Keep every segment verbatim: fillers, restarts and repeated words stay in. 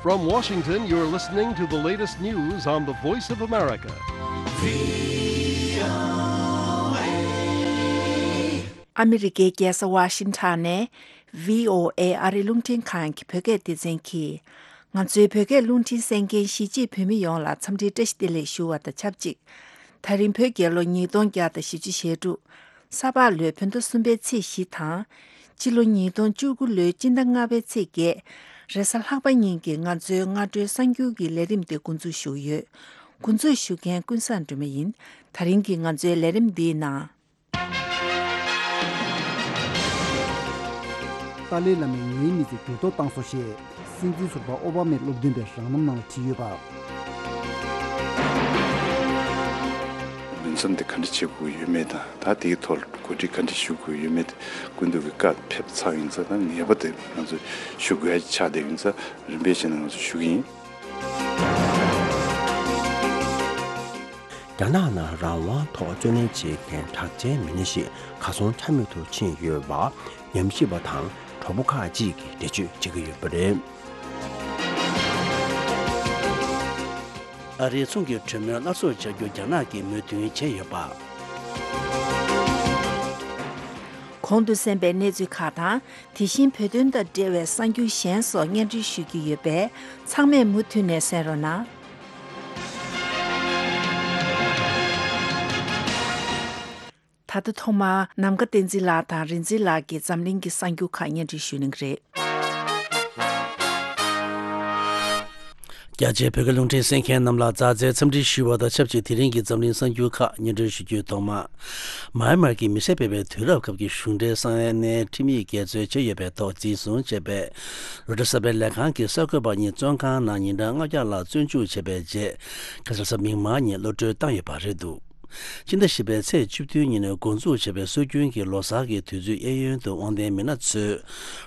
From Washington, you're listening to the latest news on the Voice of America. ཨ་མི་རི་ཀའི་རྒྱལ་ས་ཝ་ཤིང་ཊོན་ནས་བྷི་ཨོ་ཨེ་ཨ་རིའི་རླུང་འཕྲིན་ཁང་གི་བོད་སྐད་སྡེ་ཚན་གྱིས། ང་ཚོའི་བོད་སྐད་རླུང་འཕྲིན་གསན་མཁན་གཞིས་བྱེས་བོད་མི་ཡོངས་ལ་འཚམས་འདྲིའི་བཀྲ་ཤིས་བདེ་ལེགས་ཞུ་བ་དང་ཆབས་ཅིག་ད་རིང་བོད་རྒྱལ་ལོ་ཉིས་སྟོང་བརྒྱ་དང་བཞི་བཅུ་ཞེ་དྲུག་ས་ཕག་ལོའི་བོད་ཟླ་གསུམ་པའི་ཚེས་བཞི་དང་། སྤྱི་ལོ་ཉིས་སྟོང་བཅུ་དགུ་ལོའི་སྤྱི་ཟླ་ལྔ་པའི་ཚེས་བརྒྱད། རེས་གཟའ་ལྷག་པ་ཉིན་གྱི་ང་ཚོའི་སྔ་དྲོའི་གསར་འགྱུར་གྱི་ལས་རིམ་དེ་འགོ་འཛུགས་ཞུ་གི་ཡོད། འགོ་འཛུགས་ཞུ་མཁན་ཀུན་བཟང་སྒྲོལ་མ་ཡིན། ད་རིང་གི་ང་ཚོའི་ལས་རིམ་འདིའི་ནང་། ཏཱ་ལའི་བླ་མས་ངའི་མི་ཚེ་འགྱུར་ལྡོག་བཏང་སོང་ཞེས་སྲིད་འཛིན་ཟུར་པ་ཨོ་བྷ་མས་སློབ་སྟོན་པའི་རང་རྣམ་ནང་ལ་བྲིས་ཡོད་པ། ལུས་མཚམས་དེ་ག་འདྲ་བྱེད་དགོས་ཡོད་མེད་དང་། ད་དེའི་ཐོག་ལ་གོ་སྒྲིག་ག་འདྲ་ཞུ་དགོས་ཡོད་མེད་དེ་སྐུ་མདུན་གྱི་བཀའ་ཕེབས་ཚར་ཡིན་ཙང་། ད་ངེས་པར་དུ་ང་ཚོས་ཞུ་དགོས་ཡ་ཆགས་བསྡད་ཡིན་ཙང་། རིམ་པས་བྱས་ནས་ང་ཚོས་ཞུ་གི་ཡིན། རྒྱ་ནག་ནང་རང་དབང་ཐོག་རྩོད་ལེན་བྱེད་མཁན་གྲགས་ཅན་མི་སྣ་ཞིག་གར་སོང་ཆ་མེད་དུ་ཕྱིན་ཡོད་པ་ཉམས་ཞིབ་པ་དང་གྲོགས་པོ་ཁག་ཅིག་གིས་འགྲེལ་བརྗོད་བྱེད་ཀྱི་ཡོད་པ་རེད། ཨ་རིའི་ཚོང་གི་གྲོས་མོལ་སླར་གསོ་བྱ་རྒྱུ་རྒྱ་ནག་གིས་མོས་མཐུན་བྱས་ཡོད་པ། གོང་དུ་གསན་པའི་གནས་ཚུལ་ཁག་དང་། དེ་བཞིན་བོད་དོན་དང་འབྲེལ་བའི་གསར་འགྱུར་གཞན་སོགས་སྙན་སྒྲོན་ཞུ་རྒྱུ་ཡོད་པས། ཚང་མས་མུ་མཐུད་ནས་གསན་རོགས་གནང་། ད་ལྟ་ཐོག་མར་ནམ་མཁའ་བསྟན་འཛིན་ལགས་དང་རིག་འཛིན་ལགས་ཀྱིས་འཛམ་གླིང་གི་གསར་འགྱུར་ཁག་སྙན་སྒྲོན་ཞུ་གནང་གི་རེད། རྒྱ་ཆེའི་བོད་སྐད་རླུང་འཕྲིན་གསན་མཁན་རྣམས་ལ་མཛའ་བརྩེའི་འཚམས་འདྲི་ཞུ་བ་དང་ཆབས་ཅིག་དེ་རིང་གི་འཛམ་གླིང་གསར་འགྱུར་ཁག་སྙན་སྒྲོན་ཞུ་རྒྱུའི་ཐོག་མ། མཱ་ཡན་མར་གྱི་མི་སེར་སྤེལ་བའི་དུས་རབས་སྐབས་ཀྱི་གཞུང་འབྲེལ་ས་གནས་ཁྲིམས་ཡིག་འགལ་འཛོལ་བྱས་ཡོད་པའི་ཐོག་འཛིན་བཟུང་བྱས་པའི་རོའི་ཊར་གསར་པའི་ལས་ཁང་གི་གསར་འགོད་པ་གཉིས་བཙོན་ཁང་ནང་ཉིན་གྲངས་ལྔ་བརྒྱ་ལྷག་བཙོན་འཇུག་བྱས་པའི་རྗེས། ཁ་སང་གཟའ་མིག་དམར་ཉིན་གློད་གྲོལ་བཏང་ཡོད་པ་རེད་འདུག་ཕྱི་ཟླ་བཞི་པའི་ཚེས་བཅུ་བདུན་ཉིན་འགོ་འཛུགས་བྱས་པའི་སྲོལ་རྒྱུན་གྱི་ལོ་གསར་གྱི་དུས་ཚོད་གཡས་གཡོན་དུ་དབང་ལྡན་མི་སྣ་ཚོས་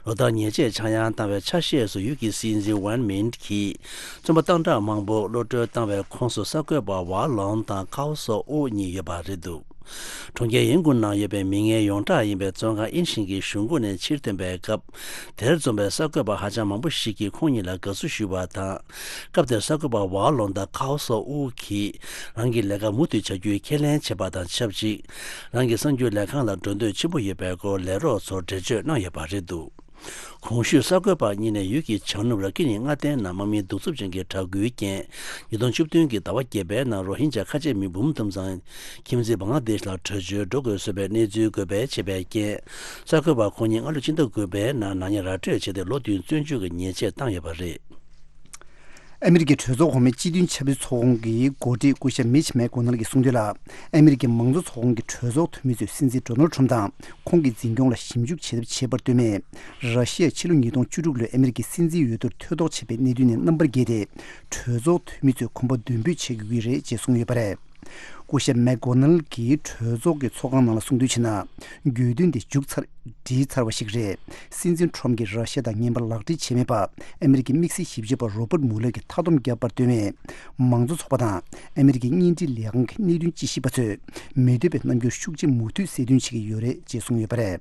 ལོ་ལྟར་ཉེས་ཆད་ཆག་ཡང་བཏང་བའི་ཆ་ཤས་སུ་ཡུལ་གྱི་སྲིད་འཛིན་ཝན་མིན་གྱིས་བཙོན་པ་སྟངས་དྲག་མང་པོ་གློད་གྲོལ་བཏང་བའི་ཁོངས་སུ་གསར་འགོད་པ་ཝ་ལོང་དང་ཁའོ་སོ་ཨུ་གཉིས་ཡོད་པ་རེད་འདུག་གྲོང་ཁྱེར་ཡིན་ཀུང་ནང་ཡོད་པའི་མི་ངན་ཡོངས་གྲགས་ཡིན་པའི་བཙོན་ཁང་ཨིན་ཤིང་གི་གཞུང་སྒོ་ནས་ཕྱིར་ཐོན་པའི་སྐབས། དེར་འཛོམས་པའི་གསར་འགོད་པ་ཧ་ཅང་མང་པོ་ཞིག་གིས་ཁོང་གཉིས་ལ་དགའ་བསུ་ཞུས་པ་དང་། སྐབས་དེར་གསར་འགོད་པ་ཝ་ལོང་དང་ཁའོ་སོ་ཨུ་གིས་རང་གི་ལས་ཀ་མུ་མཐུད་བྱ་རྒྱུའི་ཁས་ལེན་བྱས་པ་དང་ཆབས་ཅིག་རང་གི་གསར་འགྱུར་ལས་ཁང་ལ་འགྲོ་འདོད་ཆེན་པོ་ཡོད་པའི་སྐོར་ལས་རོགས་ཚོར་འགྲེལ་བརྗོད་གནང་ཡོད་པ་རེད་འདུག་གོང་ཞུས་གསར་འགོད་པ་གཉིས་ནས་ཡུལ་གྱི་བྱང་ནུབ་ར་ཀི་ནི་མངའ་སྡེའི་ནང་དམག་མིའི་གདུག་རྩུབ་ཅན་གྱི་དྲག་རྒོལ་རྐྱེན། ཉིས་སྟོང་བཅུ་བདུན་གྱི་ཟླ་བ་བརྒྱད་པའི་ནང་རོ་ཧིན་ཇཱ་ཁ་ཆེ་མི་འབུམ་ཐམ་ཚང་ཁྱིམ་མཚེས་བང་ལ་དེཤ་ལ་བྲོས་བྱོལ་འགྲོ་དགོས་བཟོས་པའི་གནས་ཚུལ་འགོད་སྤེལ་བྱས་པའི་རྐྱེན། གསར་འགོད་པ་ཁོང་གཉིས་སྔ་ལོ་ཕྱི་ཟླ་དགུ་པའི་ནང་ནག་ཉེས་ར་སྤྲོད་བྱས་ཏེ་ལོ་བདུན་བཙོན་འཇུག་གི་ཉེས་ཆད་བཏང་ཡོད་པ་རེད། ཨ་མི་རི་ཀའི་གྲོས་ཚོགས་གོང་མའི་སྤྱི་མཐུན་ཆབ་སྲིད་ཚོགས་ཁོངས་ཀྱི་འགོ་ཁྲིད་སྐུ་ཞབས་མིཆ་མེག་གོ་ནལ་གྱིས་གསུངས་དོན་ལ། ཨ་མི་རི་ཀའི་མང་གཙོ་ཚོགས་ཁོངས་ཀྱི་གྲོས་ཚོགས་འཐུས་མི་ཚོས་སྲིད་འཛིན་ཌོ་ནལ་ཁྲམ་དང་ཁོང་གི་འཛིན་སྐྱོང་ལ་ཞིབ་འཇུག་བྱེད་ཐབས་བྱས་པར་ལྟོས་མེད། ར་ཤི་ཡས་ཕྱི་ལོ་ཉིས་སྟོང་བཅུ་དྲུག་ལོའི་ཨ་མི་རི་ཀའི་སྲིད་འཛིན་འོས་བསྡུར་ཐེ་གཏོགས་བྱས་པའི་གནད་དོན་ནས་རྣམ་པར་རྒྱལ་ཏེ། གྲོས་ཚོགས་འཐུས་མི་ཚོས་གོམ་པ་མདུན་སྤོས་བྱེད་དགོས་ཀྱི་རེད་ཅེས་གསུངས་ཡོད་པ་རེད། སྐུ་ཞབས་མེག་གོ་ནལ་གྱིས་གྲོས་ཚོགས་ཀྱི་ཚོགས་ཁང་ནང་ལ་གསུངས་དོན་བྱས་ན། དགོས་འདུན་དེ་མཇུག་ཚར་བསྒྲིལ་ཚར་བ་ཞིག་རེད། སྲིད་འཛིན་ཁྲོམ་གྱིས་ར་ཤ་ཡ་དང་ངན་པ་ལག་འབྲེལ་བྱས་མེད་པ་ཨ་མི་རི་ཀའི་དམིགས་བསལ་ཞིབ་དཔྱོད་པ་རོ་པར་མུ་ལར་གྱིས་མཐའ་སྡོམ་བརྒྱབ་པར་ལྟོས་མེད། མང་གཙོ་ཚོགས་པ་དང་ཨ་མི་རི་ཀའི་བརྙན་འཕྲིན་ལས་ཁང་གི་གནད་དོན་དཔྱད་ཞིབ་པ་ཚོས་མི་འདོད་པའི་རྣམ་འགྱུར་ཤུགས་ཆེ་མུ་མཐུད་གསལ་སྟོན་བྱེད་ཀྱི་ཡོད་རེད་ཅེས་གསུངས་ཡོད་པ་རེད།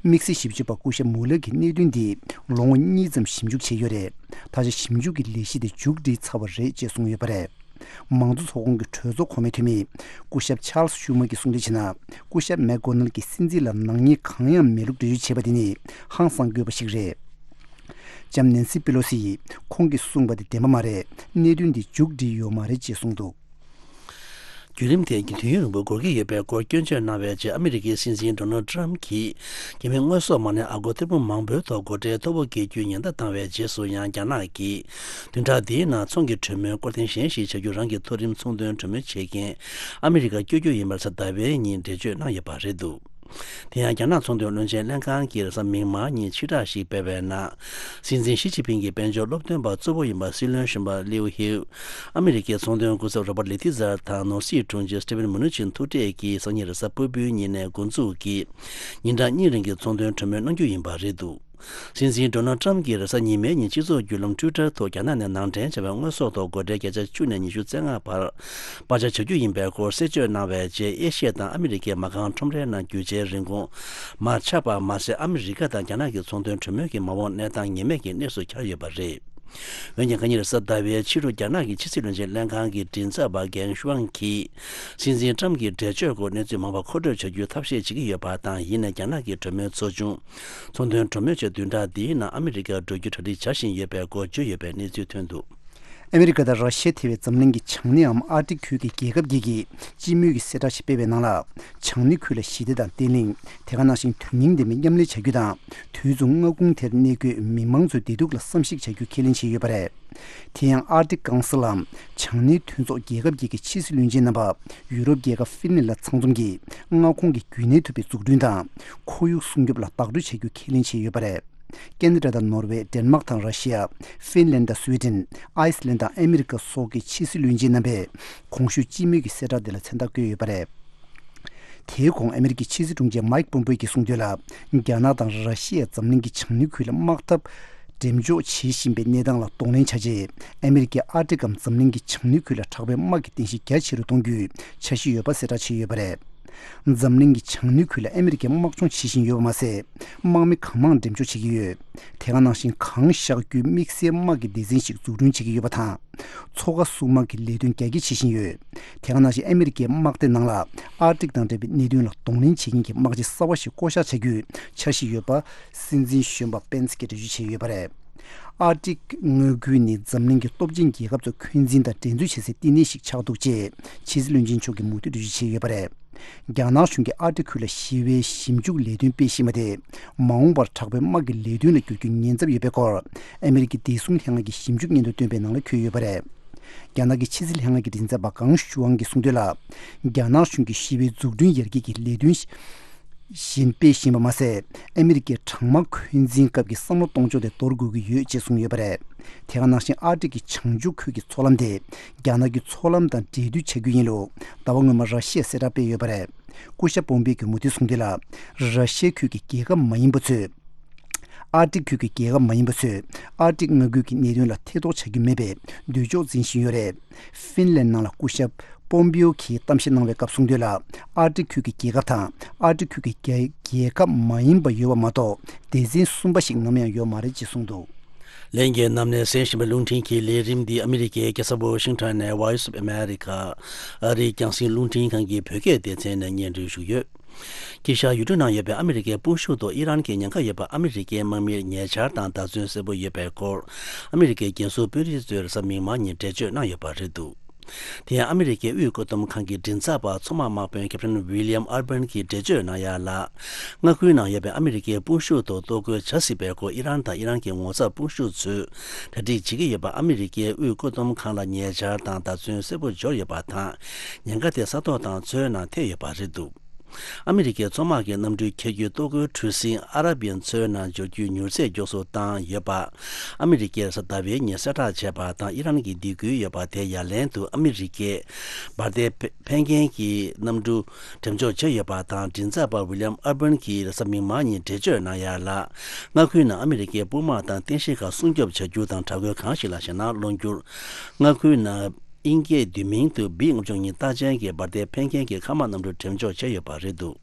དམིགས་བསལ་ཞིབ་དཔྱོད་པ་སྐུ་ཞབས་མུ་ལར་གྱིས་གནད་དོན་འདི་ལོ་ངོ་གཉིས་ཙམ་ཞིབ་འཇུག་བྱས་ཡོད་རེད། ད་ཆ་ཞིབ་འཇུག་གི་ལས་གཞི་དེ་མཇུག་སྒྲིལ་ཚར་བ་རེད་ཅེས་གསུངས་ཡོད་པ་རེད། མང་གཙོ་ཚོགས་ཁོངས་ཀྱི་གྲོས་ཚོགས་གོང་མའི་འཐུས་མི་སྐུ་ཞབས་ཆཱལ་སི་ཤུ་མར་གྱིས་གསུངས་དོན་བྱས་ན། སྐུ་ཞབས་མེག་གོ་ནལ་གྱིས་སྲིད་འཛིན་ལ་ནག་ཉེས་གང་ཡང་མེད་ལུགས་འགྲེལ་བརྗོད་བྱས་པ་དེ་ནི་ཧང་སང་དགོས་པ་ཞིག་རེད། ལྕམ་ནན་སི་པེ་ལོ་སི་ཡིས་ཁོང་གིས་གསུངས་པ་དེ་བདེན་པ་མ་རེད། གནད་དོན་འདི་མཇུག་སྒྲིལ་ཡོད་མ་རེད་ཅེས་གསུངས་འདུག་བརྒྱུད་རིམ་དེ་དུས་ཡུན་རིང་པོ་འགོར་གྱི་ཡོད་པའི་སྐོར་སྐྱོན་བརྗོད་གནང་བའི་རྗེས། ཨ་མི་རི་ཀའི་སྲིད་འཛིན་ཌོ་ནལ་ཏྲམ་གྱིས་རྒྱ་མིའི་དངོས་ཟོག་མ་ཎི་ཨ་སྒོར་ཐེར་འབུམ་མང་པོའི་ཐོག་སྒོ་ཁྲལ་མཐོ་པོ་འགེལ་རྒྱུའི་ཉེན་བརྡ་བཏང་བའི་རྗེས་སུ་ཡང་། རྒྱ་ནག་གིས་བདུན་ཕྲག་འདིའི་ནང་ཚོང་གི་གྲོས་མོལ་སྐོར་ཐེངས་གཞན་ཞིག་བྱ་རྒྱུ་རང་གི་མཐོ་རིམ་ཚོང་དོན་གྲོས་མོལ་བྱེད་མཁན་ཨ་མི་རི་ཀར་བསྐྱོད་རྒྱུ་ཡིན་པར་གཟའ་ཟླ་བའི་ཉིན་འགྲེལ་བརྗོད་གནང་ཡོད་པ་རེད་འདུག་དེ་ཡང་རྒྱ་ནག་ཚོང་དོན་བློན་ཆེན་ལྷན་ཁང་གིས་རེས་གཟའ་མིག་དམར་ཉིན་ཕྱིར་བསྒྲགས་ཤིག་སྤེལ་བའི་ནང་། སྲིད་འཛིན་ཞི་ཅིན་ཕིང་གི་དཔལ་འབྱོར་སློབ་སྟོན་པ་གཙོ་བོ་ཡིན་པ་སྲིད་བློན་གཞོན་པ་ལིའུ་ཧིའུ། ཨ་མི་རི་ཀའི་ཚོང་དོན་སྐུ་ཚབ་རོ་པར་ལི་ཐི་ཛར་དང་ནོར་སྲིད་དྲུང་ཆེ་སི་ཊི་ཝན་མུ་ནུ་ཆིན་ཐུག་འཕྲད་ཀྱིས་སང་ཉིན་རེས་གཟའ་ཕུར་བུའི་ཉིན་ནས་འགོ་འཛུགས་ཀྱིས་ཉིན་གྲངས་གཉིས་རིང་གི་ཚོང་དོན་གྲོས་མོལ་གནང་རྒྱུ་ཡིན་པ་རེད་འདུག་སྲིད་འཛིན་ཌོ་ནལ་ཏྲམ་གྱིས་རེས་གཟའ་ཉི་མའི་ཉིན་སྤྱི་ཚོགས་བརྒྱུད་ལམ་ཊུའི་ཊར་ཐོག་རྒྱ་ནག་ནས་ནང་འདྲེན་བྱས་པའི་དངོས་ཟོག་ཐོག་སྒོ་ཁྲལ་བརྒྱ་ཆ་བཅུ་ནས་ཉི་ཤུ་རྩ་ལྔ་བར་སྤར་ཆ་བྱ་རྒྱུ་ཡིན་པའི་སྐོར་གསལ་བརྗོད་གནང་བའི་རྗེས། ཨེ་ཤི་ཡ་དང་ཨ་མི་རི་ཀའི་མ་རྐང་ཁྲོམ་རའི་ནང་རྒྱུ་ཆའི་རིན་གོང་མར་ཆག་པ་མ་ཟད། ཨ་མི་རི་ཀ་དང་རྒྱ་ནག་གི་ཚོང་དོན་གྲོས་མོལ་གྱི་མ་འོངས་གནས་སྟངས་ངེས་མེད་ཀྱི་གནས་སུ་གྱར་ཡོད་པ་རེད། འོན་ཀྱང་ཁ་ཉིན་རེས་གཟའ་ཟླ་བའི་ཕྱི་དྲོ་རྒྱ་ནག་གི་ཕྱི་སྲིད་བློན་ཆེན་ལྷན་ཁང་གི་མགྲིན་ཚབ་པ་གྷེང་ཤུའང་གིས་སྲིད་འཛིན་ཀྲམ་གྱི་འགྲེལ་བརྗོད་སྐོར་གནས་ཚུལ་མང་བ་མཁོ་སྤྲོད་བྱ་རྒྱུའི་ཐབས་ཤེས་བྱེད་ཀྱི་ཡོད་པ་དང་། ཡིན་ནའི་རྒྱ་ནག་གི་གྲོས་མོལ་ཚོགས་ཆུང་ཚོང་དོན་གྲོས་མོལ་བྱས་བདུན་ཕྲག་འདིའི་ནང་ཨ་མི་རི་ཀར་འགྲོ་རྒྱུ་གྲ་སྒྲིག་བྱ་བཞིན་ཡོད་པའི་སྐོར་བརྗོད་ཡོད་པའི་གནས་ཚུལ་ཐོན་འདུག། ཨ་མི་རི་ཀ་དང་ར་ཤི་ཡ་ཐེ་བའི་འཛམ་གླིང་གི་བྱང་སྣེའམ་ཨར་ཀ་ཊིག་ཁུལ་གྱི་རྒྱལ་ཁབ་བརྒྱད་ཀྱིས་སྤྱི་མོས་ཀྱི་གསལ་བསྒྲགས་ཤིག་སྤེལ་བའི་ནང་ལ། བྱང་སྣེ་ཁུལ་ལ་ཞི་བདེ་དང་བརྟན་ལྷིང་། དེ་ག་ནང་བཞིན་དོན་སྙིང་ལྡན་པའི་མཉམ་ལས་བྱ་རྒྱུ་དང་། དུས་མཚུངས་མངའ་ཁོངས་དེར་གནས་འཁོད་མི་མང་ཚོའི་བདེ་སྡུག་ལ་བསམ་གཞིག་བྱ་རྒྱུ་ཁས་ལེན་བྱས་ཡོད་པ་རེད། དེ་ཡང་ཨར་ཀ་ཊིག་ཀའུན་སིལ་ལམ་བྱང་སྣེའི་མཐུན་ཚོགས་རྒྱལ་ཁབ་བརྒྱད་ཀྱི་ཕྱི་སྲིད་བློན་ཆེན་རྣམ་པ་ཡུ་རོབ་རྒྱལ་ཁབ་ཧྥིན་ལན་ལ་ཚང་འཛོམས་ཀྱིས་མངའ་ཁོངས་ཀྱི་རྒྱུན་གནས་ཐུབ་པའི་འཛུགས་སྐྲུན་དང་ཁོར་ཡུག་སྲུང་སྐྱོབ་ལ་བདག་སྤྲོད་བྱ་རྒྱུ་ཁས་ལེན་བྱས་ཡོད་པ་རེད། ཁེ་ན་ཌ་དང་ནོར་ཝེ། ཌེན་མཱག་དང་ར་ཤི་ཡ། ཧྥིན་ལན་དང་སུའེ་ཏེན། ཨའི་སི་ལན་དང་ཨ་མི་རི་ཀ་སོགས་ཀྱི་ཕྱི་སྲིད་བློན་ཆེན་རྣམ་པས་གོང་ཞུས་སྤྱི་མོས་ཀྱི་གསལ་བསྒྲགས་འདི་ལ་མཚན་རྟགས་བཀོད་ཡོད་པ་རེད། དེའི་གོང་ཨ་མི་རི་ཀའི་ཕྱི་སྲིད་དྲུང་ཆེ་མཱིག་པོམ་པེ་ཡོ་གིས་གསུངས་དོན་ལ། རྒྱ་ནག་དང་ར་ཤི་ཡས་འཛམ་གླིང་གི་བྱང་སྣེ་ཁུལ་ལ་དམག་འཐབ་འགྲེམས་འཇོག་བྱེད་བཞིན་པའི་གནས་སྟངས་ལ་གདོང་ལེན་བྱ་ཆེད། ཨ་མི་རི་ཀས་ཨར་ཀ་ཊིག་གམ་འཛམ་གླིང་གི་བྱང་སྣེ་ཁུལ་ལ་དྲག་པོའི་དམག་གི་རྟེན་གཞི་རྒྱ་ཆེ་རུ་གཏོང་རྒྱུའི་འཆར་གཞི་ཡོད་པ་གསལ་བསྒྲགས་བྱས་ཡོད་པ་རེད། འཛམ་གླིང་གི་བྱང་སྣེ་ཁུལ་ལ་ཨ་མི་རི་ཀས་དམག་སྦྱོང་བྱེད་བཞིན་ཡོད་པ་མ་ཟད། དམག་མི་གང་མང་འགྲེམས་འཇོག་བྱེད་ཀྱི་ཡོད། དེ་ག་ནང་བཞིན་གང་བཞག་རྒྱུའི་དམིགས་བསལ་དམག་གི་སྡེ་ཚན་ཞིག་འཛུགས་སྐྲུན་བྱེད་ཀྱི་ཡོད་པ་དང་། མཚོ་ཁ་སྲུང་དམག་གི་ལས་དོན་རྒྱ་སྐྱེད་བྱེད་བཞིན་ཡོད། དེ་ག་ནང་བཞིན་ཨ་མི་རི་ཀའི་དམག་སྡེ་ནང་ལ་ཨར་ཀ་ཊིག་དང་འབྲེལ་བའི་གནད་དོན་ལ་གདོང་ལེན་བྱེད་མཁན་གྱི་དམག་སྤྱི་གསར་བ་ཞིག་བསྐོ་གཞག་བྱ་རྒྱུའི་འཆར་གཞི་ཡོད་པ་སྲིད་འཛིན་གཞོན་པ་པེན་སི་གིས་འགྲེལ་བརྗོད་བྱས་ཡོད་པ་རེད། ཨར་ཀྲིག་མངའ་ཁུལ་ནི་འཛམ་གླིང་གི་སྟོབས་ཆེན་རྒྱལ་ཁབ་ཚོ་འཁོན་འཛིན་དང་འགྲན་རྩོད་བྱེད་སའི་བསྟི་གནས་ཤིག་ཆགས་འདུག་ཅེས་ཕྱི་སྲིད་བློན་ཆེན་མཆོག་གིས་མུ་མཐུད་འགྲེལ་བརྗོད་བྱས་ཡོད་པ་རེད། རྒྱ་ནག་གཞུང་གིས་ཨར་ཀྲིག་ཁུལ་ལ་ཞི་བའི་ཞིབ་འཇུག་ལས་དོན་སྤེལ་བཞིན་པ་དེ། མ་འོངས་པར་དྲག་པོའི་དམག་གི་ལས་དོན་ལ་འགྱུར་རྒྱུའི་ཉེན་ཚབས་ཡོད་པའི་སྐོར། ཨ་མི་རི་ཀའི་བདེ་སྲུང་ལྷན་ཁང་གིས་ཞིབ་འཇུག་སྙན་ཐོ་བཏོན་པའི་ནང་ལ་འཁོད་ཡོད་པ་རེད། རྒྱ་ནག་གི་ཕྱི་སྲིད་ལྷན་ཁང་གི་མགྲིན་ཚབ་པ་ཀང་ཞུའང་གིས་གསུངས་དོན་ལ། རྒྱ་ནག་གཞུང་གིས་ཞི་བའི་འཛུགས་སྐྲུན་ཡར་རྒྱས་ཀྱི་ལས་དོན་བཞིན་སྤེལ་བཞིན་པ་མ་ཟད། ཨ་མི་རི་ཀའི་གྲང་དམག་འཁོན་འཛིན་སྐབས་ཀྱི་བསམ་བློ་གཏོང་ཕྱོགས་དེ་འདོར་དགོས་ཀྱི་ཡོད་ཅེས་གསུངས་ཡོད་པ་རེད། དེ་ག་ནང་བཞིན་ཨར་ཀ་ཊིག་གི་བྱང་ཕྱོགས་ཁུལ་གྱི་མཚོ་ལམ་དེ་རྒྱ་ནག་གི་མཚོ་ལམ་དང་འབྲེལ་མཐུད་བྱ་རྒྱུ་ཡིན་ལུགས་ཟླ་བ་སྔོན་མ་ར་ཤི་ཡས་གསལ་བསྒྲགས་སྤེལ་ཡོད་པ་རེད། སྐུ་ཞབས་པོམ་པེ་ཡོས་མུ་མཐུད་གསུངས་དོན་ལ། ར་ཤི་ཡ་ཁུལ་གྱི་རྒྱལ་ཁབ་མ་ཡིན་པ་ཚོས། ཨར་ཀྲིག་ཁུལ་གྱི་རྒྱལ་ཁབ་མ་ཡིན་པ་ཚོས་ཨར་ཀྲིག་མངའ་ཁུལ་གྱི་གནད་དོན་ལ་ཐེ་གཏོགས་བྱ་རྒྱུ་མེད་པའི་འདོད་ཕྱོགས་འཛིན་བཞིན་ཡོད་རེད། ཧྥིན་ལན་ནང་ལ་སྐུ་ཞབས་པོམ་པེ་ཡོ་གིས་གཏམ་བཤད་གནང་བའི་སྐབས་གསུངས་དོན་ལ། ཨར་ཀྲིག་ཁུལ་གྱི་རྒྱལ་ཁབ་དང་ཨར་ཀྲིག་ཁུལ་གྱི་རྒྱལ་རྒྱལ་ཁབ་མ་ཡིན་པ་ཡོད་པ་མ་གཏོགས་སྡེ་ཚན་གསུམ་པ་ཞིག་ནམ་ཡང་ཡོད་མ་རེད་ཅེས་གསུངས་འདུག། ལྷན་རྒྱས་རྣམས་ནས་གསན་བཞིན་པའི་རླུང་འཕྲིན་གྱི་ལས་རིམ་འདི་ཨ་མི་རི་ཀའི་རྒྱལ་ས་ཝོ་ཤིང་ཊོན་ནས་Voice of America ཨ་རིའི་རྒྱང་སྲིང་རླུང་འཕྲིན་ཁང་གི་བོད་སྐད་སྡེ་ཚན་ནས་སྙན་སྒྲོན་ཞུས་ཡོད། དཀྱིལ་ཤར་ཡུལ་གྲུ་ནང་ཡོད་པའི་ཨ་མི་རི་ཀའི་དཔུང་ཤུགས་ཐོག་ཨི་རན་གྱི་ཉེན་ཁ་ཡོད་པ་ཨ་མི་རི་ཀའི་དམག་མིར་ཉེ་ཆར་དང་བརྡ་མཚོན་གསལ་པོ་ཡོད་པའི་སྐོར། ཨ་མི་རི་ཀའི་རྒྱལ་སྲུང་དཔོན་རིགས་ཚོས་རེས་གཟའ་མིག་དམར་ཉིན་འགྲེལ་བརྗོད་གནང་ཡོད་པ་རེད་འདུག། དེ་ཡང་ཨ་མི་རི་ཀའི་དབུས་བཀོད་འདོམས་ཁང་གི་མགྲིན་ཚབ་པ་མཚོ་དམག་དམག་དཔོན་ཁེབ་ཊན་ཝི་ལི་ཡམ་ཨར་བན་གྱིས་འགྲེལ་བརྗོད་གནང་ཡ་ལ། མངའ་ཁུལ་ནང་ཡོད་པའི་ཨ་མི་རི་ཀའི་དཔུང་ཤུགས་ཐོག་གཏོར་རྒོལ་བྱ་སྲིད་པའི་སྐོར་ཨི་རན་དང་ཨི་རན་གྱི་ངོ་ཚབ་དཔུང་ཤུགས་ཚོས་གྲ་སྒྲིག་བྱེད་ཀྱི་ཡོད་པ་ཨ་མི་རི་ཀའི་དབུས་བཀོད་འདོམས་ཁང་ལ་ཉེ་ཆར་དང་བརྡ་མཚོན་གསལ་པོ་འབྱོར་ཡོད་པ་དང་། ཉེན་ཁ་དེ་ས་ཐོག་དང་མཚོའི་ནང་ཐེབས་ཡོད་པ་རེད་འདུག། ཨ་མི་རི་ཀའི་མཚོ་དམག་གི་གནམ་གྲུའི་ཁྱད་རྒྱུད་གཏོར་རྒོལ་གྲུ་གཟིངས་ཨ་ར་བི་ཡན་མཚོའི་ནང་འབྱོར་རྒྱུའི་མྱུར་ཚད་མགྱོགས་སུ་བཏང་ཡོད་པ། ཨ་མི་རི་ཀས་གཟའ་ཟླ་བའི་ཉིན་གསལ་བསྒྲགས་བྱས་པ་དང་ཨི་རན་གྱིས་འདེད་སྐུལ་ཡོད་པ་དེ་ཡ་ལན་དུ་ཨ་མི་རི་ཀས་འབར་མདེལ་འཕེན་མཁན་གྱི་གནམ་གྲུ་འགྲེམས་འཇོག་བྱས་ཡོད་པ་དང་། མགྲིན་ཚབ་པ་ཝི་ལི་ཡམ་ཨར་བན་གྱིས་རེས་གཟའ་མིག་དམར་ཉིན་འགྲེལ་བརྗོད་གནང་ཡ་ལ། མངའ་ཁུལ་ནང་ཨ་མི་རི་ཀའི་དཔུང་དམག་དང་རྟེན་གཞི་ཁག་སྲུང་སྐྱོབ་བྱ་རྒྱུ་དང་དྲག་རྒོལ་གང་ཞིག་ལ་ཞེད་སྣང་སློང་རྒྱུར། མངའ་ཁུལ་ནང་དབྱིན་སྐད་བསྡུས་མིང་དུ་བི་ལྔ་བཅུ་ང་གཉིས་རྟགས་ཅན་གྱི་འབར་མདེལ་འཕེན་མཁན་གྱི་མཁའ་དམག་གནམ་གྲུ་འགྲེམས་འཇོག་བྱས་ཡོད་པ་རེད་འདུག།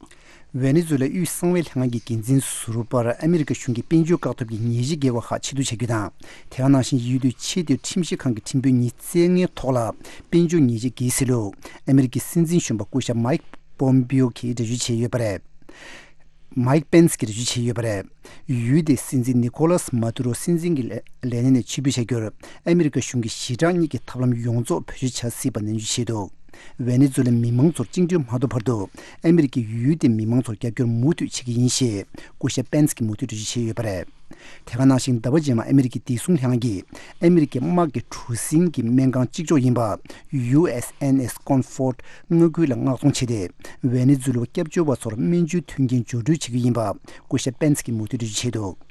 ཝེ་ནེ་ཛུ་ལའི་དབུས་གསང་བའི་ལྷན་ཁང་གི་འགན་འཛིན་ཟུར་པར་ཨ་མི་རི་ཀ་གཞུང་གིས་དཔལ་འབྱོར་བཀག་སྡོམ་གྱི་ཉེས་ཆད་འགེལ་བ་ཁག་ཕྱིར་བསྡུ་བྱ་རྒྱུ་དང་། དེ་ག་ནང་བཞིན་ཡུལ་དུ་ཆེས་མཐོའི་ཁྲིམས་ཞིབ་ཁང་གི་ཁྲིམས་དཔོན་ཉིས་བཙལ་མཁན་ཐོག་ལ་དཔལ་འབྱོར་ཉེས་ཆད་འགེལ་སྲིད་ལུགས་ཨ་མི་རི་ཀའི་སྲིད་འཛིན་གཞོན་པ་སྐུ་ཞབས་མའིག་པོམ་པིའོ་གིས་འགྲེལ་བརྗོད་བྱས་ཡོད་པ་རེད། མའིག་པེན་སི་གིས་འགྲེལ་བརྗོད་བྱས་ཡོད་པ་རེད། ཡུལ་དེའི་སྲིད་འཛིན་ནི་ཀོ་ལཱས་མཱ་ཏུ་རོ་སྲིད་འཛིན་གྱི་ལས་ལས་གནས་ནས་ཕྱིར་འབུད་བྱ་རྒྱུར་ཨ་མི་རི་ཀ་གཞུང་གིས་ཞི་དྲག་གཉིས་ཀྱི་ཐབས་ལམ་ཡོངས་རྫོགས་བེད་སྤྱོད་བྱ་སྲིད་པ་ནན་བརྗོད་བྱས་འདུག། ཝེ་ནེ་ཛུ་ལའི་མི་མང་ཚོར་བཅིངས་འགྲོལ་མ་ཐོབ་བར་དུ་ཨ་མི་རི་ཀས་ཡུལ་དེའི་མི་མང་ཚོར་རྒྱབ་སྐྱོར་མུ་མཐུད་བྱེད་ཀྱི་ཡིན་ཞེས་སྐུ་ཞབས་པེན་སི་གིས་མུ་མཐུད་འགྲེལ་བརྗོད་བྱས་ཡོད་པ་རེད། དེ་ག་ནང་བཞིན་ཟླ་བ་རྗེས་མ་ཨ་མི་རི་ཀའི་བདེ་སྲུང་ལྷན་ཁང་གིས་ཨ་མི་རི་ཀའི་དམག་གི་གྲུ་གཟིངས་ཀྱི་སྨན་ཁང་གཅིག་ལྕོགས་ཡིན་པ་ཡུ་ཨེས་ཨེན་ཨེས་ཀོན་ཧྥོར་ཌི་མངའ་ཁུལ་ལ་མངགས་གཏོང་བྱས་ཏེ། ཝེ་ནེ་ཛུ་ལའི་སྐྱབས་བཅོལ་བ་ཚོར་སྨན་བཅོས་མཐུན་རྐྱེན་སྦྱོར་སྤྲོད་བྱེད་ཀྱི་ཡིན་པ་སྐུ་ཞབས་པེན་སི་གིས་མུ་མཐུད་འགྲེལ་བརྗོད་བྱས་འདུག།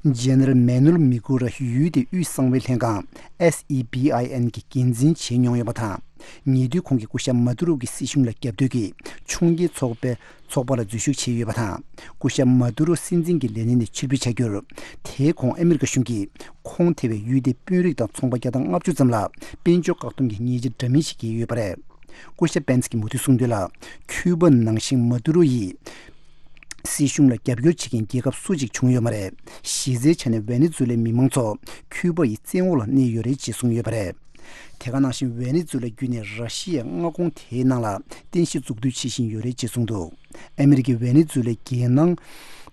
ཇེ་ནེ་རལ་མེ་ནུལ་མི་གུ་ར་ཡུལ་དེའི་དབུས་གསང་བའི་ལྷན་ཁང་ཨེས་ཨི་བི་ཨའི་ཨེན་གྱི་འགན་འཛིན་བྱས་མྱོང་ཡོད་པ་དང་། ཉེ་དུས་ཁོང་གིས་སྐུ་ཞབས་མཱ་ཏུ་རོ་གི་སྲིད་གཞུང་ལ་རྒྱབ་གཏོད་ཀྱིས་ཕྱོགས་འགལ་ཚོགས་པའི་ཚོགས་པ་ལ་འཛུལ་ཞུགས་བྱས་ཡོད་པ་དང་། སྐུ་ཞབས་མཱ་ཏུ་རོ་སྲིད་འཛིན་གྱི་ལས་གནས་ནས་ཕྱིར་འབུད་བྱ་རྒྱུར། དེའི་གོང་ཨ་མི་རི་ཀ་གཞུང་གིས་ཁོང་ཐེ་བའི་ཡུལ་དེའི་དཔོན་རིགས་དང་ཚོང་པ་བརྒྱ་དང་ལྔ་བཅུ་ཙམ་ལ་དཔལ་འབྱོར་བཀག་སྡོམ་གྱི་ཉེས་ཆད་འདྲ་མིན་ཞིག་བཀལ་ཡོད་པ་རེད། སྐུ་ཞབས་པེན་སི་གིས་མུ་མཐུད་གསུངས་དོན་ལ། ཁྱུ་པ་ནང་བཞིན་མཱ་ཏུ་རོ་ཡིས། སྲིད་གཞུང་ལ་རྒྱབ་སྐྱོར་བྱེད་མཁན་རྒྱལ་ཁབ་སུ་གཅིག་བྱུང་ཡོད་མ་རེད། གཞི་རྩའི་ཆ་ནས་ཝེ་ནེ་ཛུ་ལའི་མི་མང་ཚོ་ཁྱུ་པ་ཡི་བཙན་འོག་ལ་གནས་ཡོད་རེད་ཅེས་གསུངས་ཡོད་པ་རེད། དེ་ག་ནང་བཞིན་ཝེ་ནེ་ཛུ་ལ་བརྒྱུད་ནས་ར་ཤི་ཡའི་མངའ་ཁོངས་དེའི་ནང་ལ་རྟེན་གཞི་འཛུགས་གཏོད་བྱེད་བཞིན་ཡོད་རེད་ཅེས་གསུངས་འདུག་ཨ་མི་རི་ཀས་ཝེ་ནེ་ཛུ་ལའི་རྒྱལ་ནང་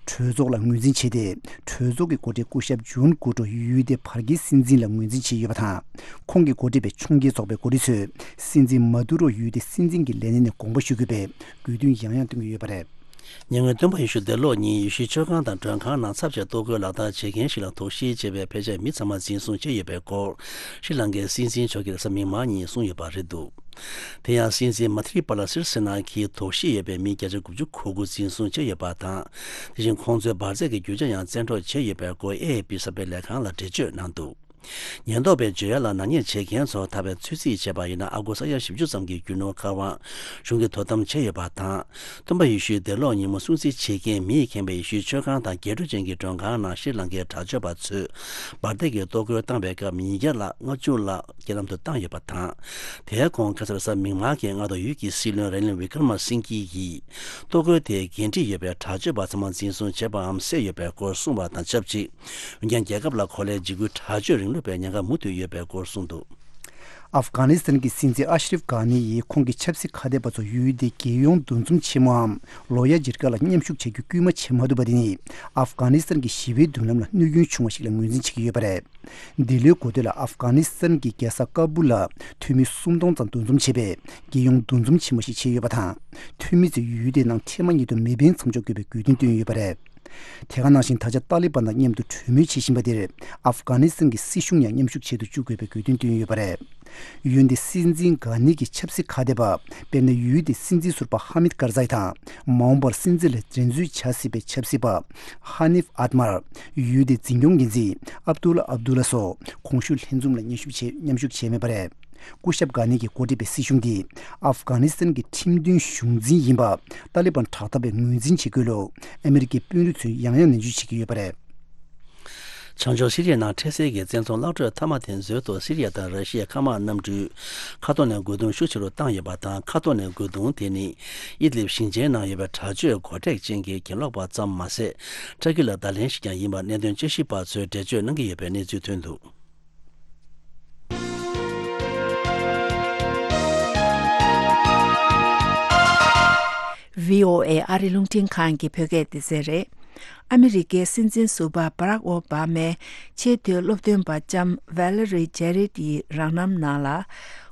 གྲོས་ཚོགས་ལ་ངོས་འཛིན་བྱས་ཏེ། གྲོས་ཚོགས་ཀྱི་འགོ་ཁྲིད་སྐུ་ཞབས་ཇུན་གུ་ཏྲོ་ཡུལ་དེའི་བར་བརྒལ་སྲིད་འཛིན་ལ་ངོས་འཛིན་བྱས་ཡོད་པ་དང་། ཁོང་གི་འགོ་ཁྲིད་པའི་ཕྱོགས་འགལ་ཚོགས་པའི་འགོ་ཁྲིད་ཚོས་སྲིད་འཛིན་མ་དུ་རོ་ཡུལ་དེའི་སྲིད་འཛིན་གྱི་ལས་གནས་ནས་དགོངས་པ་ཞུ་དགོས་པའི་དགོས་འདུན་ཡང་ཡང་བཏོན་གྱི་ཡོད་པ་རེད། ཉེ་སྔོན་སྟོན་པ་ཡེ་ཤུའི་འདས་ལོག་ཉིན་ཡེ་ཤུའི་མཆོད་ཁང་དང་མགྲོན་ཁང་ནང་ཚབ་བྱས་གཏོར་རྒོལ་ལག་བསྟར་བྱེད་མཁན་ཞིག་ལ་དོགས་གཞི་བྱས་པའི་ཕལ་ཆེར་མི་ཚང་མ་འཛིན་བཟུང་བྱས་ཡོད་པའི་སྐོར་ཤྲི་ལང་ཀའི་སྲིད་འཛིན་མཆོག་གིས་རེས་གཟའ་མིག་དམར་ཉིན་གསུངས་ཡོད་པ་རེད་འདུག་དེ་ཡང་སྲིད་འཛིན་མ་ཐི་རི་པ་ལ་སིར་སེ་ན་གྱིས་དོགས་གཞི་ཡོད་པའི་མི་བརྒྱ་ཆ་དགུ་བཅུ་གོ་དགུ་འཛིན་བཟུང་བྱས་ཡོད་པ་དང་། དེ་བཞིན་ཁོང་ཚོའི་འབར་རྫས་ཀྱི་རྒྱུ་ཆ་ཡང་བཙན་འཕྲོག་བྱས་ཡོད་པའི་སྐོར་ཨེ་ཨེ་པི་གསར་སྤེལ་ལས་ཁང་ལ་འགྲེལ་བརྗོད་གནང་འདུག་ཉེན་རྟོག་པས་བརྗོད་ཡ་ལ་ནག་ཉེས་བྱེད་མཁན་ཚོ་ཐར་བའི་ཚོད་རྩིས་བྱས་པ་ཡིན་ན། ཨ་སྒོར་ས་ཡ་བཞི་བཅུ་ཙམ་གྱི་རྒྱུ་ནོར་འཁར་དབང་གཞུང་གིས་དོ་དམ་བྱས་ཡོད་པ་དང་། སྟོན་པ་ཡེ་ཤུའི་འདས་ལོག་ཉིན་མོ་སྲུང་བརྩི་བྱེད་མཁན་མིས་ཁེངས་པའི་ཡེ་ཤུའི་མཆོད་ཁང་དང་རྒྱས་སྤྲོས་ཅན་གྱི་མགྲོན་ཁང་ནང་ཤྲི་ལང་ཀའི་དྲག་སྤྱོད་པ་ཚོས་འབར་མདེལ་གྱིས་གཏོར་རྒོལ་བཏང་བའི་སྐབས་ཉིས་བརྒྱ་ལ་ལྔ་བཅུ་ལ་རྐྱེན་ལམ་དུ་བཏང་ཡོད་པ་དང་། དེའི་གོང་ཁ་སང་རེས་གཟའ་མིག་དམར་གྱི་སྔ་དྲོ་ཡུལ་གྱི་སྲིད་བློན་ར་ནིལ་ཝི་ཀར་མ་སིང་གྷི་ཡིས་གཏོར་རྒོལ་དེའི་འགན་འཁྲི་ཡོད་པའི་དྲག་སྤྱོད་པ་ཚང་མ་འཛིན་བཟུང་བྱས་པའམ་བསད་ཡོད་པའི་སྐོར་གསུངས་པ་དང་ཆབས་ཅིག་འོན་ཀྱང་རྒྱལ་ཁབ་ལ་གོ་ལའི་འཇིགས་སྐུལ་དྲག་སྤྱོད་རིང་ལུགས་པའི་ཉེན་ཁ་མུ་མཐུད་ཡོད་པའི་སྐོར་གསུངས་འདུག་ཨབ་གྷ་ནི་སི་ཐན་གྱི་སྲིད་འཛིན་ཨ་ཤ་རིབ་གྷ་ནི་ཡིས་ཁོང་གི་ཆབ་སྲིད་ཁ་གཏད་པ་ཚོ་ཡུལ་དེའི་རྒྱལ་ཡོངས་འདུ་འཛོམས་ཆེན་མོའམ་ལོ་ཡ་ཇིར་ཀ་ལ་མཉམ་ཞུགས་བྱ་རྒྱུ་སྐུལ་མ་བྱེད་མ་ཐུབ་པ་དེ་ནི་ཨབ་གྷ་ནི་སི་ཐན་གྱི་ཞི་བའི་མདུན་ལམ་ལ་གནོད་སྐྱོན་བྱུང་བ་ཞིག་ལ་ངོས་འཛིན་བྱེད་ཀྱི་ཡོད་པ་རེད། འདི་ལོའི་འགོ་སྟོད་ལ་ཨབ་གྷ་ནི་སི་ཐན་གྱི་རྒྱལ་ས་ཀ་སྦུལ་ལ་འཐུས་མི་སུམ་སྟོང་ཙམ་འདུ་འཛོམས་བྱས་པའི་རྒྱལ་ཡོངས་འདུ་འཛོམས་ཆེན་མོ་ཞིག་བྱས་ཡོད་པ་དང་། འཐུས་མི་ཚོས་ཡུལ་དེའི་ནང་འཕྲལ་མ་ཉིད་དུ་མེ་འཕེན་མཚམས་འཇོག་དགོས་པའི་དགོས་འདུན་བཏོན་ཡོད་པ་རེད། དེ་ག་ནང་བཞིན་ད་ཆ་ཏཱ་ལི་བན་དང་མཉམ་དུ་གྲོས་མོལ་བྱེད་བཞིན་པ་དེར་ཨབ་གྷ་ནི་སི་ཐན་གྱི་སྲིད་གཞུང་ཡང་མཉམ་ཞུགས་བྱེད་དུ་བཅུག་དགོས་པའི་དགོས་འདུན་བཏོན་ཡོད་པ་རེད། ཡུལ་འདི་སྲིད་འཛིན་གྷ་ནི་གི་ཆབ་སྲིད་ཁ་གཏད་པ། དཔེར་ན་ཡུལ་འདི་སྲིད་འཛིན་ཟུར་པ་ཧ་མིད་ཀར་ཛའི་དང་། མ་འོངས་པར་སྲིད་འཛིན་ལ་འགྲན་རྩོད་བྱ་སྲིད་པའི་ཆབ་སྲིད་པ་ཧ་ནིབ་ཨད་མར། ཡུལ་དེའི་འཛིན་སྐྱོང་འགན་འཛིན་ཨབ་ཏུ་ལ་ཨབ་ཏུ་ལ་སོགས་གོང་ཞུས་ལྷན་འཛོམས་ལ་མཉམ་ཞུགས་བྱས་མཉམ་ཞུགས་བྱས་མེད་པ་རེད། སྐུ་ཞབས་གྷ་ནི་གིས་འགོ་ཁྲིད་པའི་སྲིད་གཞུང་འདི་ཨབ་གྷ་ནི་སི་ཐན་གྱི་ཁྲིམས་མཐུན་གཞུང་འཛིན་ཡིན་པ་ཏཱ་ལི་བན་དྲག་འཐབ་པས་ངོས་འཛིན་བྱེད་དགོས་ལུགས་ཨ་མི་རི་ཀའི་དཔོན་རིགས་ཚོས་ཡང་ཡང་ནན་བརྗོད་བྱེད་ཀྱི་ཡོད་པ་རེད། བྱང་ཕྱོགས་སི་རི་ཡའི་ནང་འཕྲལ་སེལ་གྱི་བཙན་རྫོང་གློད་གྲོལ་མཐའ་མ་དེ་མཛོད་དུ་སི་རི་ཡ་དང་ར་ཤི་ཡའི་མཁའ་དམག་གནམ་གྲུས་མཁའ་ཐོག་ནས་རྒོལ་རྡུང་ཤུགས་ཆེ་རུ་བཏང་ཡོད་པ་དང་། མཁའ་ཐོག་ནས་རྒོལ་རྡུང་དེ་ནི་ཨི་དི་ལིབ་ཞིང་ཆེན་ནང་ཡོད་པའི་དྲག་སྤྱོད་མགོ་མཁྲེགས་ཅན་གྱི་གྱེན་ལོག་པ་ཙམ་མ་ཟད། ཊར་ཀི་ལ་བརྡ་ལན་ཞིག་ཀྱང་ཡིན་པ་གནད་དོན་དཔྱད་ཞིབ་པ་ཚོས་འགྲེལ་བརྗོད་གནང་གི་ཡོད་པའི་གནས་ཚུལ་ཐོན་འདུག་བྷི་ཨོ་ཨེ་ཨ་རི་རླུང་འཕྲིན་ཁང་གི་བོད་སྐད་སྡེ་ཚན་རེད། ཨ་མི་རི་ཀའི་སྲིད་འཛིན་ཟུར་པ་བྷ་རག་ཨོ་བྷ་མའི་ཆེས་མཐོའི་སློབ་སྟོན་པ་ལྕམ་ཝེ་ལེ་རི་ཇེ་རིད་ཡི་རང་རྣམ་ནང་ལ།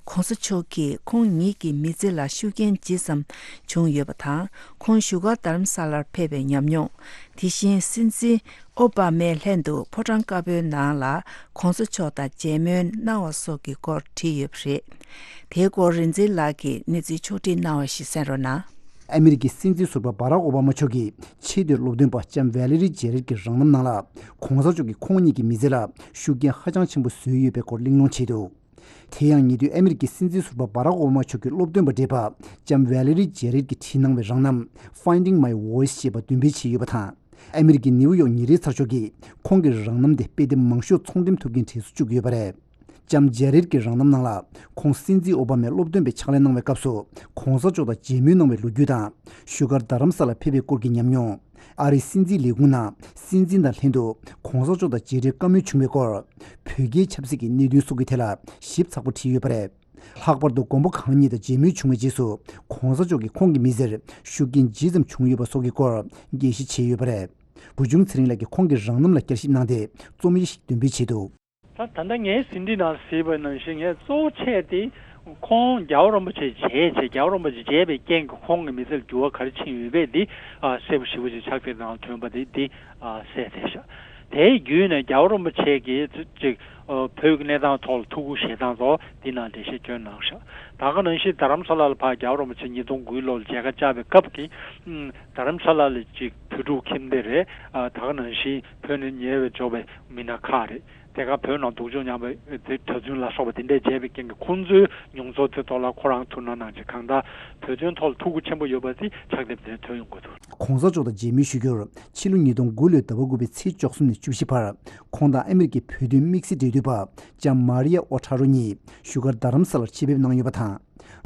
ྋགོང་ས་མཆོག་གིས་ཁོང་ཉིད་ཀྱི་མི་ཚེ་ལ་ཤུགས་རྐྱེན་ཇི་ཙམ་བྱུང་ཡོད་པ་དང་། ཁོང་བཞུགས་སྒར་རྡ་རམ་ས་ལར་ཕེབས་པའི་ཉམས་མྱོང་། དེ་བཞིན་སྲིད་འཛིན་ཨོ་བྷ་མས་ལྷན་དུ་ཕོ་བྲང་དཀར་པོའི་ནང་ལ་ྋགོང་ས་མཆོག་དང་མཇལ་མོལ་གནང་བ་སོགས་ཀྱི་སྐོར་བྲིས་ཡོད་པ་རེད། དེའི་སྐོར་རིག་འཛིན་ལགས་ཀྱིས་གནས་ཚུལ་ཕྱོགས་བསྒྲིགས་གནང་བ་ཞིག་གསན་རོགས་གནང་། ཨ་མི་རི་ཀའི་སྲིད་འཛིན་ཟུར་པ་བྷ་རག་ཨོ་བྷ་མ་མཆོག་གི་ཆེས་མཐོའི་སློབ་སྟོན་པ་ལྕམ་ཝེ་ལེ་རི་ཇེ་རིད་ཀྱི་རང་རྣམ་ནང་ལ་ྋགོང་ས་མཆོག་གིས་ཁོང་ཉིད་ཀྱི་མི་ཚེ་ལ་ཤུགས་རྐྱེན་ཧ་ཅང་ཆེན་པོ་བཟོས་ཡོད་པའི་སྐོར་གླེང་སློང་བྱས་འདུག་དེ་ཡང་ཉེ་དུས་ཨ་མི་རི་ཀའི་སྲིད་འཛིན་ཟུར་པ་བྷ་རག་ཨོ་བྷ་མ་མཆོག་གི་སློབ་སྟོན་པ་བགྲེས་པ་ལྕམ་ཝེ་ལེ་རི་ཇེ་རིད་ཀྱིས་བྲིས་གནང་བའི་རང་རྣམ་Finding My Voice ཞེས་པ་འདོན་སྤེལ་བྱས་ཡོད་པ་དང་། ཨ་མི་རི་ཀའི་ནིའུ་ཡོག་ཉིན་རེའི་ཚགས་ཤོག་གིས་ཁོང་གི་རང་རྣམ་དེ་དཔེ་དེབ་མང་ཤོས་ཚོང་འགྲེམས་ཐུབ་མཁན་གྲས་སུ་བཅུག་ཡོད་པ་རེད། ལྕམ་ཇེ་རིད་ཀྱི་རང་རྣམ་ནང་ལ་ཁོང་སྲིད་འཛིན་ཨོ་བྷ་མའི་སློབ་སྟོན་པའི་ཕྱག་ལས་གནང་བའི་སྐབས་སུ་ྋགོང་ས་མཆོག་དང་མཇལ་མོལ་གནང་བའི་ལོ་རྒྱུས་དང་། བཞུགས་སྒར་རྡ་རམ་ས་ལར་ཕེབས་པའི་སྐོར་གྱི་ཉམས་མྱོང་། ཨ་རིའི་སྲིད་འཛིན་ལས་ཁུངས་ནང་སྲིད་འཛིན་དང་ལྷན་དུ་ྋགོང་ས་མཆོག་དང་མཇལ་འཕྲད་བཀའ་མོལ་བྱུང་བའི་སྐོར། བོད་རྒྱའི་ཆབ་སྲིད་ཀྱི་གནད་དོན་སོགས་ཀྱི་ཐད་ལ་ཞིབ་ཚགས་པོ་བྲིས་ཡོད་པ་རེད། ལྷག་པར་དུ་མགོན་པོ་གང་ཉིད་དང་མཇལ་མོལ་བྱུང་བའི་རྗེས་སུ་ྋགོང་ས་མཆོག་གིས་ཁོང་གི་མི་ཚེར་ཤུགས་རྐྱེན་ཇི་ཙམ་བྱུང་ཡོད་པ་སོགས་ཀྱི་སྐོར་འགྲེལ་བཤད་བྱས་ཡོད་པ་རེད། བུ་ཆུང་ཚེ་རིང་ལགས་ཀྱིས་ཁོང་གི་རང་རྣམ་ལ་བསྐྱར་ཞིབ་གནང་སྟེ་རྩོམ་ཡིག་ཞིག་འདོན་སྤེལ་བྱས་འདུག་ད་ད་ལྟ་ངའི་ཟིན་བྲིས་ནང་གཟིགས་པ་ནང་བཞིན་ངས་གཙོ་བོ་ཆེ་དེ་ཁོང་རྒྱལ་བ་རིན་པོ་ཆེ་མཇལ་བྱས། རྒྱལ་བ་རིན་པོ་ཆེ་མཇལ་བའི་རྐྱེན་གྱིས་ཁོང་གི་མི་ཚེར་འགྱུར་བ་ག་རེ་ཕྱིན་ཡོད་པས་འདི་ཨ་གསལ་པོ་ཞེ་པོ་ཅིག་ཕྱག་དེབ་ནང་ཐོན་པ་དེ་འདི་ཨ་གསལ་བསྡད་ཤག་དེའི་བརྒྱུད་ནས་རྒྱལ་བ་རིན་པོ་ཆེ་གིས་ཅིག་ཨ་བོད་ཀྱི་གནས་སྟངས་ཐོག་ལ་ཐུགས་ཁུར་བཞེས་སྟངས་སོགས་འདི་ནང་འགྲེལ་བཤད་བསྐྱོན་གནང་ཤག་ད་ག་ནང་བཞིན་རྡ་རམ་ས་ལ་ལ་ཕར་རྒྱལ་བ་རིན་པོ་ཆེ་ཉིས་སྟོང་དགུའི་ལོར་མཇལ་ཁ་བཅར་བའི་སྐབས་ཀྱི་ཨ་རྡ་རམ་ས་ལ་ལ་ཅིག་བོད་ཕྲུག་ཁྱིམ་སྡེ་རེད། ཨ་ད་ག་ནང་བཞིན་བོད་ནས་ཉེ་བའི་འབྱོར་བའི་མི་སྣ་ཁག་རེད། དེ་ག་བོད་ནང་སྡུག་སྦྱོང་མྱངས་པའི་དེ་གྲྭ་བཙུན་ལ་སོགས་པ་དེ་འདྲས་མཇལ་བའི་རྐྱེན་གྱིས་ཁོང་ཚོའི་མྱོང་ཚོར་དེ་ཐོག་ལ་ཁོ་རང་ཐུགས་སྣང་གནང་རྗེས་གང་ལྟར་བོད་དོན་ཐོག་ལ་ཐུགས་ཁུར་ཆེན་པོ་ཡོད་པ་དེ་ཕྱག་དེབ་དེར་ཐོན་ཡོང་གི་འདུག ྋགོང་ས་མཆོག་དང་མཇལ་མོལ་ཞུ་རྒྱུར་ཕྱི་ལོ་ཉིས་སྟོང་དགུ་ལོའི་ཟླ་བ་དགུ་པའི་ཚེས་བཅུ་གསུམ་ནས་བཅུ་བཞི་བར་ཁོང་དང་ཨ་མི་རི་ཀའི་བོད་དོན་དམིགས་བསལ་འབྲེལ་ འོས་པ་ལྕམ་མཱ་རི་ཡ་ཨོ་ཁྲ་རོ་གཉིས་བཞུགས་སྒར་རྡ་རམ་ས་ལར་ཆེད་ཕེབས་གནང་ཡོད་པ་དང་།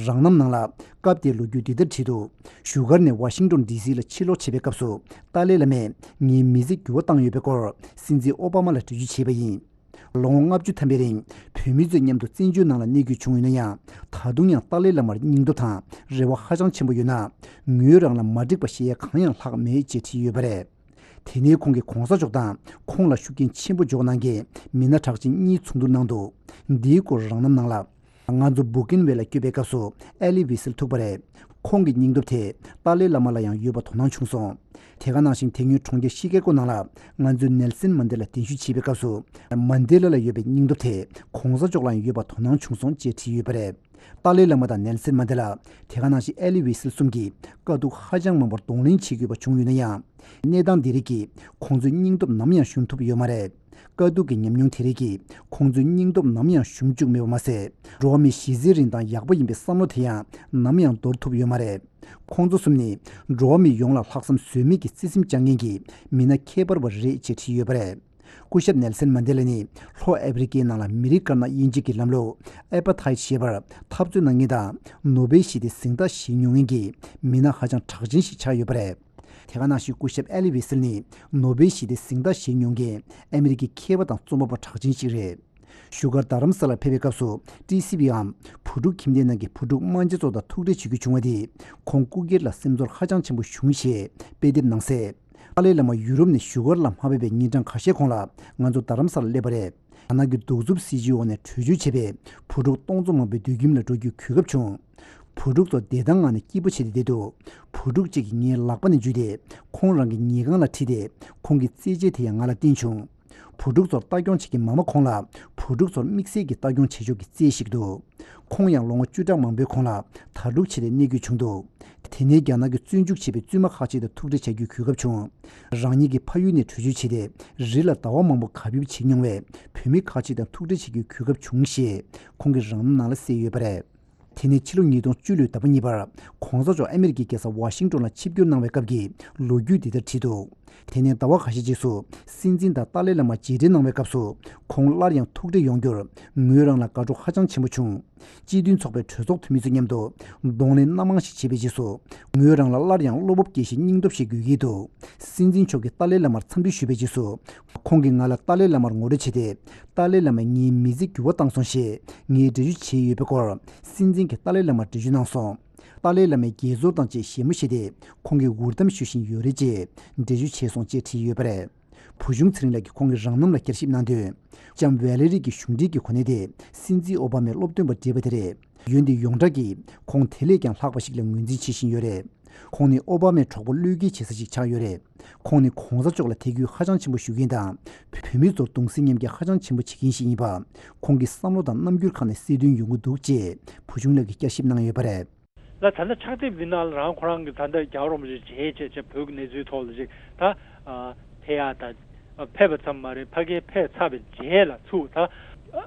རང་རྣམ་ནང་ལ་སྐབས་དེའི་ལོ་རྒྱུས་འདི་ལྟར་བྲིས་འདུག་བཞུགས་སྒར་ནས་ཝ་ཤིང་ཏོན་ཌི་སི་ལ་ཕྱིར་ལོག་བྱེད་པའི་སྐབས་སུ། ཏཱ་ལའི་བླ་མས་ངའི་མི་ཚེ་འགྱུར་བ་བཏང་ཡོད་པའི་སྐོར་སྲིད་འཛིན་ཨོ་བྷ་མ་ལ་འགྲེལ་བརྗོད་བྱས་པ་ཡིན། ལོ་ངོ་ལྔ་བཅུ་ཐམ་པའི་རིང་བོད་མི་ཚོའི་མཉམ་དུ་བཙན་བྱོལ་ནང་ལ་གནས་སྐྱོད་བྱུང་ཡོད་ན་ཡང་། ད་དུང་ཡང་ཏཱ་ལའི་བླ་མར་སྙིང་སྟོབས་དང་རེ་བ་ཧ་ཅང་ཆེན་པོ་ཡོད་ན། ངོས་རང་ལ་མ་འགྲིག་པ་བཤད་ཡ་གང་ཡང་ལྷག་མེད་ཅེས་བྲིས་ཡོད་པ་རེད། དེ་ནས་ཁོང་གིས་གོང་ས་མཆོག་དང་ཁོང་ལ་ཤུགས་རྐྱེན་ཆེན་པོ་འཇོག་གནང་མཁན་མི་སྣ་གྲགས་ཅན་གཉིས་ཚོགས་འདུར་གནང་འདུག་འདིའི་སྐོར་རང་རྣམ་ནང་ལ། ང་ཚོ་སྦུ་ཀིན་ཝེལ་ལ་བསྐྱོད་པའི་སྐབས་སུ་ཨེ་ལི་ཝི་སིལ་ཐུག་པ་རེད། ཁོང་གི་སྙིང་སྟོབས་དེ་ཏཱ་ལའི་བླ་མ་ལ་ཡང་ཡོད་པ་དོ་སྣང་བྱུང་སོང་། དེ་ག་ནང་བཞིན་དེ་སྔོན་གྲོང་ཁྱེར་ཤི་ཀེ་ཀོ་ནང་ལ་ང་ཚོས་ནེལ་སན་མན་དེ་ལ་གདན་ཞུ་བྱེད་པའི་སྐབས་སུ། མན་དེ་ལ་ལ་ཡོད་པའི་སྙིང་སྟོབས་དེ་གོང་ས་མཆོག་ལ་ཡང་ཡོད་པ་དོ་སྣང་བྱུང་སོང་ཅེས་བྲིས་ཡོད་པ་རེད། ཏཱ་ལའི་བླ་མ་དང་ནེལ་སན་མན་དེ་ལ། དེ་ག་ནང་བཞིན་ཨེ་ལི་ཝི་སིལ་གསུམ་གྱིས་དཀའ་སྡུག་ཧ་ཅང་མང་པོར་གདོང་ལེན་བྱེད་དགོས་པ་བྱུང་ཡོད་ན་ཡང་། གནས་སྟངས་འདི་རིགས་ཀྱིས་ཁོང་ཚོའི་སྙིང་སྟོབས་ནམ་ཡང་ཞུམ་ཐུབ་ཡོད་མ་རེད། དཀའ་སྡུག་གི་ཉམས་མྱོང་དེ་རིགས་ཀྱིས་ཁོང་ཚོའི་སྙིང་སྟོབས་ནམ་ཡང་ཞུམ་བཅུག་མེད་པ་མ་ཟད། འགྲོ་བ་མིའི་གཞི་རྩའི་རིན་ཐང་ཡག་པོ་ཡིན་པའི་བསམ་བློ་དེ་ཡང་ནམ་ཡང་འདོར་ཐུབ་ཡོད་མ་རེད། ཁོང་ཚོ་གསུམ་ནི་འགྲོ་བ་མི་ཡོངས་ལ་ལྷག་བསམ་ཟོལ་མེད་ཀྱི་བརྩེ་སེམས་བཅངས་མཁན་གྱི་མི་སྣ་ཁྱད་པར་བ་རེད་ཅེས་བྲིས་ཡོད་པ་རེད། སྐུ་ཞབས་ནེལ་སན་མན་དེ་ལ་ནི་ལྷོ་ཨ་ཕི་རི་ཀའི་ནང་ལ་མི་རིགས་དཀར་ནག་དབྱེ་འབྱེད་ཀྱི་ལམ་ལུགས་ཨ་པ་ཐའི་ཞེས་པར་འཐབ་རྩོད་གནང་མཁན་དང་ནོ་བེལ་ཞི་བདེ་གཟེངས་རྟགས་བཞེས་མྱོང་མཁན་གྱི་མི་སྣ་ཧ་ཅང་གྲགས་ཅན་ཞིག་ཆགས་ཡོད་པ་རེད། དེ་ག་ནང་བཞིན་སྐུ་ཞབས་ཨེ་ལི་ཝི་སིལ་ནི་ནོ་བེལ་ཞི་བདེ་གཟེངས་རྟགས་བཞེས་མྱོང་མཁན་ཨ་མི་རི་ཀའི་མཁས་པ་དང་རྩོམ་པ་པོ་གྲགས་ཅན་ཞིག་རེད། བཞུགས་སྒར་རྡ་རམ་ས་ལར་ཕེབས་པའི་སྐབས་སུ་ཏི་སི་ཝིའམ་བུ་ཕྲུག་ཁྱིམ་སྡེ་ནང་གི་བུ་ཕྲུག་དམངས་གཙོ་ཚོ་དང་ཐུག་འཕྲད་བྱེད་རྒྱུ་བྱུང་བ་དེས་ཁོང་སྐུ་སྒེར་ལ་སེམས་ཚོར་ཧ་ཅང་ཆེན་པོ་བྱུང་ཞེས་དཔེ་དེབ་ནང་གསལ། ཏཱ་ལའི་བླ་མ་ཡུ་རོབ་ནས་བཞུགས་སྒར་ལ་མ་ཕེབས་པའི་ཉིན་གྲངས་ཁ་ཤས་གོང་ལ་ང་ཚོ་རྡ་རམ་ས་ལར་སླེབས་པ་རེད། རྒྱ་ནག་གི་གདུག་རྩུབ་སྲིད་བྱུས་འོག་ནས་བྲོས་བྱོལ་བྱས་པའི་བུ་ཕྲུག་སྟོང་ཚོ་མང་པོའི་སྡོད་ཁྱིམ་ལ་འགྲོ་རྒྱུའི་གོ་སྐབས་བྱུང་། བུ་ཕྲུག་ཚོ་བདེ་ཐང་ངང་ནས་སྐྱིད་པོ་བྱས་ཏེ་བསྡད་འདུག་བུ་ཕྲུག་ཅིག་གིས་ངའི་ལག་པ་ནས་འཇུས་ཏེ་ཁོང་རང་གི་ཉལ་ཁང་ལ་ཁྲིད་དེ་ཁོང་གི་རྩེད་ཆས་དེ་ཡང་ང་ལ་བསྟན་བྱུང་། བུ་ཕྲུག་ཚོར་ལྟ་སྐྱོང་བྱེད་མཁན་མ་མ་ཁོང་ལ་བུ་ཕྲུག་ཚོར་དམིགས་བསལ་གྱི་ལྟ་སྐྱོང་བྱེད་ཕྱོགས་ཀྱི་རྩལ་ཞིག་འདུག་ཁོང་ཡང་ལོ་ངོ་བཅུ་ཕྲག་མང་པོའི་གོང་ལ་དྭ་ཕྲུག་བྱས་ཏེ་གནས་དགོས་བྱུང་འདུག་དེ་ནས་རྒྱ་ནག་གི་བཙོན་འཇུག་བྱས་པའི་བཙུན་མ་ཁག་ཅིག་དང་ཐུག་འཕྲད་བྱ་རྒྱུའི་གོ་སྐབས་བྱུང་། རང་ཉིད་ཀྱི་ཕ་ཡུལ་ནས་བྲོས་བྱོལ་བྱས་ཏེ་རི་ལ་ཟླ་བ་མང་པོ་གབ་ཡིབ་བྱེད་མྱོང་བའི་བོད་མི་ཁག་ཅིག་དང་ཐུག་འཕྲད་བྱེད་རྒྱུའི་གོ་སྐབས་བྱུང་ཞེས་ཁོང་གིས་རང་རྣམ་ནང་ལ་གསལ་ཡོད་པ་རེད། དེ་ནས་ཕྱི་ལོ་ཉིས་སྟོང་བཅུ་ལོའི་ཟླ་བ་གཉིས་པར་གོང་ས་མཆོག་ཨ་མེ་རི་ཀའི་རྒྱལ་ས་ཝ་ཤིང་ཏོན་ལ་ཆིབས་བསྒྱུར་གནང་བའི་སྐབས་ཀྱི་ལོ་རྒྱུས་འདི་ལྟར་བྲིས་འདུག་དེ་ནས་ཟླ་བ་ཁ་ཤས་རྗེས་སུ་སྲིད་འཛིན་དང་ཏཱ་ལའི་བླ་མ་མཇལ་འཕྲད་གནང་བའི་སྐབས་སུ་ཁོང་སླར་ཡང་ཐུག་འཕྲད་ཡོང་རྒྱུར་ངོས་རང་ལ་དགའ་སྤྲོ་ཧ་ཅང་ཆེན་པོ་བྱུང་། སྤྱི་མཐུན་ཚོགས་པའི་གྲོས་ཚོགས་འཐུས་མི་ཚོ་མཉམ་དུ་གདོང་ལེན་སྣ་མང་ཞིག་བྱས་པའི་རྗེས་སུ་ངོས་རང་ལ་སླར་ཡང་བློ་སྤོབས་སྐྱེ་གཞིའི་སྙིང་སྟོབས་ཤིག་དགོས་ཀྱི་འདུག་སྲིད་འཛིན་མཆོག་གིས་ཏཱ་ལའི་བླ་མར་འཚམས་འདྲི་ཞུས་པའི་རྗེས་སུ་ཁོང་གིས་ང་ལ་ཏཱ་ལའི་བླ་མར་ངོ་སྤྲོད་བྱས་ཏེ། ཏཱ་ལའི་བླ་མས་ངའི་མི་ཚེ་འགྱུར་བ་བཏང་སོང་ཞེས་ངས་འགྲེལ་བརྗོད་བྱས་ཡོད་པའི་སྐོར་སྲིད་འཛིན་གྱིས་ཏཱ་ལའི་བླ་མར་འགྲེལ་བརྗོད་གནང་སོང་། ཏཱ་ལའི་བླ་མས་དགྱེས་ཚོར་དང་བཅས་བཞད་མོ་བཞད་དེ་ཁོང་གིས་འུར་གཏམ་ཞུ་བཞིན་ཡོད་རེད་ཅེས་འགྲེལ་བརྗོད་བྱས་སོང་ཅེས་བྲིས་ཡོད་པ་རེད། བུ་ཆུང་ཚེ་རིང་ལགས་ཀྱིས་ཁོང་གི་རང་རྣམ་ལ་བསྐྱར་ཞིབ་གནང་དོན། ལྕམ་ཝེ་ལེ་རི་གི་གཞུང་འབྲེལ་གྱི་གོ་གནས་དེ་སྲིད་འཛིན་ཨོ་བྷ་མས་སློབ་སྟོན་པ་བགྲེས་པ་དེ་རེད། འོན་ཏེ་ཡོངས་གྲགས་ཀྱིས་ཁོང་དེ་ལས་ཀྱང་ལྷག་པ་ཞིག་ལ་ངོས་འཛིན་བྱེད་བཞིན་ཡོད་རེད། ཁོང་ནི་ཨོ་བྷ་མའི་གྲོགས་པོ་བློས་འགེལ་བྱེད་ས་ཞིག་ཆགས་ཡོད་རེད། ཁོང་ནི་གོང་ས་མཆོག་ལ་དད་གུས་ཧ་ཅང་ཆེན་པོ་ཞུ་མཁན་དང་། བོད་མི་ཚོར་གདུང་སེམས་མཉམ་སྐྱེད་ཧ་ཅང་ཆེན་པོ་བྱེད་མཁན་ཞིག་ཡིན་པ། ཁོང་གི་བསམ་བློ་དང་རྣམ་འགྱུར་ཁག་ནས་གསལ་སྟོན་ཡོང་གི་འདུག་ཅེས་བུ་ཆུང་ལགས་ཀྱིས་བསྐྱར་ཞིབ་གནང་ཡོད་པ་རེད། ལ་ད་ལྟ་ཕྱག་དེབ་འདི་ནང་ལ་རང་ཁོ་རང་གི་ད་ལྟ་རྒྱལ་བ་རིན་པོ་ཆེ་མཇལ་བྱས་བྱས་བོད་ཀྱི་གནས་ཚུལ་ཐོག་ལ་ཅིག་ད་ཨ་ཕེབས་ཡག་ད་ཨ་ཕེབས་པ་ཙམ་མ་རེད། ཕ་གིར་ཕེབས་ཚར་བའི་རྗེས་ལ་ཚུར་ད་ཨ་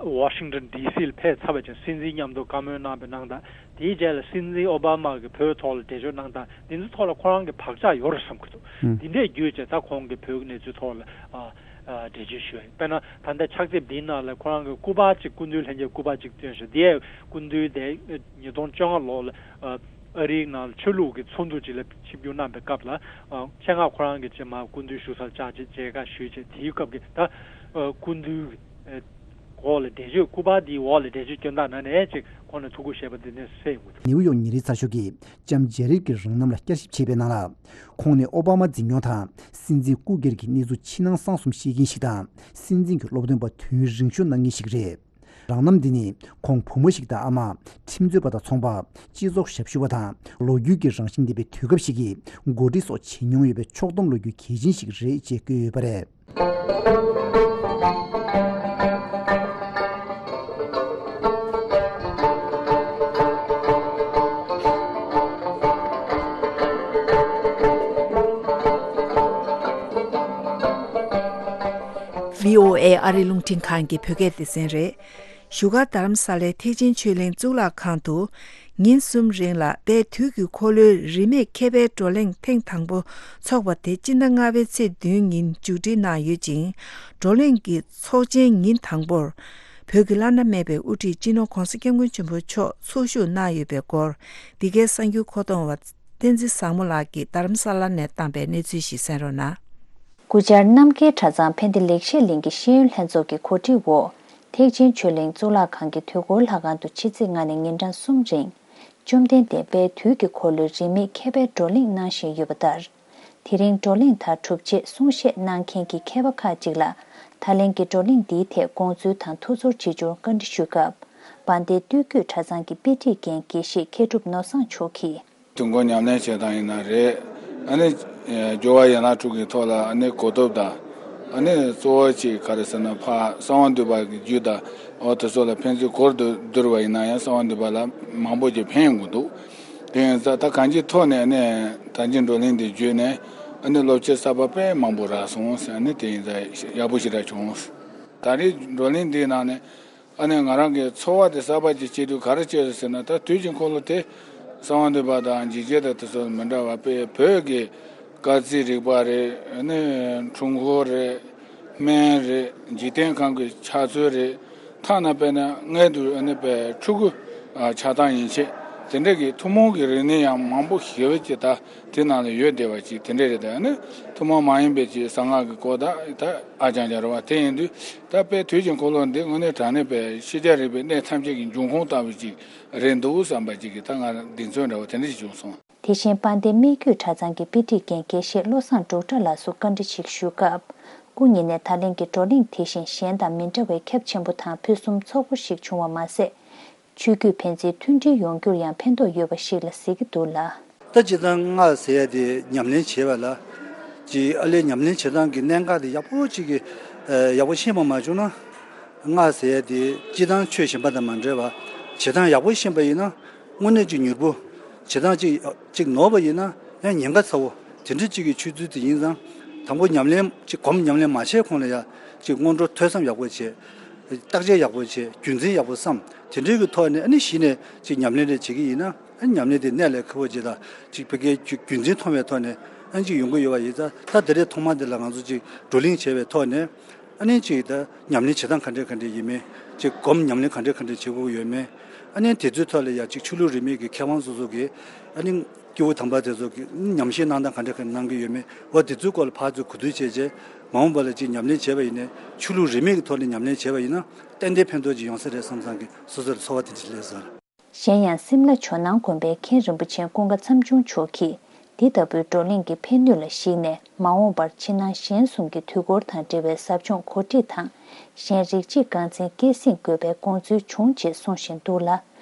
ཝ་ཤིང་ཏོན་ཌི་སི་ལ་ཕེབས་ཚར་བའི་རྗེས་སྲིད་འཛིན་མཉམ་དུ་བཀའ་མོལ་གནང་བའི་གནང་སྟངས། དེའི་རྗེས་ལ་སྲིད་འཛིན་ཨོ་བྷ་མ་གིས་བོད་ཐོག་ལ་འགྲེལ་བརྗོད་གནང་སྟངས་འདི་ཚོ་ཐོག་ལ་ཁོ་རང་གི་བག་ཆགས་ཡོད་རེད་བསམ་གྱི་འདུག་ཨུ། འདི་འདྲས་བརྒྱུད་བྱས་ད་ཁོང་གིས་བོད་ཀྱི་གནས་ཚུལ་ཐོག་ལ་ཨ་ཨ་འགྲེལ་བརྗོད་ཞུས་ཡོད། དཔེར་ན་ད་ལྟ་ཕྱག་དེབ་འདིའི་ནང་ལ་ཁོ་རང་གི་སྐུ་པར་གཅིག་སྐུ་མདུན་ལྷན་རྒྱས་སྐུ་པར་གཅིག་བཏོན་ཞིང་། དེ་ཡང་སྐུ་མདུན་དེ་ཉིས་སྟོང་བཅོ་ལྔ་ལོ་ལ་ཨ་ཨ་རིའི་ནང་ལ་ཆོས་ལུགས་ཀྱི་ཚོགས་འདུ་ཅིག་ལ་ཆིབས་བསྒྱུར་གནང་པའི་སྐབས་ལ་ཨ་ཆེད་མངགས་ཁོ་རང་གིས་ཅིག་མར་སྐུ་མདུན་བཞུགས་སར་བཅར་ཅིག་མཇལ་ཁ་ཞུས་ཅིག་དེའི་སྐབས་ཀྱི་ད་ཨ་སྐུ་མདུན་གྱི་ཨ་འོག་ལ་འགྲེལ་བརྗོད། སྐུ་པར་འདིའི་འོག་ལ་འགྲེལ་བརྗོད་སྐྱོན་སྟངས་ནང་ནས་ཅིག་ཁོང་ནས་ཐུགས་ཁུར་བཞེས་པ་འདི་ནས་གསལ་ཡོང་གི་འདུག་ནིའུ་ཡོག་ཉིན་རེའི་ཚགས་ཤོག་གིས་ལྕམ་ཇེ་རིབ་ཀྱི་རང་རྣམ་ལ་བསྐྱར་ཞིབ་བྱས་པའི་ནང་ལ། ཁོང་ནི་ཨོ་བྷ་མ་འཛིན་སྐྱོང་དང་སྲིད་འཛིན་སྐུ་སྒེར་གྱི་གནས་ཚུལ་ཕྱི་ནང་གསང་གསུམ་ཤེས་མཁན་ཞིག་དང་། སྲིད་འཛིན་གྱི་སློབ་སྟོན་པ་དུས་ཡུན་རིང་ཤོས་གནང་མཁན་ཞིག་རེད། རང་རྣམ་འདི་ནི་ཁོང་བུ་མོ་ཞིག་དང་ཨ་མ། ཁྲིམས་རྩོད་པ་དང་ཚོང་པ། སྤྱི་ཚོགས་ཞབས་ཞུ་བ་དང་། ལོ་རྒྱུས་ཀྱི་རང་བཞིན་ལྡན་པའི་དུས་སྐབས་ཤིག་གི་འགོ་ཁྲིད་སོགས་བྱེད་མྱོང་ཡོད་པའི་ཕྱོགས་བསྡོམས་ལོ་རྒྱུས་གལ་ཆེན་ཞིག་རེད་ཅེས་བཀོད་ཡོད་པ་རེད། བྷི་ཨོ་ཨེ་ཨ་རིའི་རླུང་འཕྲིན་ཁང་གི་བོད་སྐད་སྡེ་ཚན་རེད། བཞུགས་སྒར་རྡ་རམ་ས་ལའི་ཐེག་ཆེན་ཆོས་གླིང་གཙུག་ལག་ཁང་དུ། ཉིན་གསུམ་རིང་ལ་དཔལ་དུས་ཀྱི་འཁོར་ལོའི་རིས་མེད་མཁས་པའི་བགྲོ་གླེང་ཐེངས་དང་པོ་འཚོགས་པ་དེ་སྤྱི་ཟླ་ལྔ་པའི་ཚེས་བདུན་ཉིན་མཇུག་སྒྲིལ་གནང་ཡོད་ཅིང་། བགྲོ་གླེང་གི་ཚོགས་ཆེན་ཉིན་དང་པོར། བོད་ཀྱི་བླ་ན་མེད་པའི་དབུ་ཁྲིད་སྤྱི་ནོར་༧གོང་ས་༧སྐྱབས་མགོན་ཆེན་པོ་མཆོག་ཚོགས་ཞུགས་གནང་ཡོད་པའི་སྐོར། འདི་གའི་གསར་འགྱུར་མཁོ་གཏོང་བ་བསྟན་འཛིན་བཟང་མོ་ལགས་ཀྱིས་རྡ་རམ་ས་ལ་ནས་བཏང་པའི་གནས་ཚུལ་ཞིག་གསན་རོགས་གནང་། སྐུ་བཅར་རྣམ་རྒྱལ་གྲྭ་ཚང་ཕན་བདེ་ལེགས་བཤད་གླིང་གི་ཤེས་ཡོན་ལྷན་ཚོགས་ཀྱི་གོ་སྒྲིག་འོག་ཐེག་ཆེན་ཆོས་གླིང་གཙུག་ལག་ཁང་གི་དུས་འཁོར་ལྷ་ཁང་དུ་ཕྱི་ཚེས་ལྔ་ནས་ཉིན་གྲངས་གསུམ་རིང་། བཅོམ་ལྡན་འདས་དཔལ་དུས་ཀྱི་འཁོར་ལོའི་རིས་མེད་མཁས་པའི་བགྲོ་གླེང་གནང་བཞིན་ཡོད་པ་ལྟར། དེ་རིང་བགྲོ་གླེང་དང་གྲུབ་རྗེས་གསུང་བཤད་གནང་མཁན་གྱི་མཁས་པ་ཁག་ཅིག་ལ། ད་ལན་གྱི་བགྲོ་གླེང་འདིའི་ཐད་དགོངས་ཚུལ་དང་ཐུགས་ཚོར་ཆེ་ཆུང་བཀའ་འདྲི་ཞུས་སྐབས། དཔལ་ལྡན་སྟོད་བརྒྱུད་གྲྭ་ཚང་གི་དཔེ་ཁྲིད་མཁན་དགེ་བཤེས་མཁས་གྲུབ་ནོར་བཟང་མཆོག་གིས། དུས་འཁོར་ཉམས་ལེན་བྱེད་སྟངས་ཡིན་ན་རེད། ཨ་ནི་སྦྱོར་བ་ཡན་ལག་དྲུག་གི་ཐོག་ལ་ཨ་ནི་གོ་ཐོབ་དང་། ཨ་ནི་གཙོ་བོ་གཅིག་ག་རེ་ཟེར་ན་ཕ་གསང་བ་འདུས་པ་གི་རྒྱུད་དང་འོ་དེ་ཚོ་ལ་ཕན་ཚུན་གོ་བསྡུར་བ་ཡིན་ན་ཡང་གསང་བ་འདུས་པ་ལ་མང་པོ་ཅིག་ཕན་ཡོང་གི་འདུག་དེ་ཡིན་ཙང་ད་གང་ཅིའི་ཐོག་ནས་ཨ་ནི་ད་ཅི་བགྲོ་གླེང་འདི་བརྒྱུད་ནས་ཨ་ནི་སློབ་ཁྲིད་གསར་པ་དཔེ་མང་པོ་རག་སོང་ཟེར། ཨ་ནི་དེ་ཡིན་ཙང་ཡག་པོ་ཞེ་དྲག་བྱུང་། ད་རེས་བགྲོ་གླེང་འདིའི་ནང་ནས། ཨ་ནི་ང་རང་གི་ཚོར་བ་དེ་གསར་པ་ཅིག་སྐྱེས་དུས་ག་རེ་སྐྱེས་ཟེར་ན། ད་དུས་ཀྱི་འཁོར་ལོ་དེ་གསང་བ་འདུས་པ་དང་འཇིགས་བྱེད་དང་དེ་ཚོ་མི་འདྲ་བ་དཔེ་བོད་ཀྱི་སྐར་རྩིས་རིག་པ་རེད། ཨ་ནི་འཁྲུལ་འཁོར་རེད། སྨན་རེད། འཇིག་རྟེན་ཁམས་ཀྱི་ཆགས་ཚུལ་རེད། ཐ་ན་དཔེར་ན་སྔོན་དུ་ཨ་ནི་དཔེ་ཕྲུ་གུ་ཆགས་སྟངས་ཡན་ཆད་དེ་འདྲ་གི་ཐུན་མོང་གི་རིག་གནས་ཡང་མང་པོ་ཞེ་པོ་ཅིག་ད་དེ་ནང་ལ་ཡོད་བསྡད་པ་ཅིག་དེ་འདྲ་རེད། ད་ཨ་ནི་ཐུན་མོང་མ་ཡིན་པའི་ཅིག་གསང་སྔགས་ཀྱི་སྐོར་དང་ད་ཨ་ཅང་ཅང་རེད་བ། དེ་ཡིན་དུས། ད་དཔེ་དུས་ཀྱི་འཁོར་ལོ་འདི་དངོས་གནས་དྲང་གནས་པའི་ཤེས་བྱ་རིག་པའི་གནས་ཐམས་ཅད་ཀྱི་འབྱུང་ཁུངས་ལྟ་བུ་ཅིག་རེད་འདུག་བསམ་པ་ཅིག་གིས་ད་ང་གདེང་ཚོད་འདྲ་བོ་དེ་འདྲ་ཞིག་བྱུང་སོང་། དེ་བཞིན་དཔལ་ལྡན་སྨད་རྒྱུད་གྲྭ་ཚང་གི་དཔེ་ཁྲིད་མཁན་དགེ་བཤེས་བློ་བཟང་འབྲུག་གྲགས་ལགས་སུ་བཀའ་འདྲི་ཞིག་ཞུས་སྐབས། སྐུ་ཉིད་ནས་ད་ལན་གྱི་བགྲོ་གླེང་དེ་བཞིན་གཞན་དང་མི་འདྲ་བའི་ཁྱབ་ཆེན་པོ་དང་ཕུན་སུམ་ཚོགས་པོ་ཞིག་བྱུང་བ་མ་ཟད། ཆོས་བརྒྱུད་ཕན་ཚུན་མཐུན་སྒྲིལ་ཡོང་རྒྱུར་ཡང་ཕན་ཐོགས་ཡོད་པ་ཞིག་ལ་གཟིགས་ཀྱི་འདུག་ལ། ད་སྤྱིར་བཏང་སྔགས་ཟེར་ཡ་དེ་ཉམས་ལེན་བྱེད་པ་ལ་ཅིག་ཨ་ལས་ཉམས་ལེན་བྱེད་སྟངས་ཀྱི་གནད་འགག་དེ་ཡག་པོ་ཅིག་གི་ཡག་པོ་ཤེས་པ་མ་བྱུང་ན། སྔགས་ཟེར་ཡ་དེ་སྤྱིར་བཏང་ཆོས་གཞན་པ་དང་མ་འདྲ་བ་བྱེད་སྟངས་ཡག་པོ་ཤེས་པ་ཡིན་ན་དངོས་གནས་ཅིག་མྱུར་པོ་བྱེད་སྟངས་ཅིག་ཅིག་ནོར་བ་ཡིན་ན་ཡང་ཉེན་ཁ་ཚ་བོ་དེ་འདྲ་ཅིག་གི་ཆོས་ཚུལ་དེ་ཡིན་ཙང་། དང་པོ་ཉམས་ལེན་ཅིག་གོམས་ཉམས་ལེན་མ་བྱས་གོང་ལ་ཡ་ཅིག་སྔོན་འགྲོ་ཐོས་བསམ་ཡག་པོ་བྱས། བརྟག་དཔྱད་ཡག་པོ་བྱས། རྒྱུ་མཚན་ཡག་པོ་བསམ། དེ་འདྲའི་གི་ཐོག་ནས་ཨ་ནི་གཞི་ནས་ཅིག་ཉམས་ལེན་རེ་བྱེད་ཀྱི་ཡིན་ན། ཨ་ནི་ཉམས་ལེན་དེ་གནད་ལ་འཁེལ་བོ་ཅིག་དང་ཅིག་ཕ་གིའི་རྒྱུ་རྒྱུ་མཚན་མཐོང་བའི་ཐོག་ནས་ཨ་ནི་ཅིག་ཡོང་གི་ཡོད་པ་ཡིན་ཙང་། ད་དེ་རེད། ཐོག་མ་དེ་ལ་ང་ཚོ་ཅིག་བགྲོ་གླེང་བྱས་པའི་ཐོག་ནས་ཨ་ནི་ཅིག་ད་ཉམས་ལེན་བྱེད་སྟངས་ག་འདྲས་ག་འདྲས་ཡིན་མིན། ཅིག་གོམས་ཉམས་ལེན་ག་འདྲས་ག་འདྲས་བྱེད་དགོས་ཀྱི་ཡོད་མེད། ཨ་ནི་དེ་ཚོའི་ཐོག་ལ་ཡ་ཅིག་ཆོས་ལུགས་རིས་མེད་ཀྱི་མཁས་དབང་སོ་སོ་གིས་ཨ་ནི་སྐྱེས་བུ་དམ་པ་དེ་ཚོ་གིས་ཉམས་བཞེས་གནང་སྟངས་ག་འདྲས་ག་འདྲས་གནང་གི་ཡོད་མེད། འོ་དེ་ཚོའི་སྐོར་ལ་ཕར་ཚུར་གོ་བསྡུར་བྱས་རྗེས་མ་འོངས་པ་ལ་ཅིག་ཉམས་ལེན་བྱས་པ་ཡིན་ནའི་ཆོས་ལུགས་རིས་མེད་ཀྱི་ཐོག་ནས་ཉམས་ལེན་བྱས་པ་ཡིན་ན་ཏན་ཏན་ཕན་ཐོགས་ཅིག་ཡོང་ས་རེད་བསམ་བསམ་གི་སོ་སོར་ཚོར་བ་དེ་འདྲ་སླེབས་སོང་། གཞན་ཡང་སིམ་ལ་ཇོ་ནང་དགོན་པའི་མཁན་རིན་པོ་ཆེ་ཀུན་དགའ་མཚམས་ཆུང་མཆོག་གིས་འདི་ལྟ་བུའི་བགྲོ་གླེང་གི་ཕན་ནུས་ལ་གཞིགས་ནས་མ་འོངས་པར་ཕྱི་ནང་གཞན་གསུམ་གྱི་དུས་འཁོར་དང་འབྲེལ་བའི་ཟབ་སྦྱོང་གོ་སྒྲིག་དང་། གཞན་རིགས་གཅིག་རྐང་འཛིན་སྐྱེད་སྲིང་དགོས་པའི་དགོངས་ཚུལ་བྱུང་ཅེས་གསུངས་བཞིན་འདུག་ལ།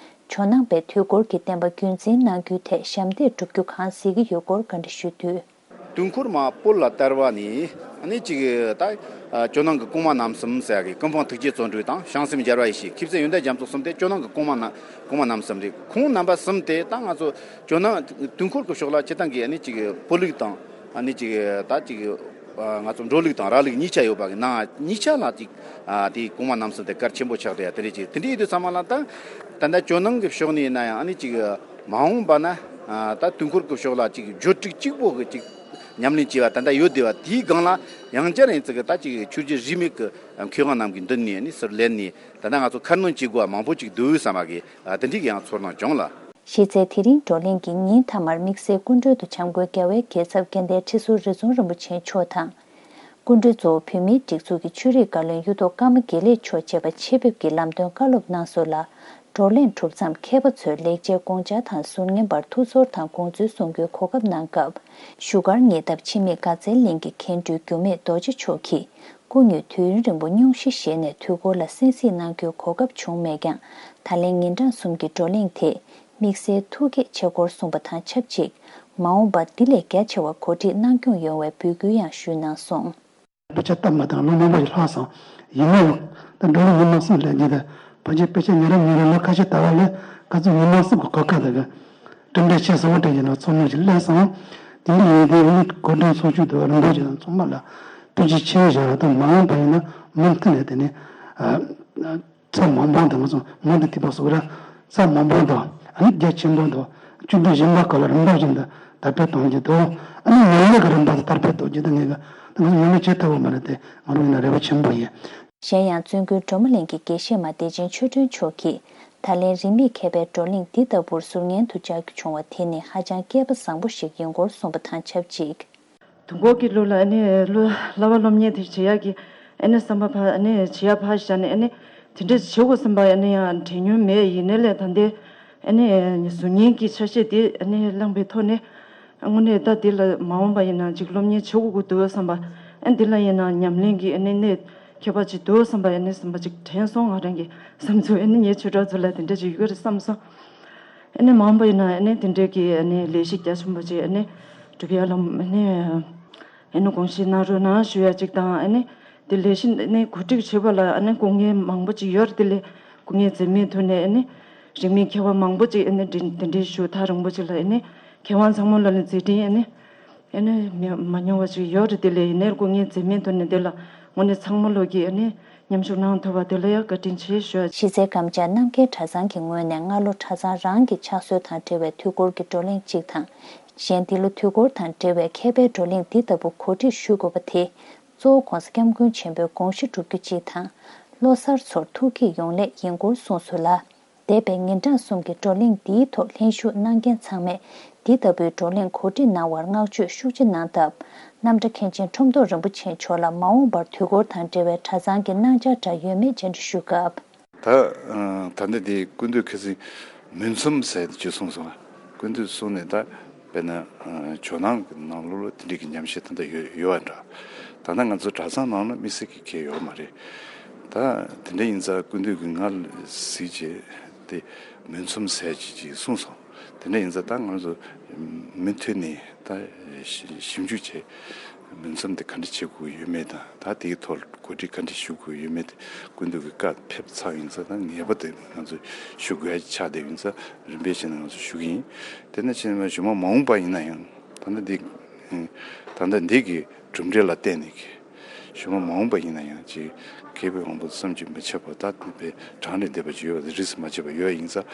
ཇོ་ནང་པའི་དུས་འཁོར་གྱི་བསྟན་པ་རྒྱུན་འཛིན་གནང་རྒྱུའི་ཐད་ཞབས་འདེགས་སྒྲུབ་རྒྱུ་གང་གཟིགས་ཀྱི་ཡོད་སྐོར་བཀའ་འདྲི་ཞུས་དུས། དུས་འཁོར་མ་བོད་ལ་དར་བ་ནས་ཨ་ནི་ཅིག་ད་ཇོ་ནང་གི་གོང་མ་རྣམ་གསུམ་ཟེར་གི་ཀུན་སྤངས་ཐུགས་རྗེ་བརྩོན་འགྲུས་དང་བྱང་སེམས་རྒྱལ་བ་ཡེ་ཤེས། མཁས་བཙུན་ཡོན་ཏན་རྒྱ་མཚོ་གསུམ་དེ་ཇོ་ནང་གི་གོང་མ་རྣམ་གོང་མ་རྣམ་གསུམ་རེད། ཁོང་རྣམ་པ་གསུམ་དེ་ད་ང་ཚོ་ཇོ་ནང་དུས་འཁོར་གྱི་ཕྱོགས་ལ་སྤྱིར་བཏང་གི་ཨ་ནི་ཅིག་བོད་ལུགས་དང་ཨ་ནི་ཅིག་ད་ཅིག་ང་ཚོ་འགྲོ་ལུགས་དང་ར་ལུགས་གཉིས་ཆ་ཡོད་པ་གི་ནང་གཉིས་ཆ་ལ་ཅིག་དེ་གོང་མ་རྣམ་གསུམ་དེ་གལ་ཆེན་པོ་ཆགས་བསྡད་ཡ་དེ་རེད། ཅིག་དེ་འདྲ་ཡིན་དུས་ཚང་མ་ལ་ད་ད་ལྟ་ཇོ་ནང་གི་ཕྱོགས་ནས་ཡིན་ན་ཡང་ཨ་ནི་ཅིག་མ་འོངས་པ་ན་ད་དུས་འཁོར་གྱི་ཕྱོགས་ལ་ཅིག་བརྗོད་སྒྲིག་གཅིག་པོ་གི་ཅིག་ཉམས་ལེན་བྱས་པ་ད་ལྟ་ཡོད་བསྡད་པ་དེའི་སྒང་ལ་ཡང་བསྐྱར་ཡིན་ཙི་གི་ད་ཅིག་ཆོས་བརྒྱུད་རིས་མེད་ཀྱི་མཁས་དབང་རྣམས་ཀྱི་མདུན་ནས་ཨ་ནི་ཟུར་ལེན་ནས་ད་ལྟ་ང་ཚོ་ཁ་སྣོན་བྱེད་དགོས་པ་མང་པོ་ཅིག་འདུག་བསམ་པ་གི་དེ་འདྲའི་ཡང་ཚོར་སྣང་བྱུང་ལ། གཞི་རྩའི་དེ་རིང་བགྲོ་གླེང་གི་ཉིན་མཐའ་མར་དམིགས་བསལ་སྐུ་མགྲོན་དུ་བྱམས་མགོན་རྒྱལ་བའི་རྒྱལ་ཚབ་དགེ་ལྡན་ཁྲི་ཟུར་རི་རྫོང་རིན་པོ་ཆེ་མཆོག་དང་། སྐུ་མགྲོན་གཙོ་བོ་བོད་མིའི་སྒྲིག་འཛུགས་ཀྱི་ཆོས་རིག་བཀའ་བློན་གཡུ་ཐོག་ཀརྨ་དགེ་ལེགས་མཆོག་བཅས་པ་ཆེད་ཕེབས་ཀྱིས་ལམ་སྟོན་བཀའ་སློབ་གནང་སོང་ལ། བགྲོ་གླེང་གྲུབ་མཚམས་མཁས་པ་ཚོས་ལེགས་སྤྱད་དགོངས་འཆར་དང་ཟུར་ཉན་པར་ཐུགས་ཚོར་དང་དགོངས་ཚུལ་གསུང་རྒྱུའི་གོ་སྐབས་གནང་སྐབས། བཞུགས་སྒར་ཉེ་འདབས་འཆི་མེད་དགའ་ཚལ་གླིང་གི་མཁན་སྤྲུལ་འགྱུར་མེད་རྡོ་རྗེ་མཆོག་གིས་སྐུ་ཉིད་དུས་ཡུན་རིང་པོ་སྙུང་གཞི་བཞེས་ནས་དུས་འཁོར་ལ་གསན་གཟིགས་གནང་རྒྱུའི་གོ་སྐབས་བྱུང་མེད་ཀྱང་། ད་ལན་ཉིན་གྲངས་གསུམ་གྱི་བགྲོ་གླེང་དེ་དམིགས་བསལ་ཐུགས་དགྱེས་ཆེ་སྐོར་གསུངས་པ་དང་ཆབས་ཅིག་མ་འོངས་པར་འདི་ལས་རྒྱ་ཆེ་བ་གོ་སྒྲིག་གནང་སྐྱོང་ཡོང་བའི་འབོད་སྐུལ་ཡང་ཞུས་གནང་སོང་། དཔེ་ཆ་སྟབས་མ་བདེ་ལོ་མང་པོ་ཞིག་ལྷག་སོང་། ཡིན་ན་ཡང་ད་འགྲོ་ལུགས་ཉི་མ་གསུམ་སླེབས་རྗེས་ད་ཕལ་ཆེར་དཔེ་ཆ་ཉིན་རེ་ཉིན་རེ་ལོ་ཁ་ཤས་དར་བ་ལས་ཁ་སང་ཉི་མ་གསུམ་གྱི་གོ་སྐབས་དེ་གི་གྲུབ་འབྲས་ཆེ་ཟབ་པོ་སྤྲད་ཀྱི་ལ་ཚོར་སྣང་ཞིག་སླེབས་སོང་། དེ་འདྲ་ཡིན་དུས་ཨ་ནི་གོ་སྒྲིག་ཚོགས་ཆུང་དུ་རིན་པོ་ཆེ་དང་ཚང་མ་ལ་ཐུགས་རྗེ་ཆེ་ཞུ་བ་དང་། མ་འོངས་པ་ཡིན་ན་མུ་མཐུད་ནས་དེ་ནི་ཨ། ས་མང་པོ་དང་ང་ཚོ་མུ་མཐུད་པ་སོགས་ར་ས་མང་པོ་དང་ཨ་ནི་རྒྱ་ཆེན་པོ་དང་བཅུ་དྲུག་གཞན་པ་ག་ལ་རིམ་པ་བཞིན་དུ་དར་སྤེལ་གཏོང་རྒྱུ་དང་ཨ་ནི་མི་ལུས་ཀྱི་རིམ་པ་དུ་དར་སྤེལ་གཏོང་རྒྱུ་དང་ངེས་ཀྱི་ད་ང་ཚོ་མི་ལུས་བྱེད་ཐུབ་པ་མ་རེད་དེ་ང་རང་ཡིན་ན་རེ་བ་ཆེན་པོ་ཡིན། གཞན་ཡང་བཙུན་དགོན་སྒྲོལ་མ་གླིང་གི་དགེ་བཤེས་མ་བདེ་ཆེན་ཆོས་སྒྲོན་མཆོག་གིས་ད་ལན་རིན་མེད་མཁས་པའི་བགྲོ་གླེང་འདི་ལྟ་བུར་ཟུར་ཉན་དུ་བཅར་རྒྱུ་བྱུང་བ་དེ་ནི་ཧ་ཅང་སྐལ་པ་བཟང་པོ་ཞིག་ཡིན་སྐོར་གསུངས་པ་དང་ཆབས་ཅིག་དུས་འཁོར་གྱི་ལུགས་ལ་ཨ་ནི་སློབ་བསླབ་པ་སློབ་གཉེར་དེ་བྱེད་ཡག་གི་ཨ་ནི་བསམ་པ་ཕ་ཨ་ནི་བྱེད་ཡག་ཕར་བཞག་ནས་ཨ་ནི་དེ་འདྲ་བྱེད་དགོས་བསམ་པ་ཨ་ནི་ཡང་དྲན་མྱོང་མེད། ཡིན་ནའི་ལས་ད་ལྟའི་ཨ་ནི་གཟུགས་བརྙན་གྱི་ཆ་ཤས་དེ་ཨ་ནི་བླངས་པའི་ཐོག་ནས་དངོས་གནས་ད་དེ་ལ་མ་འོངས་པ་ཡིན་ན་ཅིག་སློབ་གཉེར་བྱེད་དགོས་ཀྱི་འདུག་བསམ་པ་ཨ་ནི་དེ་ལ་ཡིན་ན་ཉམས་ལེན་གྱི་ཨ་ནི་གནད་ཁྱད་པར་ཅིག་འདུག་བསམ་པ་ཨ་ནི་བསམ་པ་ཅིག་དྲན་སོང་། ང་རང་གི་བསམ་ཚུལ་ཨ་ནི་ངའི་ཆོས་གྲོགས་ཚོ་ལ་དེ་འདྲ་ཅིག་ཡོད་རེད་བསམ་སོང་། ཨ་ནི་མ་འོངས་པ་ཡིན་ན་ཨ་ནི་དེ་འདྲའི་གི་ཨ་ནི་ལས་གཞི་རྒྱ་ཆེན་པོ་ཅིག་ཨ་ནི་སྒྲུབ་ཡ་ལ་ཨ་ནི་ཨ་ནི་དགོངས་བཞེས་གནང་རོགས་གནང་ཞུ་ཡ་ཅིག་དང་། ཨ་ནི་དེ་ལས་གཞི་ཨ་ནི་གོ་སྒྲིག་བྱེད་པ་ལ་ཨ་ནི་སྐུ་ངལ་མང་པོ་ཅིག་ཡོད་རེད། དེ་ལས་སྐུ་ངལ་འཛེམས་མེད་ཐོག་ནས་ཨ་ནི་རིང་མིན་མཁས་པ་མང་པོ་ཅིག་ཨ་ནི་དེ་དེ་འདྲའི་ཞུ་ཐག་རིང་པོ་ཅིག་ལ་ཨ་ནི་མཁས་དབང་ཚང་མ་ལ་ནི་མཛད་འཕྲིན་ཨ་ནི་ཨ་ནི་མི་མ་མྱོང་བ་ཅིག་ཡོད་རེད། དེ་ལས་ཡིན་ནའི་སྐུ་ངལ་འཛེམས་མེད་ཐོག་ནས་དེ་ལ་དངོས་གནས་ཚང་མ་ལོག་གིས་ཨ་ནི་མཉམ་ཞུགས་གནང་ཐུབ་པ་དེ་ལ་ཡང་བཀའ་དྲིན་ཆེ་ཞུ། གཞི་རྩའི་རྐམ་ལྕག་རྣམ་རྒྱལ་གྲྭ་ཚང་གི་ངོས་ནས་སྔ་ལོ་གྲྭ་ཚང་རང་གི་ཕྱག་སྲོལ་དང་འབྲེལ་བའི་དུས་འཁོར་གྱི་བགྲོ་གླེང་གཅིག་དང་། གཞན་འདི་ལོ་དུས་འཁོར་དང་འབྲེལ་བའི་མཁས་པའི་བགྲོ་གླེང་འདི་ལྟ་བུ་གོ་སྒྲིག་ཞུ་དགོས་པ་དེ་གཙོ་བོ་༧གོང་ས་༧སྐྱབས་མགོན་ཆེན་པོའི་དགོངས་གཞི་སྒྲུབ་རྒྱུ་གཅིག་དང་། ལོ་གསར་ཚོར་ཐུགས་བསྐྱེད་ཡོང་སླད་ཡིན་སྐོར་གསུངས་སོང་ལ། འདས་པའི་ཉིན་གྲངས་གསུམ་གྱི་བགྲོ་གླེང་འདིའི་ཐོག་ལྷན་ཞུགས་གནང་མཁན་ཚང་མས་འདི་ལྟ་བུའི་བགྲོ་གླེང་གོ་སྒྲིག་གནང་བར་བསྔགས་བརྗོད་ཤུགས་ཆེ་གནང་སྟབས། རྣམ་གྲྭ་མཁན་ཆེན་ཁྲོམ་ཐོག་རིན་པོ་ཆེ་མཆོག་ལ་མ་འོངས་པར་དུས་འཁོར་དང་འབྲེལ་བའི་གྲྭ་ཚང་གི་གནང་བྱ་འདྲ་ཡོད་མེད་བཅར་འདྲི་ཞུས་སྐབས། ད་ད་ལྟ་དེ་སྐུ་མདུན་ཁ་སང་མུན་ཚོམས་ཟེར་ཅིག་གསུངས་སོང་། སྐུ་མདུན་གསུངས་ནས་ད། དཔེར་ན། ཇོ་ནང་གི་ནང་ལོགས་ལ་དེ་འདྲའི་གི་ཉམས་ཞིབ་ད་ལྟ་ཡོད་ཡོད་པ་འདྲ། ད་ལྟ་ང་ཚོ་གྲྭ་ཚང་ནང་ལ་དམིགས་བསལ་གྱི་གལ་ཡོད་མ་རེད། ད་དེ་འདྲ་ཡིན་ཙང་སྐུ་མདུན་གྱིས་ང་ལ་གཟིགས་བྱས་ཏེ་མུན་ཚོམས་ཟེར་ཅིག་ཅིག་གསུངས་སོང་། དེ་འདྲ་ཡིན་ཙང་ད་ང་ཚོ་མུ་མཐུད་ནས་ད་ཞིབ་འཇུག་བྱས། མུན་ཚོམས་དེ་ག་འདྲ་བྱེད་དགོས་ཡོད་མེད་དང་ད་དེའི་ཐོག་གོ་སྒྲིག་ག་འདྲ་ཞུ་དགོས་ཡོད་མེད་དེ་སྐུ་མདུན་གྱི་བཀའ་ཕེབས་ཚར་ཡིན་ཙང་ད་ངེས་པར་དུ་ང་ཚོ་ཞུ་དགོས་ཡ་ཆགས་བསྡད་ཡིན་ཙང་རིམ་པས་བྱས་ནས་ང་ཚོ་ཞུ་གི་ཡིན། དེ་ནས་བྱས་ནས་གཞུག་མ་མ་འོངས་པ་ཡིན་ན་ཡང་ད་ལྟ་འདི་ད་ལྟ་འདི་གི་གྲུབ་འབྲས་ལ་བརྟེན་ནས་གཞུག་མ་མ་འོངས་པ་ཡིན་ན་ཡང་ཅིག་མཁས་པའི་དབང་པོ་བསམ་གྱིས་མི་ཁྱབ་པ་ད་དེ་པའི་གྲངས་ལས་འདས་པ་ཅིག་ཡོད་པ་དེ་རིས་སུ་མ་ཆད་པ་ཡོད་ཡིན་ཙང་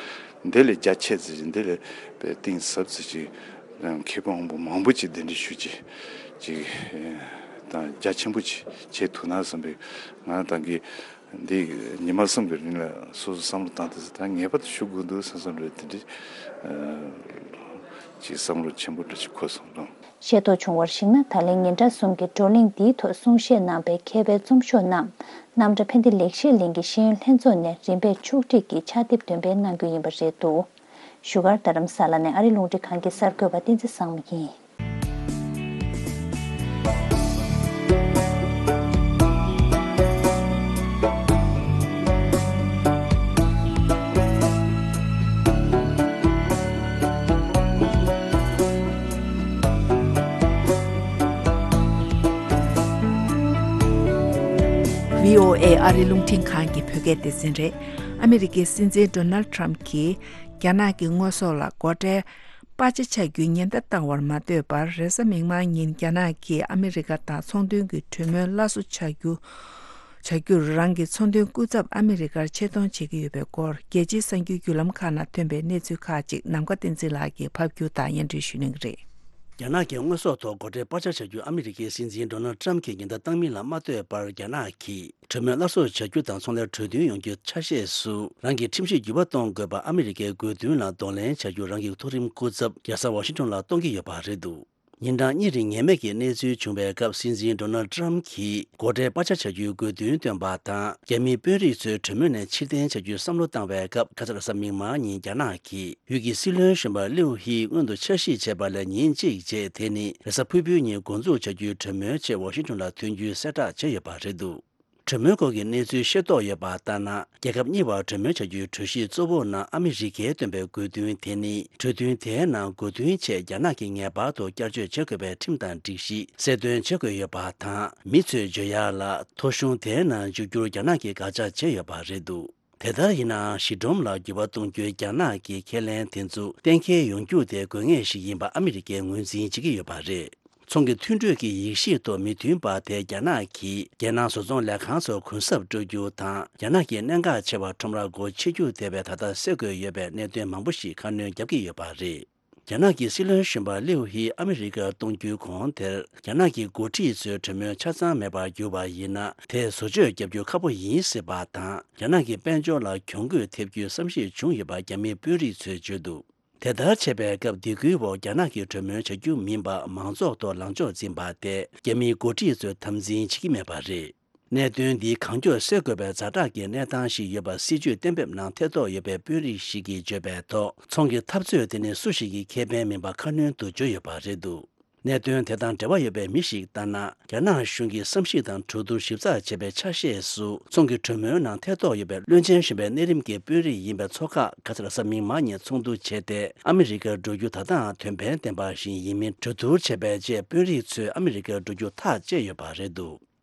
འདི་ལས་རྒྱ་ཆེ་ཙི་ཅིག་འདི་ལས་པའི་གཏིང་ཟབ་ཙི་ཅིག་མཁས་པའི་དབང་པོ་མང་པོ་ཅིག་གདན་འདྲེན་ཞུ་ཅིག་ཅིག་དང་རྒྱ་ཆེན་པོ་ཅིག་བྱེད་ཐུབ་ན་བསམ་པའི་ང་ད་གི་འདི་ཉི་མ་གསུམ་གྱི་རིང་ལ་སོ་སོ་བསམ་བློ་བཏང་དུས་ད་ངེས་པར་དུ་ཞུ་དགོས་འདུག་བསམ་བསམ་རེད། དེ་འདྲ་ཅིག་བསམ་བློ་ཆེན་པོ་འདྲ་ཅིག་འཁོར་སོང་ལོ། ཤེས་རྟོགས་བྱུང་བར་གཞིགས་ན་ད་ལན་ཉིན་གྲངས་གསུམ་གྱི་བགྲོ་གླེང་འདིའི་ཐོག་གསུང་བཤད་གནང་པའི་མཁས་པའི་རྩོམ་ཤོག་རྣམས་རྣམ་གྲྭ་ཕན་བདེ་ལེགས་བཤད་གླིང་གི་ཤེས་ཡོན་ལྷན་ཚོགས་ནས་རིམ་པས་ཕྱོགས་སྒྲིག་གིས་ཕྱག་དེབ་འདོན་སྤེལ་གནང་རྒྱུ་ཡིན་པ་རེད་འདུག་བཞུགས་སྒར་རྡ་རམ་ས་ལ་ནས་ཨ་རི་རླུང་འཕྲིན་ཁང་གི་གསར་འགོད་པ་བསྟན་འཛིན་བཟང་མོ་ཡིན། བྷི་ཨོ་ཨེ་ཨ་རི་རླུང་འཕྲིན་ཁང་གི་བོད་སྐད་སྡེ་ཚན་རེད། ཨ་མི་རི་ཀའི་སྲིད་འཛིན་ཌོ་ནལ་ཌི་ཊརམ་ཕི་གྱིས་རྒྱ་ནག་གི་དངོས་ཟོག་ལ་སྒོ་ཁྲལ་སྤར་ཆ་བྱ་རྒྱུའི་ཉེན་བརྡ་བཏང་བར་མ་ལྟོས་པར། རེས་གཟའ་མིག་དམར་ཉིན་རྒྱ་ནག་གིས་ཨ་མི་རི་ཀ་དང་ཚོང་དོན་གྱི་གྲོས་མོལ་སླར་གསོ་བྱ་རྒྱུ། བྱ་རྒྱུར་རང་གི་ཚོང་དོན་སྐུ་ཚབ་ཨ་མི་རི་ཀར་ཆེད་གཏོང་བྱེད་ཀྱི་ཡོད་པའི་སྐོར། རྒྱལ་སྤྱིའི་གསར་འགྱུར་བརྒྱུད་ལམ་ཁག་ནང་ཐོན་པའི་གནས་ཚུལ་ཁག་ཅིག་ནམ་མཁའ་བསྟན་འཛིན་ལགས་ཀྱིས་ཕབ་སྒྱུར་དང་སྙན་སྒྲོན་ཞུ་གནང་གི་རེད། རྒྱ་ནག་གི་དངོས་ཟོག་ཐོག་སྒོ་ཁྲལ་སྤར་ཆ་བྱ་རྒྱུ་ཨ་མི་རི་ཀའི་སྲིད་འཛིན་ཌོ་ནལ་ཌི་ཊརམ་ཕི་གིས་ཉེན་བརྡ་བཏང་མིན་ལ་མ་ལྟོས་པར། རྒྱ་ནག་གིས་གྲོས་མོལ་སླར་གསོ་བྱ་རྒྱུ་དང་ཚོང་ལས་གྲོས་མཐུན་ཡོང་རྒྱུའི་ཆ་ཤས་སུ་རང་གི་ཁྲིམས་གཞི་འགྱུར་བ་གཏོང་དགོས་པ་ཨ་མི་རི་ཀའི་དགོས་འདུན་ལ་གདོང་ལེན་བྱ་རྒྱུ་རང་གི་མཐོ་རིམ་སྐུ་ཚབ་རྒྱལ་ས་ཝ་ཤིང་ཊོན་ལ་གཏོང་གི་ཡོད་པ་རེད་འདུག་ཉིན་གྲངས་གཉིས་རིང་ངེས་མེད་ཀྱི་གནས་ཚུལ་བྱུང་བའི་སྐབས། སྲིད་འཛིན་ཌོ་ནལ་ཌི་ཊརམ་ཕིས་སྒོ་ཁྲལ་སྤར་ཆ་བྱ་རྒྱུའི་དགོས་འདུན་བཏོན་པ་དང་། རྒྱ་མིའི་དཔོན་རིགས་ཚོས་གྲོས་མོལ་ནས་ཕྱིར་འཐེན་བྱ་རྒྱུའི་བསམ་བློ་བཏང་བའི་སྐབས། ཁ་སང་རེས་གཟའ་མིག་དམར་ཉིན་རྒྱ་ནག་གིས་ཡུལ་གྱི་སྲིད་བློན་གཞོན་པ་ལིའུ་ཧི་སྔོན་དུ་འཆར་གཞི་བྱས་པ་ལས་ཉིན་གཅིག་རྗེས། དེ་ནི་རེས་གཟའ་ཕུར་བུའི་ཉིན་འགོ་འཛུགས་བྱ་རྒྱུའི་གྲོས་མོལ་ཆེད་ཝ་ཤིང་ཊོན་ལ་ཐོན་རྒྱུའི་གསལ་བསྒྲགས་བྱས་ཡོད་པ་རེད་འདུག་གྲོས་མོལ་སྐོར་གྱི་གནས་ཚུལ་ཤེས་རྟོགས་ཡོད་པ་ལྟར་ན། རྒྱལ་ཁབ་གཉིས་བར་གྲོས་མོལ་བྱ་རྒྱུའི་གྲོས་གཞིའི་གཙོ་བོ་ནང་ཨ་མི་རི་ཀས་བཏོན་པའི་དགོས་འདུན་དེ་ནི། གྲོས་མཐུན་དེའི་ནང་དགོས་འདུན་ཆེད་རྒྱ་ནག་གིས་ངེས་པར་དུ་བསྐྱར་བཅོས་བྱེད་དགོས་པའི་ཁྲིམས་དང་སྒྲིག་གཞི་གསལ་སྟོན་བྱེད་དགོས་ཡོད་པ་དང་། མི་ཚོས་འཇོན་ཡག་ལ་ཐོ་གཞུང་དེའི་ནང་འཇུག་རྒྱུར་རྒྱ་ནག་གིས་དགག་བྱ་བྱས་ཡོད་པ་རེད་འདུག་དེ་ལྟར་ཡིན་ནའང་། གཞི་སྒྲོམ་ལ་འགྱུར་བ་གཏོང་རྒྱུའི་རྒྱ་ནག་གི་ཁས་ལེན་དེ་ཚོ་གཏན་འཁེལ་ཡོང་རྒྱུ་དེ་དགོས་ངེས་ཤིག་ཡིན་པ་ཨ་མི་རི་ཀས་ངོས་འཛིན་བྱེད་ཀྱི་ཡོད་པ་རེད། ཚོང་གི་མཐུན་གྲོས་ཀྱི་ཡིག་གཞིག་ཐོག་མི་མཐུན་པ་དེ་རྒྱ་ནག་གིས་རྒྱལ་ནང་བཟོ་ཚོང་ལས་ཁང་ཚོར་གུན་གསབ་སྤྲོད་རྒྱུ་དང་། རྒྱ་ནག་གི་གནད་འགག་ཆེ་བ་ཁྲོམ་ར་སྒོ་ཕྱེ་རྒྱུ་དེ་བས་ད་ལྟ་སེལ་དགོས་ཡོད་པའི་གནད་དོན་མང་པོ་ཞིག་ཁ་སྣོན་བརྒྱབ་ཀྱི་ཡོད་པ་རེད། རྒྱ་ནག་གི་སྲིད་བློན་གཞོན་པ་ལིའུ་ཧི་ཨ་མི་རི་ཀར་གཏོང་རྒྱུའི་གོང་དེར། རྒྱ་ནག་གི་འགོ་ཁྲིད་ཚོས་གྲོས་མོལ་ཆ་ཚང་མེད་པར་གྱུར་པ་ཡིན་ན། དེས་བཟོ་བཅོས་བརྒྱབ་རྒྱུ་ཁག་པོ་ཡིན་སྲིད་པ་དང་། རྒྱ་ནག་གི་དཔལ་འབྱོར་ལ་གྱོང་གུད་ཐེབས་རྒྱུའི་བསམ་གཞིག་བྱུང་ཡོད་པ་རྒྱ་མིའི་དཔོན་རིགས་ཚོས་བརྗོད་འདུག་དེ་ལྟར་བྱས་པའི་སྐབས། སྡིགས་སྐུལ་འོག་རྒྱ་ནག་གིས་གྲོས་མོལ་བྱ་རྒྱུ་མིན་པ་མང་ཚོགས་ཐོག་ལངས་ཕྱོགས་འཛིན་པ་དེ། རྒྱ་མིའི་འགོ་ཁྲིད་ཚོས་དམ་འཛིན་བྱེད་ཀྱི་མེད་པ་རེད། གནད་དོན་འདི་གང་མགྱོགས་སེལ་དགོས་པའི་ཛ་དྲག་གི་གནས་སྟངས་ཤིག་ཡོད་པ་སྲིད་ཇུས་གཏན་འབེབས་ནང་ཐེ་གཏོགས་ཡོད་པའི་དཔོན་རིགས་ཤིག་གིས་བརྗོད་པའི་ཐོག་ཚོང་གི་འཐབ་རྩོད་དེ་ནི་སུ་ཞིག་གི་ཁེ་ཕན་མིན་པ་ཁ་སྣོན་དུ་བརྗོད་ཡོད་པ་རེད་འདུག་གནད་དོན་དེ་དང་འབྲེལ་བ་ཡོད་པའི་མི་ཞིག་ལྟར་ན། རྒྱ་ནག་གཞུང་གིས་བསམ་གཞིག་དང་གྲོས་བསྡུར་ཞིབ་ཚགས་བྱས་པའི་ཆ་ཤས་སུ། ཚོང་གི་གྲོས་མོལ་ནང་ཐེ་གཏོགས་ཡོད་པའི་བློན་ཆེན་གཞོན་པའི་གནས་རིམ་གྱི་དཔོན་རིགས་ཡིན་པའི་ཚོགས་ཁག་ག་སར་གཟའ་མིག་དམར་ཉིན་ཚོགས་འདུ་བྱས་ཏེ། ཨ་མི་རི་ཀར་འགྲོ་རྒྱུ་ད་ལྟའང་དོན་ཕན་ལྡན་པ་ཞིག་ཡིན་མིན་གྲོས་བསྡུར་བྱས་པའི་རྗེས། དཔོན་རིགས་ཚོས་ཨ་མི་རི་ཀར་འགྲོ་རྒྱུ་ཐག་བཅད་ཡོད་པ་རེད་འདུག་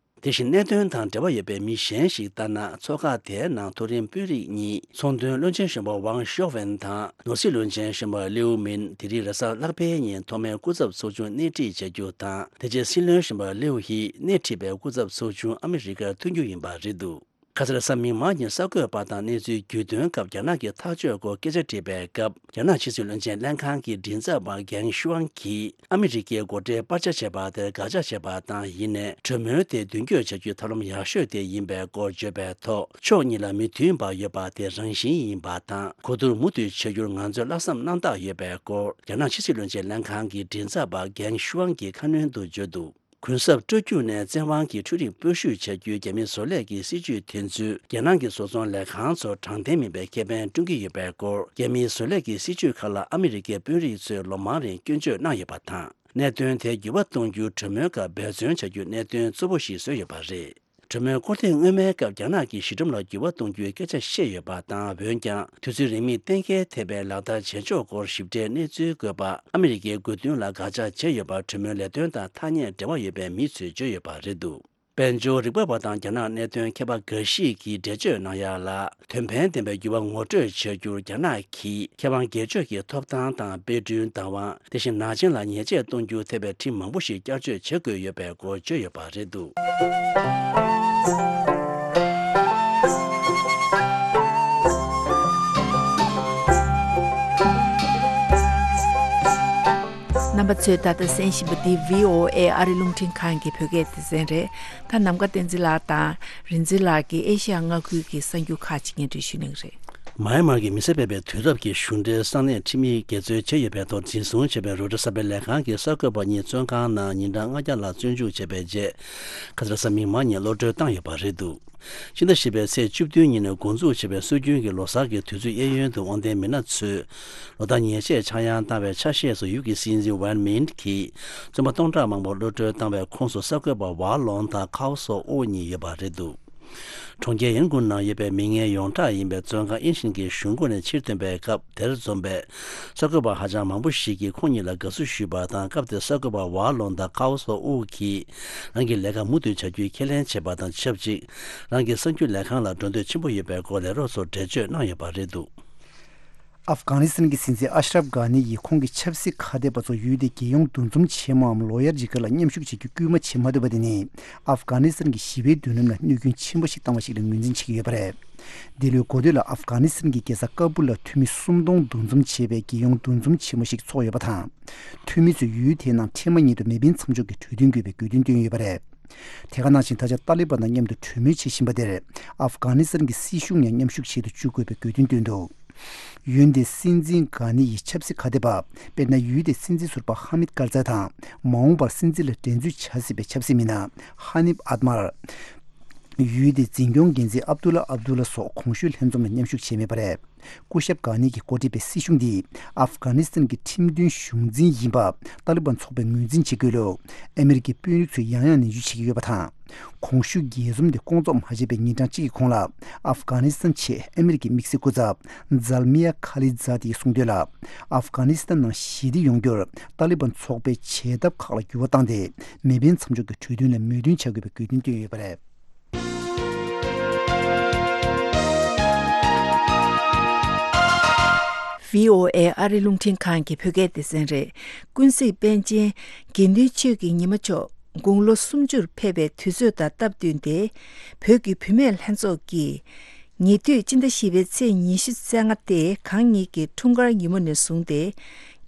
དེ་བཞིན་གནད་དོན་དང་འབྲེལ་བ་ཡོད་པའི་མི་གཞན་ཞིག་ལྟར་ན། ཚོགས་ཁག་དེའི་ནང་མཐོ་རིམ་དཔོན་རིགས་གཉིས། ཚོང་དོན་བློན་ཆེན་གཞོན་པ་ཝང་ཞའོ་ཝེན་དང་། ནོར་སྲིད་བློན་ཆེན་གཞོན་པ་ལིའུ་མིན། དེ་རིང་རེས་གཟའ་ལྷག་པའི་ཉིན་ཐོག་མའི་སྐུ་ཚབ་ཚོགས་ཆུང་སྣེ་ཁྲིད་བྱ་རྒྱུ་དང་། དེ་རྗེས་སྲིད་བློན་གཞོན་པ་ལིའུ་ཧི་སྣེ་ཁྲིད་པའི་སྐུ་ཚབ་ཚོགས་ཆུང་ཨ་མི་རི་ཀར་ཐོན་རྒྱུ་ཡིན་པ་རེད་འདུག་ག་སར་གཟའ་མིག་དམར་ཉིན་གསར་འགོད་པ་དང་གནས་ཚུལ་བརྒྱུད་དོན་སྐབས། རྒྱ་ནག་གི་ཐག་གཅོད་སྐོར་སྐད་ཆ་དྲིས་པའི་སྐབས། རྒྱ་ནག་ཕྱི་སྲིད་བློན་ཆེན་ལྷན་ཁང་གི་མགྲིན་ཚབ་པ་གྷེང་ཤུའང་གིས། ཨ་མི་རི་ཀའི་སྒོ་ཁྲལ་སྤར་ཆ་བྱས་པ་དེར་དགག་བྱ་བྱས་པ་དང་། ཡིན་ནའི་གྲོས་མོལ་དེ་མདུན་སྐྱོད་བྱ་རྒྱུའི་ཐབས་ལམ་ཡག་ཤོས་དེ་ཡིན་པའི་སྐོར་བརྗོད་པའི་ཐོག་ཕྱོགས་གཉིས་ལ་མི་མཐུན་པ་ཡོད་པ་དེ་རང་བཞིན་ཡིན་པ་དང་། གོ་བསྡུར་མུ་མཐུད་བྱ་རྒྱུར་ང་ཚོས་ལྷག་བསམ་རྣམ་དག་ཡོད་པའི་སྐོར། རྒྱ་ནག་ཕྱི་སྲིད་བློན་ཆེན་ལྷན་ཁང་གི་མགྲིན་ཚབ་པ་གྷེང་ཤུའང་གིས་ཁ་སྣོན་དུ་བརྗོད་འདུག་གུན་གསབ་སྤྲོད་རྒྱུ་ནས་བཙན་དབང་གིས་འཕྲུལ་རིག་སྤོ་བཤུད་བྱ་རྒྱུའི་རྒྱ་མིའི་བཟོ་ལས་ཀྱི་སྲིད་ཇུས་དེ་ཚོས་རྒྱལ་ནང་གི་བཟོ་ཚོང་ལས་ཁང་ཚོར་དྲང་བདེན་མིན་པའི་ཁེ་ཕན་བསྐྲུན་གྱི་ཡོད་པའི་སྐོར། རྒྱ་མིའི་བཟོ་ལས་ཀྱི་སྲིད་ཇུས་ཁག་ལ་ཨ་མི་རི་ཀའི་དཔོན་རིགས་ཚོས་ལོ་མང་རིང་སྐྱོན་བརྗོད་གནང་ཡོད་པ་དང་། གནད་དོན་དེ་འགྱུར་བ་གཏོང་རྒྱུའི་གྲོས་མོལ་སྐབས་འབད་བརྩོན་བྱ་རྒྱུ་གནད་དོན་གཙོ་བོ་ཞིག་བཟོས་ཡོད་པ་རེད། གྲོས་མོལ་སྐོར་ཐེངས་སྔོན་མའི་སྐབས། རྒྱ་ནག་གིས་གཞི་གྲངས་ལ་འགྱུར་བ་གཏོང་རྒྱུའི་སྐད་ཆ་བཤད་ཡོད་པ་དང་། འོན་ཀྱང་། དུས་ཚོད་རིང་མིན་གཏན་འཁེལ་ཐེབས་པའི་ལག་བསྟར་བྱེད་ཕྱོགས་སྐོར་ཞིབ་ཕྲའི་གནས་ཚུལ་འགོད་པ། ཨ་མི་རི་ཀའི་དགོས་འདུན་ལ་དགག་བྱ་བྱས་ཡོད་པར་གྲོས་མོལ་ལས་དོན་དང་ཐག་ཉེ་འབྲེལ་བ་ཡོད་པའི་མི་ཚོས་བརྗོད་ཡོད་པ་རེད་འདུག་དཔལ་འབྱོར་རིག་པ་བ་དང་རྒྱ་ནག་གནད་དོན་མཁས་པ་འགའ་ཞིག་གིས་འགྲེལ་བརྗོད་གནང་ཡག་ལ། དོན་ཕན་ལྡན་པའི་འགྱུར་བ་ངོ་སྤྲོད་བྱ་རྒྱུར་རྒྱ་ནག་གིས་མཁས་དབང་སྒེར་གཅོད་ཀྱི་ཐོབ་ཐང་དང་དཔེ་སྐྲུན་བདག་དབང་། དེ་བཞིན་ནག་ཅན་ལ་ཉེས་ཆད་གཏོང་རྒྱུ་ཐེ་བའི་ཁྲིམས་མང་པོ་ཞིག་བསྐྱར་བཅོས་བྱེད་དགོས་ཡོད་པའི་སྐོར་བརྗོད་ཡོད་པ་རེད་འདུག་རྣམ་པ་ཚོས་ད་ལྟ་གསན་བཞིན་པ་འདི་བྷི་ཨོ་ཨེ་ཨ་རི་རླུང་འཕྲིན་ཁང་གི་བོད་སྐད་སྡེ་ཚན་རེད། ད་ནམ་མཁའ་བསྟན་འཛིན་ལགས་དང་རིག་འཛིན་ལགས་ཀྱིས་ཨེ་ཤི་ཡ་མངའ་ཁུལ་གྱི་གསར་འགྱུར་ཁག་ཅིག་སྙན་སྒྲོན་ཞུ་གནང་གི་རེད། མཱ་ཡན་མར་གྱི་མི་སེར་སྤེལ་བའི་དུས་རབས་ཀྱི་གཞུང་འབྲེལ་ས་གནས་ཁྲིམས་ཡིག་འགལ་འཛོལ་བྱས་ཡོད་པའི་ཐོག་འཛིན་བཟུང་བྱས་པའི་རོའི་ཊར་གསར་སྤེལ་ལས་ཁང་གི་གསར་འགོད་པ་གཉིས་བཙོན་ཁང་ནང་ཉིན་གྲངས་ལྔ་བརྒྱ་ལྷག་བཙོན་འཇུག་བྱས་པའི་རྗེས། ཁ་སང་གཟའ་མིག་དམར་ཉིན་གློད་གྲོལ་བཏང་ཡོད་པ་རེད་འདུག་ཕྱི་ཟླ་བཞི་པའི་ཚེས་བཅུ་བདུན་ཉིན་ནས་འགོ་འཛུགས་བྱས་པའི་སྲོལ་རྒྱུན་གྱི་ལོ་གསར་གྱི་དུས་ཚོད་གཡས་གཡོན་དུ་དབང་ལྡན་མི་སྣ་ཚོས་ལོ་ལྟར་ཉེས་ཆད་ཆག་ཡང་བཏང་བའི་ཆ་ཤས་སུ་ཡུལ་གྱི་སྲིད་འཛིན་ཝན་མིན་གྱིས་བཙོན་པ་སྟོང་ཕྲག་མང་པོ་གློད་གྲོལ་བཏང་བའི་ཁོངས་སུ་གསར་འགོད་པ་ཝ་ལོང་དང་ཁའོ་སོ་ཨོ་གཉིས་ཡོད་པ་རེད་འདུག་གྲོང་ཁྱེར་ཡན་ཀུན་ནང་ཡོད་པའི་མི་ངན་ཡོངས་གྲགས་ཡིན་པའི་བཙོན་ཁང་ཨིན་ཤིན་གྱི་གཞུང་སྒོ་ནས་ཕྱིར་ཐོན་པའི་སྐབས་དེར་འཛོམས་པའི་གསར་འགོད་པ་ཧ་ཅང་མང་པོ་ཞིག་གིས་ཁོང་གཉིས་ལ་དགའ་བསུ་ཞུས་པ་དང་། སྐབས་དེར་གསར་འགོད་པ་ཝ་ལོང་དང་ཁའོ་སོ་ཨུ་གིས་རང་གི་ལས་ཀ་མུ་མཐུད་བྱ་རྒྱུའི་ཁས་ལེན་བྱས་པ་དང་ཆབས་ཅིག་རང་གི་གསར་འགྱུར་ལས་ཁང་ལ་འགྲོ་འདོད་ཆེན་པོ་ཡོད་པའི་སྐོར་ལས་རོགས་ཚོར་འགྲེལ་བརྗོད་གནང་ཡོད་པ་རེད་འདུག་ཨབ་གྷ་ནི་སི་ཐན་གྱི་སྲིད་འཛིན་ཨ་ཤ་རབ་གྷ་ནི་ཡིས་ཁོང་གི་ཆབ་སྲིད་ཁ་གཏད་པ་ཚོ་ཡུལ་དེའི་རྒྱལ་ཡོངས་འདུ་འཛོམས་ཆེན་མོའམ་ལོ་ཡར་ཇི་ཀར་ལ་མཉམ་ཞུགས་བྱེད་རྒྱུ་སྐུལ་མ་བྱེད་མ་ཐུབ་པ་དེ་ནི། ཨབ་གྷ་ནི་སི་ཐན་གྱི་ཞི་བའི་མདུན་ལམ་ལ་གནོད་སྐྱོན་ཆེན་པོ་ཞིག་བཏང་བ་ཞིག་ལ་ངོས་འཛིན་བྱེད་ཀྱི་ཡོད་པ་རེད། འདི་ལོའི་འགོ་སྟོད་ལ་ཨབ་གྷ་ནི་སི་ཐན་གྱི་རྒྱལ་ས་ཀ་པུལ་ལ་འཐུས་མི་སུམ་སྟོང་འདུ་འཛོམས་བྱེད་པའི་རྒྱལ་ཡོངས་འདུ་འཛོམས་ཆེན་མོ་ཞིག་ཚོགས་ཡོད་པ་དང་། འཐུས་མི་ཚོས་ཡུལ་དེའི་ནང་ཁྲལ་མ་ཉིད་དུ་མེ་འཕེན་མཚམས་འཇོག་གི་གྲོས་མཐུན་དགོས་པའི་དགོས་འདུན་བཏོན་ཡོད་པ་རེད། དེ་ག་ནང་བཞིན་ད་ཆ་ཏཱ་ལི་བན་དང་མཉམ་དུ་གྲོས་མོལ་བྱེད་བཞིན་པ་དེར། ཨབ་གྷ་ནི་སི་ཐན་གྱི་སྲིད་གཞུང་ཡང་མཉམ་ཞུགས་བྱེད་དུ་བཅུག་དགོས་པའི་དགོས་འདུན་བཏོན་འདུག་ཡུལ་འདིའི་སྲིད་འཛིན་གྷ་ནི་ཡི་ཆབ་སྲིད་ཁ་གཏད་པ། དཔེར་ན། ཡུལ་དེའི་སྲིད་འཛིན་ཟུར་པ་ཧ་མིད་ཀར་ཛའི་དང་། མ་འོངས་པར་སྲིད་འཛིན་ལ་འགྲན་རྩོད་བྱ་སྲིད་པའི་ཆབ་སྲིད་མི་སྣ་ཧ་ནིབ་ཨད་མར། ཡུལ་དེའི་འཛིན་སྐྱོང་འགན་འཛིན་ཨབ་ཏུ་ལ་ཨབ་ཏུ་ལ་སོགས་གོང་ཞུས་ལྷན་འཛོམས་ལ་མཉམ་ཞུགས་བྱས་མེད་པ་རེད། སྐུ་ཞབས་གྷ་ནི་གིས་འགོ་ཁྲིད་པའི་སྲིད་གཞུང་འདིས་ཨབ་གྷ་ནི་སི་ཐན་གྱི་ཁྲིམས་མཐུན་གཞུང་འཛིན་ཡིན་པ་ཏཱ་ལི་བན་ཚོགས་པས་ངོས་འཛིན་བྱེད་དགོས་ལུགས་ཨ་མི་རི་ཀའི་དཔོན་རིགས་ཚོས་ཡང་ཡང་ནན་བརྗོད་བྱེད་ཀྱི་ཡོད་པ་དང་། གོང་ཞུས་རྒྱས་འཛོམས་དེ་སྐོང་ཚོགས་མ་བྱས་པའི་ཉིན་གྲངས་གཅིག་གི་གོང་ལ། ཨབ་གྷ་ནི་སི་ཐན་ཆེད་ཨ་མི་རི་ཀའི་དམིགས་བསལ་སྐུ་ཚབ་ཛལ་མི་ཡ་ཁ་ལི་ཛ་དེ་ཡིས་གསུངས་དོན་ལ། ཨབ་གྷ་ནི་སི་ཐན་ནང་ཞི་བདེ་ཡོང་རྒྱུར་ཏཱ་ལི་བན་ཚོགས་པས་བྱེད་ཐབས་ཁག་ལ་འགྱུར་བ་བཏང་སྟེ། མེ་འཕེན་མཚམས་འཇོག་གི་གྲོས་མཐུན་ལ་མོས་མཐུན་བྱ་དགོས་པའི་དགོས་འདུན་བཏོན་ཡོད་པ་རེད། བྷི་ཨོ་ཨེ་ཨ་རི་རླུང་འཕྲིན་ཁང་གི་བོད་སྐད་སྡེ་ཚན་རེད། ཀུན་གཟིགས་པཎ་ཆེན་དགེ་འདུན་ཆོས་ཀྱི་ཉི་མ་མཆོག་དགུང་ལོ་སུམ་ཅུར་ཕེབས་པའི་དུས་ཚོད་དང་སྟབས་བསྟུན་ཏེ། བོད་ཀྱི་བུད་མེད་ལྷན་ཚོགས་ཀྱིས། ཉེ་དུས་སྤྱི་ཟླ་བཞི་པའི་ཚེས་ཉི་ཤུ་རྩ་ལྔ་སྟེ་གང་ཉིད་ཀྱི་འཁྲུངས་སྐར་ཉིན་མོ་ནས་བཟུང་སྟེ།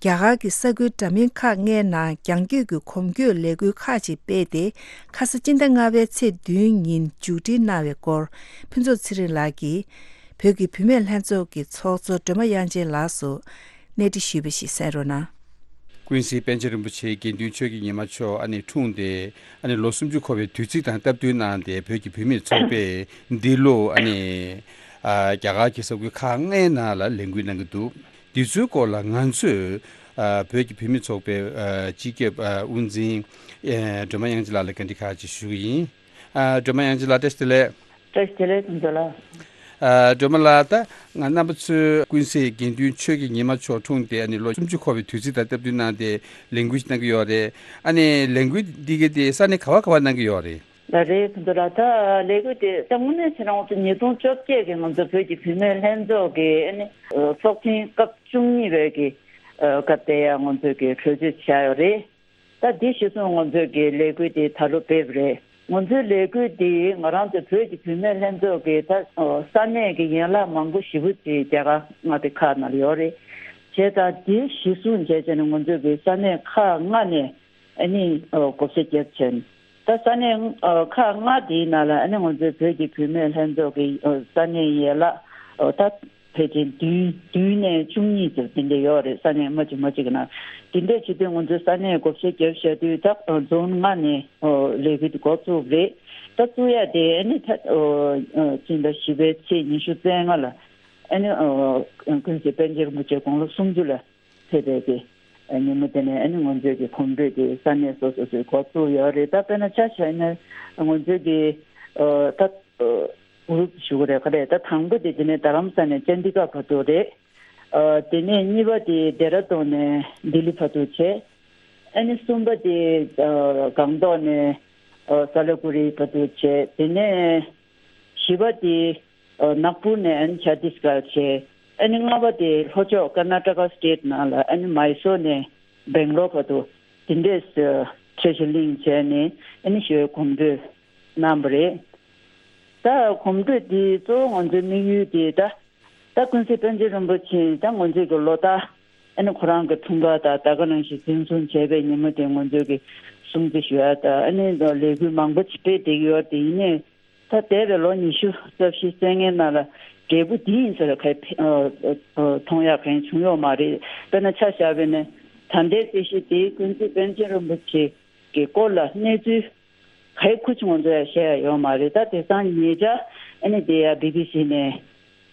རྒྱ་གར་གྱི་ས་ཁུལ་འདྲ་མིན་ཁག་ལྔའི་ནང་རྒྱང་སྐྱོད་ཀྱི་གོམ་བགྲོད་ལས་འགུལ་ཁག་ཅིག་སྤེལ་ཏེ། ཁ་ས་སྤྱི་ཟླ་ལྔ་པའི་ཚེས་བདུན་ཉིན་མཇུག་སྒྲིལ་གནང་བའི་སྐོར། ཕུན་ཚོགས་ཚེ་རིང་ལགས་ཀྱིས། བོད་ཀྱི་བུད་མེད་ལྷན་ཚོགས་ཀྱི་ཚོགས་གཙོ་སྒྲོལ་མ་དབྱངས་ཅན་ལགས་སུ་གནས་འདྲི་ཞུས་པ་ཞིག་གསན་རོགས་གནང་། ཀུན་གཟིགས་པཎ་ཆེན་རིན་པོ་ཆེ་དགེ་འདུན་ཆོས་ཀྱི་ཉི་མ་མཆོག་ཨ་ནི་འཁྲུངས་ཏེ། ཨ་ནི་ལོ་སུམ་ཅུ་འཁོར་བའི་དུས་ཚིགས་དང་སྟབས་བསྟུན་གནང་སྟེ། བོད་ཀྱི་བུད་མེད་ཚོགས་པས་འདི་ལོ་ཨ་ནི་ཨ་རྒྱ་གར་གྱི་ས་ཁུལ་ཁག་ལྔའི་ནང་ལ་ལས་འགུལ་གནང་གི་འདུག། འདི་ཚོའི་སྐོར་ལ་ང་ཚོས་ཨ་བོད་ཀྱི་བུད་མེད་ཚོགས་པའི་ཨ་སྤྱི་ཁྱབ་ཨ་དབུ་འཛིན་ཨ་སྒྲོལ་མ་དབྱངས་ཅན་ལགས་ལ་བཀའ་འདྲི་ཁག་ཅིག་ཞུ་གི་ཡིན། ཨ་སྒྲོལ་མ་དབྱངས་ཅན་ལགས། བཀྲ་ཤིས་བདེ་ལེགས། བཀྲ་ཤིས་བདེ་ལེགས། ཐུགས་རྗེ་ཆེ་ལགས། ཨ་སྒྲོལ་མ་ལགས། ད་ང་རྣམ་པ་ཚོས་ཀུན་གཟིགས་དགེ་འདུན་ཆོས་ཀྱི་ཉི་མ་མཆོག་འཁྲུངས་ཏེ་ཨ་ནི་ལོ་སུམ་ཅུ་འཁོར་བའི་དུས་ཚིགས་དང་སྟབས་བསྟུན་གནང་སྟེ་ལས་འགུལ་ཞིག་གནང་གི་ཡོད་རེད། ཨ་ནི་ལས་འགུལ་འདི་ག་དེ་ས་གནས་ག་བ་ག་བར་གནང་གི་ཡོད་རེད། ལགས་རེད། ཐུགས་རྗེ་ཆེ་ལགས། ད་ལས་འགུལ་དེ་ད་དངོས་གནས་བྱས་ན་ང་ཚོ་ཉིས་སྟོང་བཅོ་བརྒྱད་ཀྱི་ང་ཚོ་བོད་ཀྱི་བུད་མེད་ལྷན་ཚོགས་ཀྱི་ཨ་ནི་ཚོགས་ཆེན་སྐབས་བཅུ་གཉིས་པའི་གི་སྐབས་དེ་ཡང་ང་ཚོས་གི་གྲོས་ཆོད་བྱས་ཡོད་རེད། ད་འདི་གཞིར་བཟུང་ང་ཚོས་ཀྱི་ལས་འགུལ་འདི་ད་ལོ་སྤེལ་བ་རེད། ང་ཚོའི་ལས་འགུལ་འདི་ང་རང་ཚོའི་བོད་ཀྱི་བུད་མེད་ལྷན་ཚོགས་ཀྱི་ད་ས་གནས་ཀྱི་ཡན་ལག་མང་པོ་ཞེ་པོ་ཅིག་རྒྱ་གར་མངའ་སྡེ་ཁག་ནང་ལ་ཡོད་རེད། བྱས་ཙང་འདི་གཞིར་བཟུང་བྱས་བྱས་ནས་ང་ཚོས་ཀྱི་ས་གནས་ཁག་ལྔ་ནས་ཨ་ནི་བགོ་བཤའ་བརྒྱབ་བྱས་ནས། ད་ས་གནས་ཁག་ལྔ་འདིའི་ནང་ལ་ཨ་ནི་ང་ཚོའི་བོད་ཀྱི་བུད་མེད་ལྷན་ཚོགས་ཀྱི་ས་གནས་ཡན་ལག་ད་ཕལ་ཆེར་བདུན་བདུན་ནས་བཅུ་གཉིས་ཙམ་དེ་འདྲ་ཡོད་རེད། ས་གནས་མ་གཅིག་མ་གཅིག་གི་ནང་། དེ་འདྲ་བྱེད་དུས་ང་ཚོའི་ས་གནས་བགོ་བཤའ་བརྒྱབ་བཞག་དུས་ད་རྫོང་ལྔ་ནས་ལས་འགུལ་དེ་འགོ་བཙུགས་རེད། ད་བཙུགས་ཡ་དེ་ཨ་ནི་ད་སྤྱི་ཟླ་བཞི་པའི་ཚེས་ཉི་ཤུ་རྩ་ལྔ་ལ་ཨ་ནི་ཀུན་གཟིགས་པཎ་ཆེན་རིན་པོ་ཆེ་དགུང་ལོ་སུམ་ཅུ་ལ་ཕེབས་པའི་གི་ཉིན་མོ་དེ་ནས་ཨ་ནི་ང་ཚོའི་གི་གོམ་བགྲོད་དེ་ས་གནས་སོ་སོ་སོའི་འགོ་བཙུགས་ཡོད་རེད། ད་དཔེར་ན་ཆ་བཞག་ན་ང་ཚོའི་གི་ད་གུ་རུབ་ཞུ་གི་རེད། ག་རེད། ད་དང་པོ་དེ་དེ་ནས་རྡ་རམ་ས་ནས་ཅན་ཌི་གྷར་བར་དུ་རེད། དེ་ནས་གཉིས་པ་དེ་ལྡེ་ར་ལྡུན་ནས་ལྡི་ལི་བར་དུ་བྱས། ཨ་ནི་གསུམ་པ་དེ་སྒང་ཏོག་ནས་སཱ་ལི་གུ་རི་བར་དུ་བྱས། དེ་ནས་བཞི་པ་དེ་ནག་པུར་ནས་ཨ་ནི་ཆ་ཏིས་གྷར་བྱས། ཨ་ནི་ལྔ་པ་དེ་ལྷོ་ཕྱོགས་ཀར་ན་ཊ་ཀ་སི་ཊེཊ་ནང་ལ་ཨ་ནི་མའི་སོར་ནས་སྦེང་ལོར་བར་དུ་དེ་འདྲས་ཕྱིར་བཤོལ་གླིང་བྱས་ནས་ཨ་ནི་ཞོལ་གོམ་བགྲོད་གནང་བ་རེད། ད་གོམ་བགྲོད་འདི་གཙོ་བོ་ང་ཚོའི་དམིགས་ཡུལ་དེ་ད་ད་ཀུན་གཟིགས་པཎ་ཆེན་རིན་པོ་ཆེ་ད་ང་ཚོའི་གི་ལོ་ལྟར་ཨ་ནི་ཁོ་རང་གི་འཁྲུངས་སྐར་དང་ད་ག་ནང་བཞིན་འཛིན་བཟུང་བྱས་པའི་ཉིན་མོ་དེ་ང་ཚོའི་གི་སྲུང་བརྩི་ཞུ་ཡ་དང་ཨ་ནི་ལས་འགུལ་མང་པོ་ཅིག་སྤེལ་བསྡད་ཀྱི་ཡོད་རེད། དེ་ཡིན་ནའི་ད་འདས་པའི་ལོ་ཉི་ཤུ་རྩ་བཞི་རྩ་ལྔའི་ནང་ལ་འབྲས་བུ་འདི་ཡིན་ཟེར་ག་ཨ་ཨ་མཐོང་ཡག་གང་བྱུང་ཡོད་མ་རེད། དཔེར་ན་ཆ་བཞག་པ་ཡིན་ན་ད་ལྟའི་སྲིད་གཞི་འདི་ཀུན་གཟིགས་པཎ་ཆེན་རིན་པོ་ཆེ་གི་སྐོར་ལ་གནས་ཚུལ་ག་ཁུ་ཆུང་ང་ཚོ་ཡང་བཤད་ཡ་ཡོད་མ་རེད། ད་དེང་སང་ཉེ་ཆར་ཨ་ནི་དེ་ཡ་བི་བི་སི་ནས་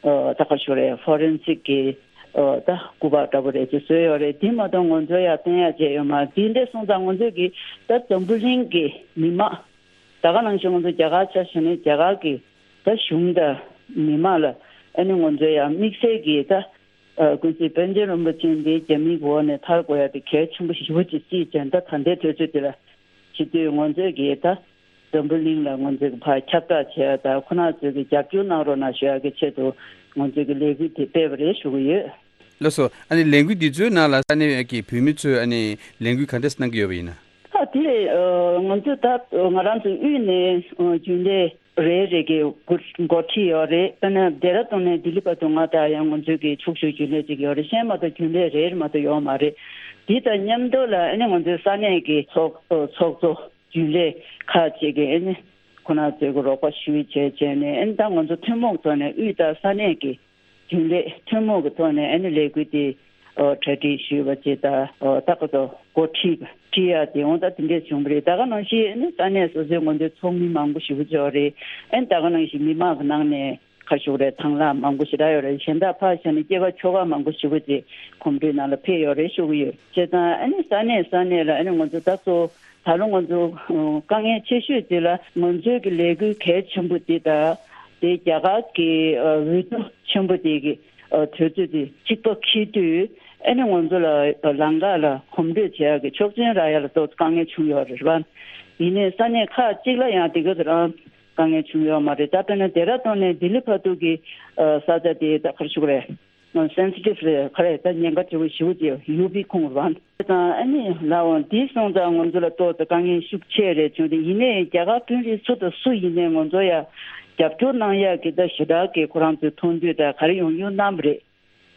ཨ་ད་ག་ཞུ་རེད། ཧྥོ་རེན་སིག་གི་ཨ་ད་སྐུ་པར་འདྲ་པོ་རེ་ཅིག་བཟོས་ཡོད་རེད། དེ་མ་གཏོགས་ང་ཚོ་ཡང་བསྟན་ཡ་བྱས་ཡོད་མ་རེད། དེ་འདྲ་སོང་ཙང་ང་ཚོས་ཀྱི་ད་འཛམ་བུ་གླིང་གི་མི་མང་ད་ག་ནང་བཞིན་ང་ཚོ་རྒྱ་གར་ཆ་བཞག་ན་རྒྱ་གར་གི་ད་གཞུང་དང་མི་མང་ལ་ཨ་ནི་ང་ཚོ་ཡང་དམིགས་བསལ་གྱི་ད་ཨ་ཀུན་གཟིགས་པཎ་ཆེན་རིན་པོ་ཆེ་འདི་རྒྱ་མིའི་འོག་ནས་ཐར་དགོས་ཡ་དེ་གལ་ཆེན་པོ་ཞེ་པོ་ཅིག་བརྩིས་བྱས། ད་ད་ལྟའི་དུས་ཚོད་འདི་ལ་བྱེད་དུས་ང་ཚོས་ཀྱི་ད་འཛམ་བུ་གླིང་ལ་ང་ཚོས་ཀྱི་ཕར་ཁྱབ་བསྒྲགས་བྱས་ཡ་ད་ཁོ་རང་ཚོས་ཀྱི་རྒྱབ་སྐྱོར་གནང་རོགས་གནང་ཞུ་ཡ་གི་ཆེད་དུ་ང་ཚོས་ཀྱི་ལས་འགུལ་དེ་སྤེལ་བ་རེད་ཞུ་གི་ཡོད། ལགས་སོ། ཨ་ནི་ལས་འགུལ་འདི་ཚོའི་ནང་ལ་ས་གནས་ཀྱི་བོད་མི་ཚོས་ཨ་ནི་ལས་འགུལ་ག་འདྲས་གནང་གི་ཡོད་པ་ཡིན་ན། ད་དེ་ང་ཚོས་ད་ང་རང་ཚོའི་དབུས་ནས་རྒྱུན་ལས་རེ་རེ་གི་འགོ་འགོ་ཁྲིད་ཡོད་རེད། དཔེར་ན་ལྡེ་ར་ལྡུན་ནས་ལྡི་ལི་བར་དུ་ང་དང་ཡང་ང་ཚོའི་གི་ཕྱོགས་བཞུགས་རྒྱུན་ལས་ཅིག་ཡོད་རེད། གཞན་མ་གཏོགས་རྒྱུན་ལས་རེ་རེ་མ་གཏོགས་ཡོད་མ་རེད། འདི་དང་མཉམ་དུ་ལ་ཨ་ནི་ང་ཚོའི་ས་གནས་ཀྱི་ཚོགས་ཚོགས་གཙོ་རྒྱུན་ལས་ཁག་ཅིག་གིས་ཨ་ནི་ཁོ་རང་ཚོའི་གི་རོགས་པ་ཞུས་བྱས་བྱས་ནས་ཨ་ནི་ད་ང་ཚོ་ཐུན་མོང་ཐོག་ནས་དབུས་དང་ས་གནས་ཀྱི་རྒྱུན་ལས་ཐུན་མོང་གི་ཐོག་ནས་ཨ་ནི་ལས་འགུལ་དེ་ཨོ་གྲ་སྒྲིག་ཞུས་པ་བྱས། ད་ཨོ་ད་ག་ཚོད་འགོ་ཁྲིད་ཁྲིད་ཡ་དེ་འོང་ད་དེ་འདྲས་བྱུང་བ་རེད། ད་ག་ནང་བཞིན་ཨ་ནི་ས་གནས་སོ་སོའི་ང་ཚོའི་ཚོགས་མི་མང་པོ་ཞེ་པོ་ཅིག་ཡོད་རེད། ཨ་ནི་ད་ག་ནང་བཞིན་མི་མང་གི་ནང་ནས་ཁ་ཤོག་རེད། དང་བླངས་མང་པོ་ཞེ་དྲག་ཡོད་རེད། གཞན་དག་ཕར་བཞག་ནས་སྐྱེས་པ་ཆོལ་ཁ་མང་པོ་ཞེ་པོ་ཅིག་གོམ་བགྲོད་ནང་ལ་ཕེབས་ཡོད་རེད་ཞུ་གི་ཡོད། བྱས་ཙང་ཨ་ནི་ས་གནས་ས་གནས་ལ་ཨ་ནི་ང་ཚོ་ད་གཙོ་ད་ལོ་ང་ཚོ་དཀའ་ངལ་ཆེ་ཤོས་དེ་ལ་ང་ཚོའི་གི་ལས་འགུལ་གལ་ཆེན་པོ་དེ་དང་དེ་རྒྱ་གར་གི་འོས་བསྡུ་ཆེན་པོ་དེ་གི་དུས་ཚོད་དེ་གཅིག་པ་འཁེལ་དུས་ཨ་ནི་ང་ཚོ་ལ་ལམ་ཁ་ལ་གོམ་བགྲོད་བྱེད་ཡག་གི་ཆོག་མཆན་རག་ཡག་ལ་ཏོག་ཙམ་དཀའ་ངལ་བྱུང་ཡོད་རེད་པ། ཡིན་ནའི་ས་གནས་ཁག་ཅིག་ལ་ཡང་དེ་ག་ཚོད་རང་དཀའ་ངལ་བྱུང་ཡོད་མ་རེད། ད་དཔེར་ན་ལྡེ་ར་ལྡུན་ནས་ལྡི་ལི་བར་དུ་གི་ས་ཆ་དེ་ད་ག་རེ་ཞུ་དགོས་རེད། སེན་སི་ཊིབ་རེད། ག་རེ་ད་ཉེན་ཁ་ཆེ་བོ་ཞེ་པོ་ཅིག་ཡོད་པའི་ཁུངས་རེད་བ། དང་ཨ་ནི་ལའོ་འདི་སོང་ཙང་ང་ཚོ་ལ་ཏོག་ཙམ་དཀའ་ངལ་ཤུགས་ཆེ་རེད་བྱུང་སྟེ། ཡིན་ནའི་རྒྱ་གར་དཔོན་རིགས་སུ་དང་སུ་ཡིན་ནའི་ང་ཚོ་ཡ་རྒྱབ་སྐྱོར་གནང་ཡག་གི་ད་ཞེ་དྲག་གི་ཁོ་རང་ཚོའི་མཐོང་འདོད་ད་ག་རེ་ཡོང་ཡོང་གནང་བ་རེད།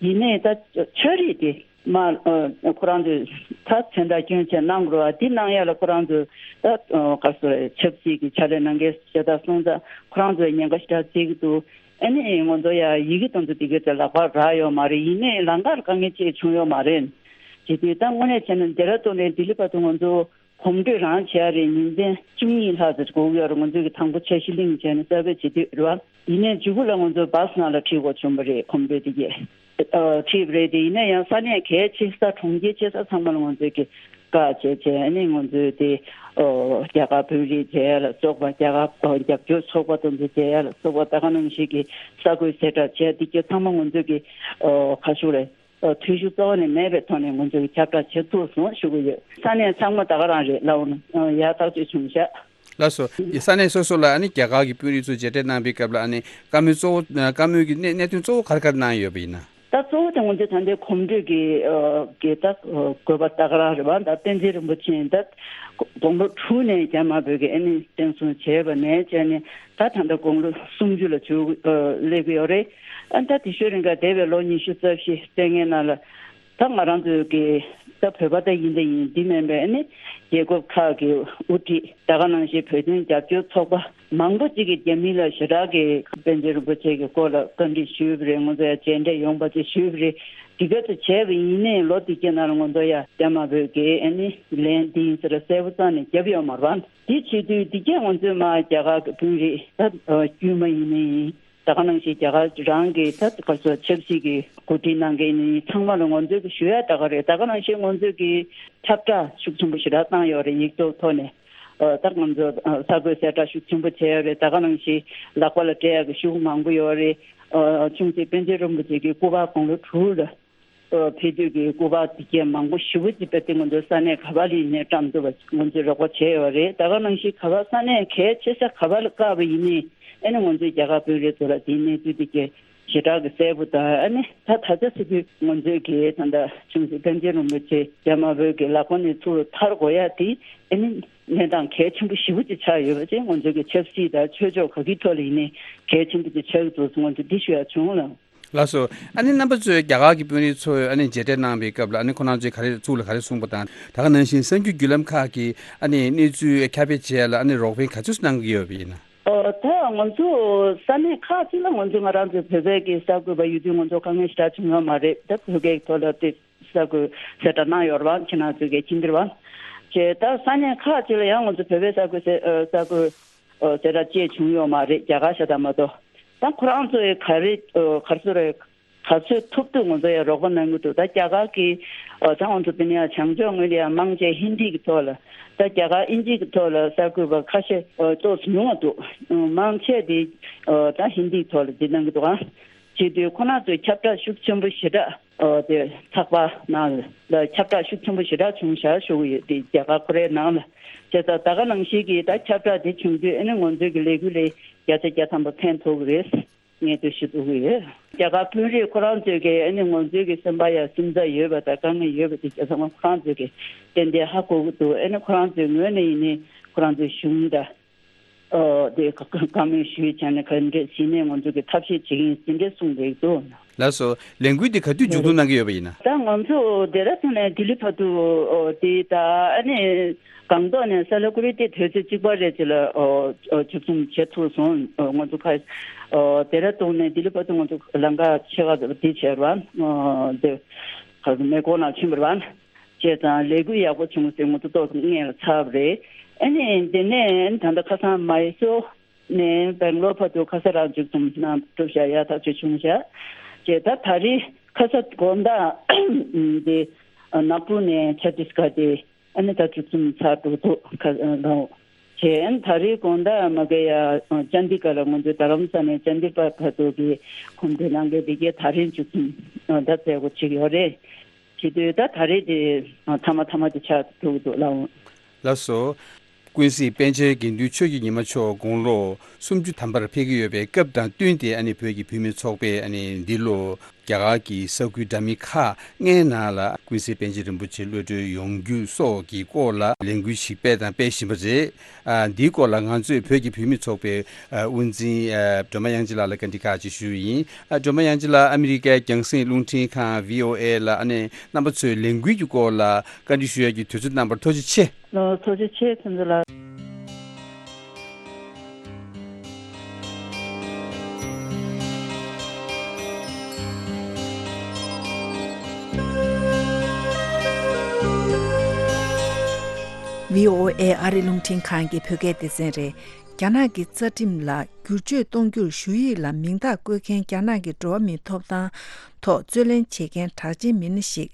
ཡིན་ནའི་ད་ཆོས་རིག་དེ་མ་ཨ་ཁོ་རང་ཚོས་ད་མཚན་རྟགས་སྐྱོན་ཆ་གནང་དགོས་པ་འདི་གནང་ཡ་ལ་ཁོ་རང་ཚོས་ད་ཨ་ག་སོ་ཆབ་སྲིད་ཀྱི་ཕྱག་ལས་གནང་མཁན་ཞེ་དྲག་སོང་ཙང་ཁོ་རང་ཚོས་ཉེན་ཁ་ཞེ་དྲག་བརྩི་གི་འདུག་ཨ་ནི་ང་ཚོ་ཡ་ཡི་གེ་དང་ཚོ་དེ་གའི་ཚོ་ལག་པར་རག་ཡོད་མ་རེད། ཡིན་ནའི་ལམ་ཁར་དཀའ་ངལ་ཅིག་བྱུང་ཡོད་མ་རེད། དེ་དུས་ད་དངོས་གནས་བྱས་ན་ཌེ་ར་ཌུན་ནས་ལྡི་ལི་བར་དུ་ང་ཚོ་གོམ་བགྲོད་རང་བྱས་རེད། ཉིན་མཚན་བཅུ་གཉིས་ལྷག་ཙམ་འགོར་གྱི་ཡོད་རེད། ང་ཚོས་ཀྱི་དང་པོ་འཆར་གཞི་གླེང་བྱས་ནས་གསར་འགོད་བྱེད་དུས་རེད་བ། ཡིན་ནའི་མཇུག་གུ་ལ་ང་ཚོ་བྷ་སི་ནང་ལ་ཁྲིད་དགོས་བྱུང་བ་རེད། གོམ་བགྲོད་དེ་གས་ཨ་ཁྲིད་པ་རེད། དེ་ཡིན་ན་ཡང་ས་གནས་གལ་ཆེ་ས་གྲོང་ཁྱེར་ཆེ་ས་ཚང་མ་ལ་ང་ཚོས་ཀྱི་བཀའ་བྱས་བྱས་ཨ་ནི་ང་ཚོས་དེ་ཨོ་རྒྱ་གར་དཔོན་རིགས་མཇལ་ཡ་ལ་སོགས་པ། རྒྱ་གར་ཨོ་རྒྱབ་སྐྱོར་ཚོགས་པ་དེ་ཚོ་མཇལ་ཡ་ལ་སོགས་པ། ད་ག་ནང་བཞིན་གྱི་གསར་འགོད་གསལ་བསྒྲགས་བྱས་དེ་གས་ཚང་མ་ང་ཚོས་ཀྱི་ཨོ་ཁ་ཤུགས་རེད། ཨ་འཐུས་ཤོར་རྩ་བ་ནས་མེད་པའི་ཐོག་ནས་ང་ཚོས་ཁྱབ་བསྒྲགས་བྱེད་ཐུབ་སོང་ཞུ་གི་ཡོད། ས་གནས་ཚང་མ་ད་ག་རང་རེད་ལབ་ན་ཡག་ཐག་ཆོད་བྱུང་ཤག་ལགས་སོ། ས་གནས་སོ་སོ་ལ་ཨ་ནི་རྒྱ་གར་གྱི་དཔོན་རིགས་ཚོ་མཇལ་འཕྲད་གནང་བའི་སྐབས་ལ་ཨ་ནི་བཀའ་མོལ་གཙོ་བོ་བཀའ་མོལ་གྱི་གནད་གནད་དོན་གཙོ་བོ་ག་རེ་ག་རེ་གནང་ཡོད་པ་ཡིན་ན། ད་གཙོ་བོ་དེ་ང་ཚོས་ད་ལྟའི་གོམ་བགྲོད་ཀྱི་ཨ་གི་ད་དགོས་པ་ད་ག་རང་རེད་བ། ད་བསྟན་འཛིན་རིན་པོ་ཆེ་ད་དགུང་ལོ་དྲུག་ནས་རྒྱ་དམར་པོས་ཀྱི་ཨ་ནི་བཙན་བཟུང་བྱས་པ་ནས་བྱས་ནས་ད་ད་ལྟ་དགུང་ལོ་སུམ་ཅུ་ལ་བྱོན་སླེབས་ཀྱི་ཡོད་རེད། ཨ་ད་དེ་ཤོད་རིང་ག་འདས་པའི་ལོ་ཉི་ཤུ་རྩ་བཞི་བཙན་ལྔའི་ནང་ལ་ད་ང་རང་ཚོའི་གི་ད་བོད་པ་ད་ཡིན་ད་ཡིན་འདི་མིན་པའི་ཨ་ནི་རྒྱལ་ཁབ་ཁག་གི་དབུ་ཁྲིད་ད་ག་ནང་བཞིན་བོད་དོན་རྒྱབ་སྐྱོར་ཚོགས་པ་མང་པོ་ཅིག་གིས་རྒྱ་མི་ལ་ཞེ་དྲག་གི་པཎ་ཆེན་རིན་པོ་ཆེ་གི་སྐོར་ལ་བཀའ་འདྲི་ཞུས་པ་རེད། ང་ཚོ་ཡ་མཇལ་འཕྲད་ཡོང་བ་ཅིག་ཞུས་པ་རེད། དེ་ག་ཚོ་བྱས་པ་ཡིན་ནའི་ལོ་དེ་གའི་ནང་ལ་ང་ཚོ་ཡ་རྒྱ་དམར་པོས་གི་ཨ་ནི་ལན་འདི་ཡིན་ཟེར་གསལ་པོ་རྩ་ནས་བརྒྱབ་ཡོད་མ་རེད་བ། དེ་བྱེད་དུས་དེ་གས་ང་ཚོས་མ་རྒྱ་གར་གི་དཔོན་རིགས་ད་དཀྱུས་མ་ཡིན་ནའི་ཡིན། ད་ག་ནང་བཞིན་རྒྱ་གར་རང་གི་ད་ག་ཚོད་ཆབ་སྲིད་ཀྱི་འགོ་ཁྲིད་གནང་མཁན་ནི་ཚང་མ་ལ་ང་ཚོས་ཀྱི་ཞུ་ཡ་ད་ག་རེད། ད་ག་ནང་བཞིན་ང་ཚོས་ཀྱི་ཁྱབ་བསྒྲགས་ཤུགས་ཆེན་པོ་ཞེ་དྲག་བཏང་ཡོད་རེད། ཡིག་ཐོག་ཐོག་ནས་ཨ་ད་ང་ཚོ་ཨ་གསར་འགོད་གསལ་བསྒྲགས་ཤུགས་ཆེན་པོ་བྱས་ཡོད་རེད། ད་ག་ནང་བཞིན་ལག་པ་ལ་སྤྲད་ཡ་གི་ཤུགས་མང་པོ་ཡོད་རེད། ཨ་ཆུང་སྲིད་པཎ་ཆེན་རིན་པོ་ཆེ་གི་སྐུ་པར་དགུང་ལོ་དྲུག་ལ་ཨ་ཕེབས་དུས་ཀྱི་སྐུ་པར་དེ་གས་མང་པོ་ཞེ་པོ་ཅིག་དཔེ་དེ་ང་ཚོ་ས་གནས་ག་པར་ལ་ཡིན་ནའི་བཀྲམ་ཐུབ་པ་ང་ཚོས་རོགས་པ་བྱས་ཡོད་རེད། ད་ག་ནང་བཞིན་ག་པར་ས་གནས་གལ་ཆེ་ས་ག་པར་ལ་བཀག་པ་ཡིན་ནའི་ཨ་ནི་ང་ཚོའི་རྒྱ་གར་དཔོན་རིགས་ཚོ་ལ་དེའི་གནས་ཚུལ་དེ་གས་ཞེ་དྲག་གི་གསལ་པོ་དང་། ཨ་ནི་ད་ད་ཆ་སྲིད་དུས་ང་ཚོའི་གི་ད་ལྟ་ཆུང་སྲིད་པཎ་ཆེན་རིན་པོ་ཆེ་རྒྱ་དམར་པོའི་གི་ལག་པ་ནས་ཚུར་ཐར་དགོས་ཡ་དེ་ཨ་ནི་གནས་སྟངས་གལ་ཆེན་པོ་ཞེ་པོ་ཅིག་ཆགས་ཡོད་པ་ཅིག་ང་ཚོའི་གི་ཆབ་སྲིད་དང་ཆོས་ཕྱོགས་ག་གི་ཐོག་ལ་ཡིན་ནའི་གལ་ཆེན་པོ་ཅིག་ཆགས་ཀྱི་འདུག་ང་ཚོས་འདི་ཞུ་ཡ་བྱུང་ལ། ལགས་སོ། ཨ་ནི་རྣམ་པ་ཚོས་རྒྱ་གར་གྱི་དཔོན་རིགས་ཚོས་ཨ་ནི་མཇལ་འཕྲད་གནང་བའི་སྐབས་ལ་ཨ་ནི་ཁོ་རང་ཚོས་ག་རེ་གཙུག་ལ་ག་རེ་གསུངས་པ་དང་། ད་ག་ནང་བཞིན་གསར་འགྱུར་བརྒྱུད་ལམ་ཁག་གིས་ཨ་ནི་གནས་ཚུལ་ཁྱབ་སྤེལ་བྱེད་ཡ་ལ་ཨ་ནི་རོགས་ཕན་ག་ཚོད་གནང་གི་ཡོད་པ་ཡིན་ན། ཨོ་ད་ང་ཚོ་ས་གནས་ཁག་ཅིག་ལ་ང་ཚོ་ང་རང་ཚོའི་བོད་པའི་གི་གསར་འགོད་པ་ཡོད་དུས་ང་ཚོ་དཀའ་ངལ་ཞེ་དྲག་བྱུང་ཡོད་མ་རེད། ད་བོད་སྐད་ཐོག་ལ་དེ་གསར་འགོད་གསལ་བསྒྲགས་གནང་ཡོད་རེད་བ། ཁྱེད་རང་ཚོའི་གི་མཁྱེན་གྱི་རེད་བ། བྱས་ད་ས་གནས་ཁག་ཅིག་ལ་ཡང་ང་ཚོ་བོད་པའི་གསར་འགོད་གསལ་ཨ་གསར་འགོད་ཨ་གསལ་བསྒྲགས་ཅིག་བྱུང་ཡོད་མ་རེད། རྒྱ་གར་ཤ་སྟག་མ་གཏོགས། ད་ཁོ་རང་ཚོས་ག་རེ་ཨ་ག་རེ་ཟེར་རེད། ག་ཚོད་ཐུབ་ཐུབ་ང་ཚོ་ཡང་རོགས་པ་གནང་གི་འདུག་ད་རྒྱ་གར་གྱི་ཨ་ད་ང་ཚོ་དེ་ནས་ཡང་བྱང་ཕྱོགས་ངོས་ལ་ཡང་མང་ཆེ་ཧིན་དི་གི་ཐོག་ལ། ད་རྒྱ་གར་ཨིན་ཇི་གི་ཐོག་ལ་གསར་འགོད་པ་ཁ་ཤས་ཨ་ཏོག་ཙམ་ཉུང་བ་འདུག་མང་ཆེ་དེ་ཨ་ད་ཧིན་དི་གི་ཐོག་ལ་འདི་གནང་གི་འདུག་ཨང་། བྱེད་དུས་ཁོ་རང་ཚོས་ཁྱབ་བསྒྲགས་ཤུགས་ཆེན་པོ་ཞེ་དྲག་ཨ་དེ་ཚགས་པར་ནང་ལ་ཁྱབ་བསྒྲགས་ཤུགས་ཆེན་པོ་ཞེ་དྲག་བྱུང་བཞག་ཞུ་གི་ཡོད། དེ་རྒྱ་གར་ཁོ་རའི་ནང་ལ་བྱས་ཙང་ད་ག་ནང་བཞིན་གྱི་ད་ཁྱབ་བསྒྲགས་དེ་བྱུང་དུས་ཨ་ནི་ང་ཚོའི་གི་ལས་འགུལ་ལ་བརྒྱ་ཆ་བརྒྱ་ཐམ་པ་ཕན་ཐོགས་གི་རེད། ངས་འདུ་ཤེས་འདུག་གི་ཡོད། རྒྱ་གར་དཔོན་རིགས་ཁོ་རང་ཚོས་ཀྱི་ཨ་ནི་ང་ཚོའི་གི་སེམས་པ་ཡ་སེམས་འཚབ་ཡོད་པ་དང་དཀའ་ངལ་ཡོད་པ་དེ་རྒྱ་ཚང་མ་ཁོ་རང་ཚོས་ཀྱི་ཏན་ཏན་ཧ་གོ་གི་འདུག་ཨ་ནི་ཁོ་རང་ཚོའི་ངོས་ནས་ཡིན་ནའི་ཁོ་རང་ཚོའི་གཞུང་དང་ཨོ་དེ་བཀའ་མོལ་ཞུས་བྱས་ནས་ག་འདྲས་ཟིན་ནས་ང་ཚོ་གི་ཐབས་ཤེས་བྱེད་ཀྱི་ཡིན་ཟིན་འདྲས་གསུངས་འདུག་ལགས་སོ། ལས་འགུལ་འདི་ག་དུས་མཇུག་བསྡོམས་གནང་གི་ཡོད་པ་ཡིན་ན། ད་ང་ཚོ་ཌེ་ར་ཌུན་ནས་ལྡི་ལི་བར་དུ་ཨོ་དེ་ད་ཨ་ནི་སྒང་ཏོག་ནས་སཱ་ལི་གུ་རི་དེ་དུས་ཚོད་གཅིག་པ་རེད་ཅེས་ལ་ཨོ་ཨོ་མཇུག་བསྡོམས་བྱེད་ཐུབ་སོང་། ཨོ་ང་ཚོ་ཁ་ཨོ་ཌེ་ར་ཌུན་ནས་ལྡི་ལི་བར་དུ་ང་ཚོ་ལམ་ཁ་ཕྱེད་ཀ་འདི་བྱས་ར་ཨོ་དེ་ག་མེ་འཁོར་ནང་ཕྱིན་པ་རེད་བ། བྱས་ཙང་ལས་འགུལ་ཡག་པོ་བྱུང་ཟེར་ང་ཚོ་ཏོག་ཙམ་སྔོན་ལ་ཚར་བ་རེད། ཨ་ནི་དེ་ནས་ད་ལྟ་ཁ་སང་མའི་སོར་ནས་སྦེང་ལོར་བར་དུ་ཁ་ས་རང་མཇུག་བསྡོམས་གནང་གྲུབ་བཞག་ཡག་ཐག་ཆོད་བྱུང་བཞག་བྱས་ད་ད་རེས་ཁ་ས་དགོང་དག་དེ་ནག་པུར་ནས་ཆ་ཏིས་གྷར་དེ་ཨ་ནི་ད་མཇུག་བསྡོམས་ཚར་འགྲོ་འདུག་ཁ་ལོ་བྱས་ཨ་ནི་ད་རེས་དགོང་དག་མ་གི་ཡ་ཅན་དི་གྷར་ལ་ང་ཚོའི་རྡ་རམ་ས་ནས་ཅན་དི་གྷར་བར་དུ་གི་གོམ་བགྲོད་གནང་མཁན་དེ་གས་ད་རེས་མཇུག་བསྡོམས་ད་མཛད་སྒོ་བྱེད་ཀྱི་ཡོད་རེད། བྱེད་དུས་ད་ད་རེས་དེ་མཐའ་མ་མཐའ་མ་དེ་ཆགས་འགྲོ་གི་འདུག་ལགས། ལགས་སོ། ཀུན་གཟིགས་པཎ་ཆེན་དགེ་འདུན་ཆོས་ཀྱི་ཉི་མ་མཆོག་དགུང་ལོ་སུམ་ཅུ་ཐམ་པར་ཕེབས་ཀྱི་ཡོད་པའི་སྐབས་དང་བསྟུན་ཏེ་ཨ་ནི་བོད་ཀྱི་བུད་མེད་ཚོགས་པས་ཨ་ནི་འདི་ལོ་ རྒྱ་གར་གྱི་ས་ཁུལ་འདྲ་མིན་ཁག་ལྔའི་ནང་ལ་ཀུན་གཟིགས་པཎ་ཆེན་རིན་པོ་ཆེ་གློད་གྲོལ་ཡོང་རྒྱུ་སོགས་ཀྱི་སྐོར་ལ་ལས་འགུལ་ཞིག་སྤེལ་དང་སྤེལ་བཞིན་པ་རེད། ཨ། འདིའི་སྐོར་ལ་ང་ཚོས་བོད་ཀྱི་བུད་མེད་ཚོགས་པའི་ཨ། དབུ་འཛིན་ཨ། སྒྲོལ་མ་དབྱངས་ཅན་ལགས་ལ་བཀའ་འདྲི་ཁག་ཅིག་ཞུ་ཡིན། ཨ། སྒྲོལ་མ་དབྱངས་ཅན་ལགས། ཨ་མི་རི་ཀའི་རྒྱང་སྲིང་རླུང་འཕྲིན་ཁང་བྷི་ཨོ་ཨེ་ལ་ཨ་ནི་རྣམ་པ་ཚོའི་ལས་འགུལ་གྱི་སྐོར་ལ་བཀའ་འདྲི་ཞུ་ཡག་གི་དུས་ཚོད་གནང་བར་ཐུགས་རྗེ་ཆེ། ལགས། ཐུགས་རྗེ་ཆེ། ཁྱེད་ཚོ་ལ། བྷི་ཨོ་ཨེ་ཨ་རི་རླུང་འཕྲིན་ཁང་གི་བོད་སྐད་སྡེ་ཚན་རེད། རྒྱ་ནག་གི་རྩ་ཁྲིམས་ལ་བསྒྱུར་བཅོས་གཏོང་རྒྱུར་ཞུ་ཡིག་ལ་མིང་རྟགས་བཀོད་མཁན་རྒྱ་ནག་གི་འགྲོ་བ་མིའི་ཐོབ་ཐང་ཐོག་རྩོད་ལེན་བྱེད་མཁན་གྲགས་ཅན་མི་སྣ་ཞིག་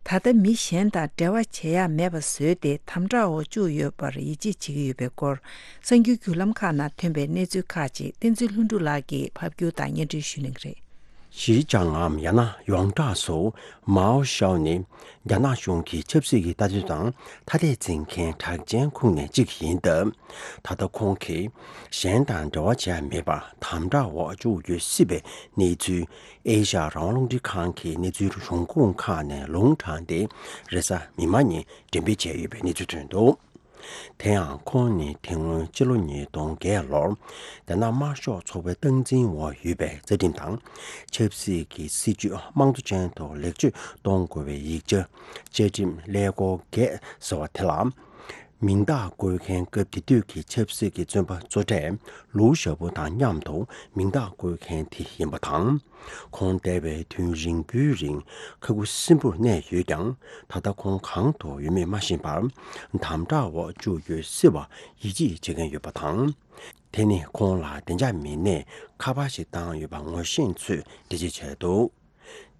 ད་ལྟ་མི་གཞན་དང་འབྲེལ་བ་བྱེད་ཡ་མེད་པ་བཟོས་ཏེ་དམ་དྲག་འོག་བཅུག་ཡོད་པར་ཡིད་ཆེས་བྱེད་ཀྱི་ཡོད་པའི་སྐོར། གསར་འགྱུར་བརྒྱུད་ལམ་ཁག་ནང་ཐོན་པའི་གནས་ཚུལ་ཁག་ཅིག་བསྟན་འཛིན་ལྷུན་གྲུབ་ལགས་ཀྱིས་ཕབ་སྒྱུར་དང་སྙན་སྒྲོན་ཞུ་གནང་གི་རེད། ཞི་ཅང་ངམ་ཡང་ན་ཡོངས་གྲགས་སུ་མའོ་ཞའོ་ནི་རྒྱ་ནག་གཞུང་གི་ཆབ་སྲིད་ཀྱི་ལྟ་དོན་དང་ཐ་དད་འཛིན་མཁན་གྲགས་ཅན་ཁོངས་ནས་གཅིག་ཡིན་སྟབས། ད་ལྟ་ཁོང་གིས་གཞན་དང་འབྲེལ་བ་བྱས་མེད་པར་དམ་དྲག་འོག་བཅུག་ཡོད་སྲིད་པའི་གནས་ཚུལ། ཨེ་ཤ་ཡ་རང་དབང་རླུང་འཕྲིན་ཁང་གི་གནས་ཚུལ་གཞུང་ཁུངས་ཁག་ནས་ལུང་དྲངས་ཏེ་རེས་གཟའ་མིག་དམར་ཉིན་འགྲེམས་སྤེལ་བྱས་ཡོད་པའི་གནས་ཚུལ་ཐོན་འདུག་དེ་ཡང་ཁོང་ནི་དེ་སྔོན་སྤྱི་ལོ་ཉིས་སྟོང་བརྒྱད་ལོར་རྒྱ་ནག་དམར་ཤོག་ཚོགས་པའི་སྟངས་འཛིན་འོག་ཡོད་པའི་རྩ་ཁྲིམས་དང་ཆབ་སྲིད་ཀྱི་སྲིད་བྱུས་དམངས་གཙོ་ཅན་དུ་ལེགས་བཅོས་གཏོང་དགོས་པའི་ཡིག་ཆ་བཅའ་ཁྲིམས་ཀླད་ཀོར་བརྒྱད་ཟེར་བ་དེ་ལ། མིང་རྟགས་བཀོད་མཁན་སྐབས་དེ་དུས་ཀྱི་ཆབ་སྲིད་ཀྱི་བཙོན་པ་གཙོ་གྲས་ལུའུ་ཞའོ་པོ་དང་མཉམ་དུ་མིང་རྟགས་བཀོད་མཁན་དེ་ཡིན་པ་དང་། ཁོང་འདས་པའི་དུས་རིང་པོའི་རིང་ཁ་ཁུ་སིམ་པོར་གནས་ཡོད་ཀྱང་། ད་ལྟ་ཁོང་གང་དུ་ཡོད་མེད་མ་ཤེས་པར་དམ་དྲག་འོག་བཅུག་ཡོད་སྲིད་པ་ཡིད་ཆེས་བྱེད་མཁན་ཡོད་པ་དང་། དེ་ནི་ཁོང་ལ་བདེ་འཇགས་མི་སྣས་ཁ་པར་ཞིག་བཏང་ཡོད་པ་ངོ་ཤེས་ཚོས་འགྲེལ་བརྗོད་བྱས་འདུག་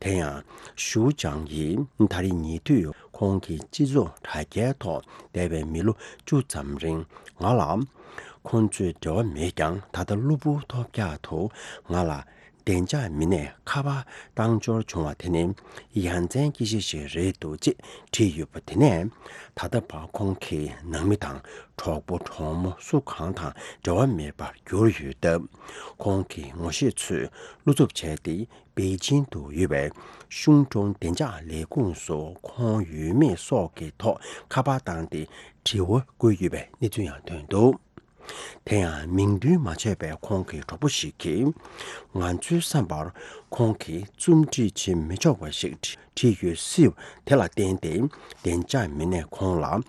དེ་ཡང་ཞུ་ཅང་ཡིས་ད་རེས་ཉེ་དུས་ཁོང་གི་སྤྱི་ཚོགས་དྲ་རྒྱའི་ཐོག་འདས་པའི་མི་ལོ་བཅུ་ཙམ་རིང་ང་ལ་ཁོང་ཚོའི་འབྲེལ་བ་མེད་ཀྱང་། ད་ལྟ་གློ་བུར་ཐོལ་རྒྱག་ཏུ་ང་ལ་བདེ་འཇགས་མི་སྣས་ཁ་པར་བཏང་འབྱོར་བྱུང་བ་དེ་ནི་ཡ་མཚན་སྐྱེ་གཞི་ཞིག་རེད་འདུག་ཅེས་བྲིས་ཡོད་པ་དེ་ནས། ད་ལྟ་བར་ཁོང་གི་ནང་མི་དང་གྲོགས་པོ་གྲོགས་མོ་སུ་གང་དང་འབྲེལ་བ་མེད་པར་གྱུར་ཡོད་སྟབས། ཁོང་གི་ངོ་ཤེས་ཚོས་བློ་འཚབ་བྱས་ཏེ། པེ་ཅིང་དུ་ཡོད་པའི་གཞུང་གྲོང་བདེ་འཇགས་ལས་ཁུངས་སུ་ཁོང་ཡོད་མེད་སོགས་ཀྱི་ཐོག་ཁ་པར་བཏང་སྟེ་དྲི་བ་བཀོད་ཡོད་པའི་གནས་ཚུལ་ཡང་ཐོན་འདུག་དེ་ཡང་མིང་འདོན་མ་བྱས་པའི་ཁོང་གི་གྲོགས་པོ་ཞིག་གིས། ང་ཚོའི་བསམ་པར་ཁོང་གིས་རྩོམ་སྒྲིག་བྱེད་མི་ཆོག་པ་ཞིག་བྲིས་ཡོད་སྲིད་དེ་ལ་བརྟེན་ཏེ། བདེ་འཇགས་མི་སྣས་ཁོང་ལ།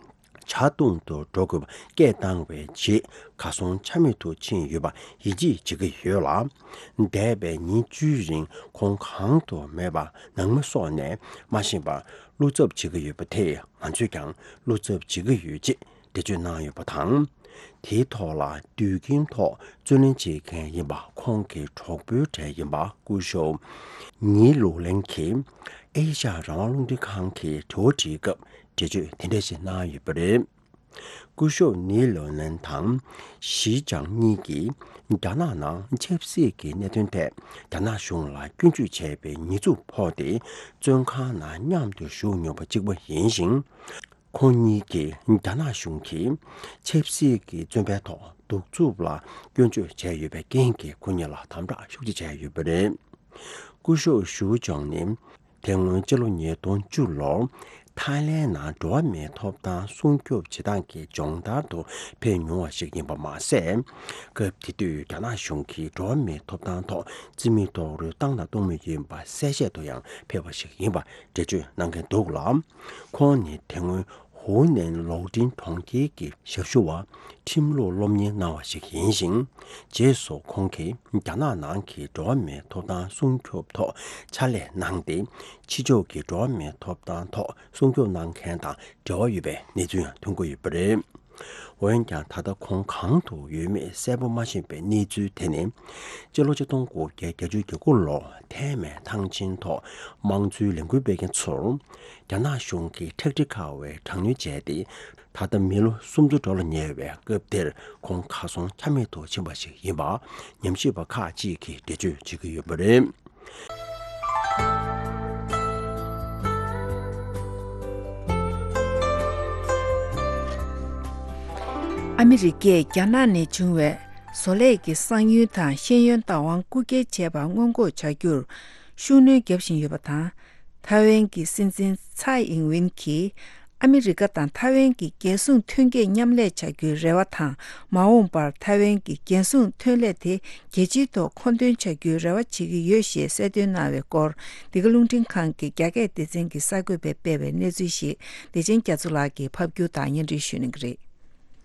ཇ་འཐུང་དུ་འགྲོ་དགོས་པ་སྐད་བཏང་བའི་རྗེས་གར་སོང་ཆ་མེད་དུ་ཕྱིན་ཡོད་པ་ཡིད་ཆེས་བྱེད་ཀྱི་ཡོད་ལ། འདས་པའི་ཉིན་བཅུའི་རིང་ཁོང་གང་དུ་མེད་པར་ནང་མི་སོགས་ནས་མ་ཤེས་པར་བློ་འཚབ་བྱེད་ཀྱི་ཡོད་པ་དེས་ང་ཚོས་ཀྱང་བློ་འཚབ་བྱེད་ཀྱི་ཡོད་ཅེས་འགྲེལ་བརྗོད་གནང་ཡོད་པ་དང་། དེའི་ཐོག་ལ་དུས་རྒྱུན་ཐོག་རྩོད་ལེན་བྱེད་མཁན་ཡིན་པ་ཁོང་གི་གྲོགས་པོའི་གྲས་ཡིན་པ་སྐུ་ཞབས་ཉི་ལུའུ་ལན་གྱིས་ཨེ་ཤ་ཡ་རང་དབང་རླུང་འཕྲིན་ཁང་གི་དྲི་བ་དྲིས་སྐབས། འགྲེལ་བརྗོད་དེ་འདྲ་ཞིག་གནང་ཡོད་པ་རེད། སྐུ་ཞབས་ནི་ལོ་ནན་དང་ཞི་ཅང་གཉིས་ཀྱིས་རྒྱ་ནག་ནང་ཆབ་སྲིད་ཀྱི་གནད་དོན་ཐད་རྒྱ་ནག་གཞུང་ལ་སྐྱོན་བརྗོད་བྱས་པའི་ཉེས་འཛུགས་ཕོག་སྟེ་བཙོན་ཁང་ནང་མཉམ་དུ་བཞུགས་མྱོང་བ་གཅིག་པ་ཡིན་ཞིང་། ཁོང་གཉིས་ཀྱིས་རྒྱ་ནག་གཞུང་གིས་ཆབ་སྲིད་ཀྱི་བཙོན་པའི་ཐོག་གདུག་རྩུབ་ལ་སྐྱོན་བརྗོད་བྱས་ཡོད་པའི་རྐྱེན་གྱིས་ཁོ་གཉིས་ལ་དམ་དྲག་ཤུགས་ཆེ་བྱས་ཡོད་པ་རེད། སྐུ་ཞབས་ཞུ་ཅང་ནི། དེ་སྔོན་སྤྱི་ལོ་ཉིས་སྟོང་བཅུ་ལོར་ཐའི་ལེན་ནང་འགྲོ་བ་མིའི་ཐོབ་ཐང་སྲུང་སྐྱོབ་བྱེད་སྟངས་ཀྱི་སྦྱོང་བརྡར་དུ་ཕེབས་མྱོང་བ་ཞིག་ཡིན་པ་མ་ཟད། སྐབས་དེ་དུས་རྒྱ་ནག་གཞུང་གིས་འགྲོ་བ་མིའི་ཐོབ་ཐང་ཐོག་རྩིས་མེད་རྡོག་རོལ་བཏང་དང་གཏོང་མུས་ཡིན་པ་གསལ་བཤད་དུ་ཡང་ཕེབས་པ་ཞིག་ཡིན་པ་འགྲེལ་བརྗོད་གནང་མཁན་འདུག་ལ། ཁོང་ནི་དེ་སྔོན་ཧུའུ་ནན་ལོག་འདྲེན་གྲོང་ཁྱེར་གྱི་ཞབས་ཞུ་བ། ཁྲིམས་ལུགས་སློབ་གཉེར་གནང་བ་ཞིག་ཡིན་ཞིང་། རྗེས་སུ་ཁོང་གིས་རྒྱ་ནག་ནང་གི་འགྲོ་བ་མིའི་ཐོབ་ཐང་སྲུང་སྐྱོབ་ཐོག་ཕྱག་ལས་གནང་སྟེ། ཕྱི་ཕྱོགས་ཀྱི་འགྲོ་བ་མིའི་ཐོབ་ཐང་ཐོག་སྲུང་སྐྱོབ་གནང་མཁན་དང་འབྲེལ་བ་ཡོད་པའི་གནས་ཚུལ་ཡང་ཐོན་གྱི་ཡོད་པ་རེད། འོན་ཀྱང་། ད་ལྟ་ཁོང་གང་དུ་ཡོད་མེད་གསལ་པོ་མ་ཤེས་པའི་གནས་ཚུལ་དེ་ནི། སྤྱི་ལོ་ཆིག་སྟོང་དགུ་བརྒྱ་བརྒྱད་ཅུ་གྱ་དགུ་ལོར་ཐའེ་མེན་ཐང་ཆེན་ཐོག་དམངས་གཙོའི་ལས་འགུལ་སྤེལ་མཁན་ཚོར། རྒྱ་ནག་གཞུང་གིས་ཁྲག་དྲི་ཁ་བའི་དྲག་གནོན་བྱས་ཏེ། ད་ལྟ་མི་ལོ་སུམ་ཅུ་འགྲོ་ལ་ཉེ་བའི་སྐབས་དེར་ཁོང་གར་སོང་ཆ་མེད་དུ་ཕྱིན་པ་ཞིག་ཡིན་པ་ཉམས་ཞིབ་པ་ཁག་ཅིག་གིས་འགྲེལ་བརྗོད་བྱེད་ཀྱི་ཡོད་པ་རེད། ཨ་མི་རི་ཀས་རྒྱ་ནག་ནས་བྱུང་བའི་བཟོ་ལས་ཀྱི་གསང་ཡུལ་དང་ཤེས་ཡོན་བདག་དབང་རྐུ་འཁྱེར་བྱས་པ་སྔོན་འགོག་བྱ་རྒྱུར། ཤུགས་སྣོན་བརྒྱབ་བཞིན་ཡོད་པ་དང་། ཐའེ་ཝན་གྱི་སྲིད་འཛིན་ཚའེ་ཨིང་ཝིན་གྱིས་ཨ་མི་རི་ཀ་དང་ཐའེ་ཝན་གྱི་རྒྱལ་སྲུང་མཐུན་རྐྱེན་མཉམ་ལས་བྱ་རྒྱུའི་རེ་བ་དང་། མ་འོངས་པར་ཐའེ་ཝན་གྱི་རྒྱལ་སྲུང་ཐོན་ལས་དེ་རྒྱལ་སྤྱིའི་ཐོག་མཁོ་འདོན་བྱ་རྒྱུའི་རེ་བ་བྱེད་ཀྱི་ཡོད་ཞེས་གསལ་སྟོན་གནང་བའི་སྐོར། འདི་ག་རླུང་འཕྲིན་ཁང་གི་རྒྱ་སྐད་སྡེ་ཚན་གྱི་གསར་འགོད་པས་སྤེལ་བའི་གནས་ཚུལ་ཞིག་བདེ་ཆེན་རྒྱ་མཚོ་ལགས་ཀྱིས་ཕབ་སྒྱུར་དང་སྙན་སྒྲོན་ཞུ་གནང་གི་རེད།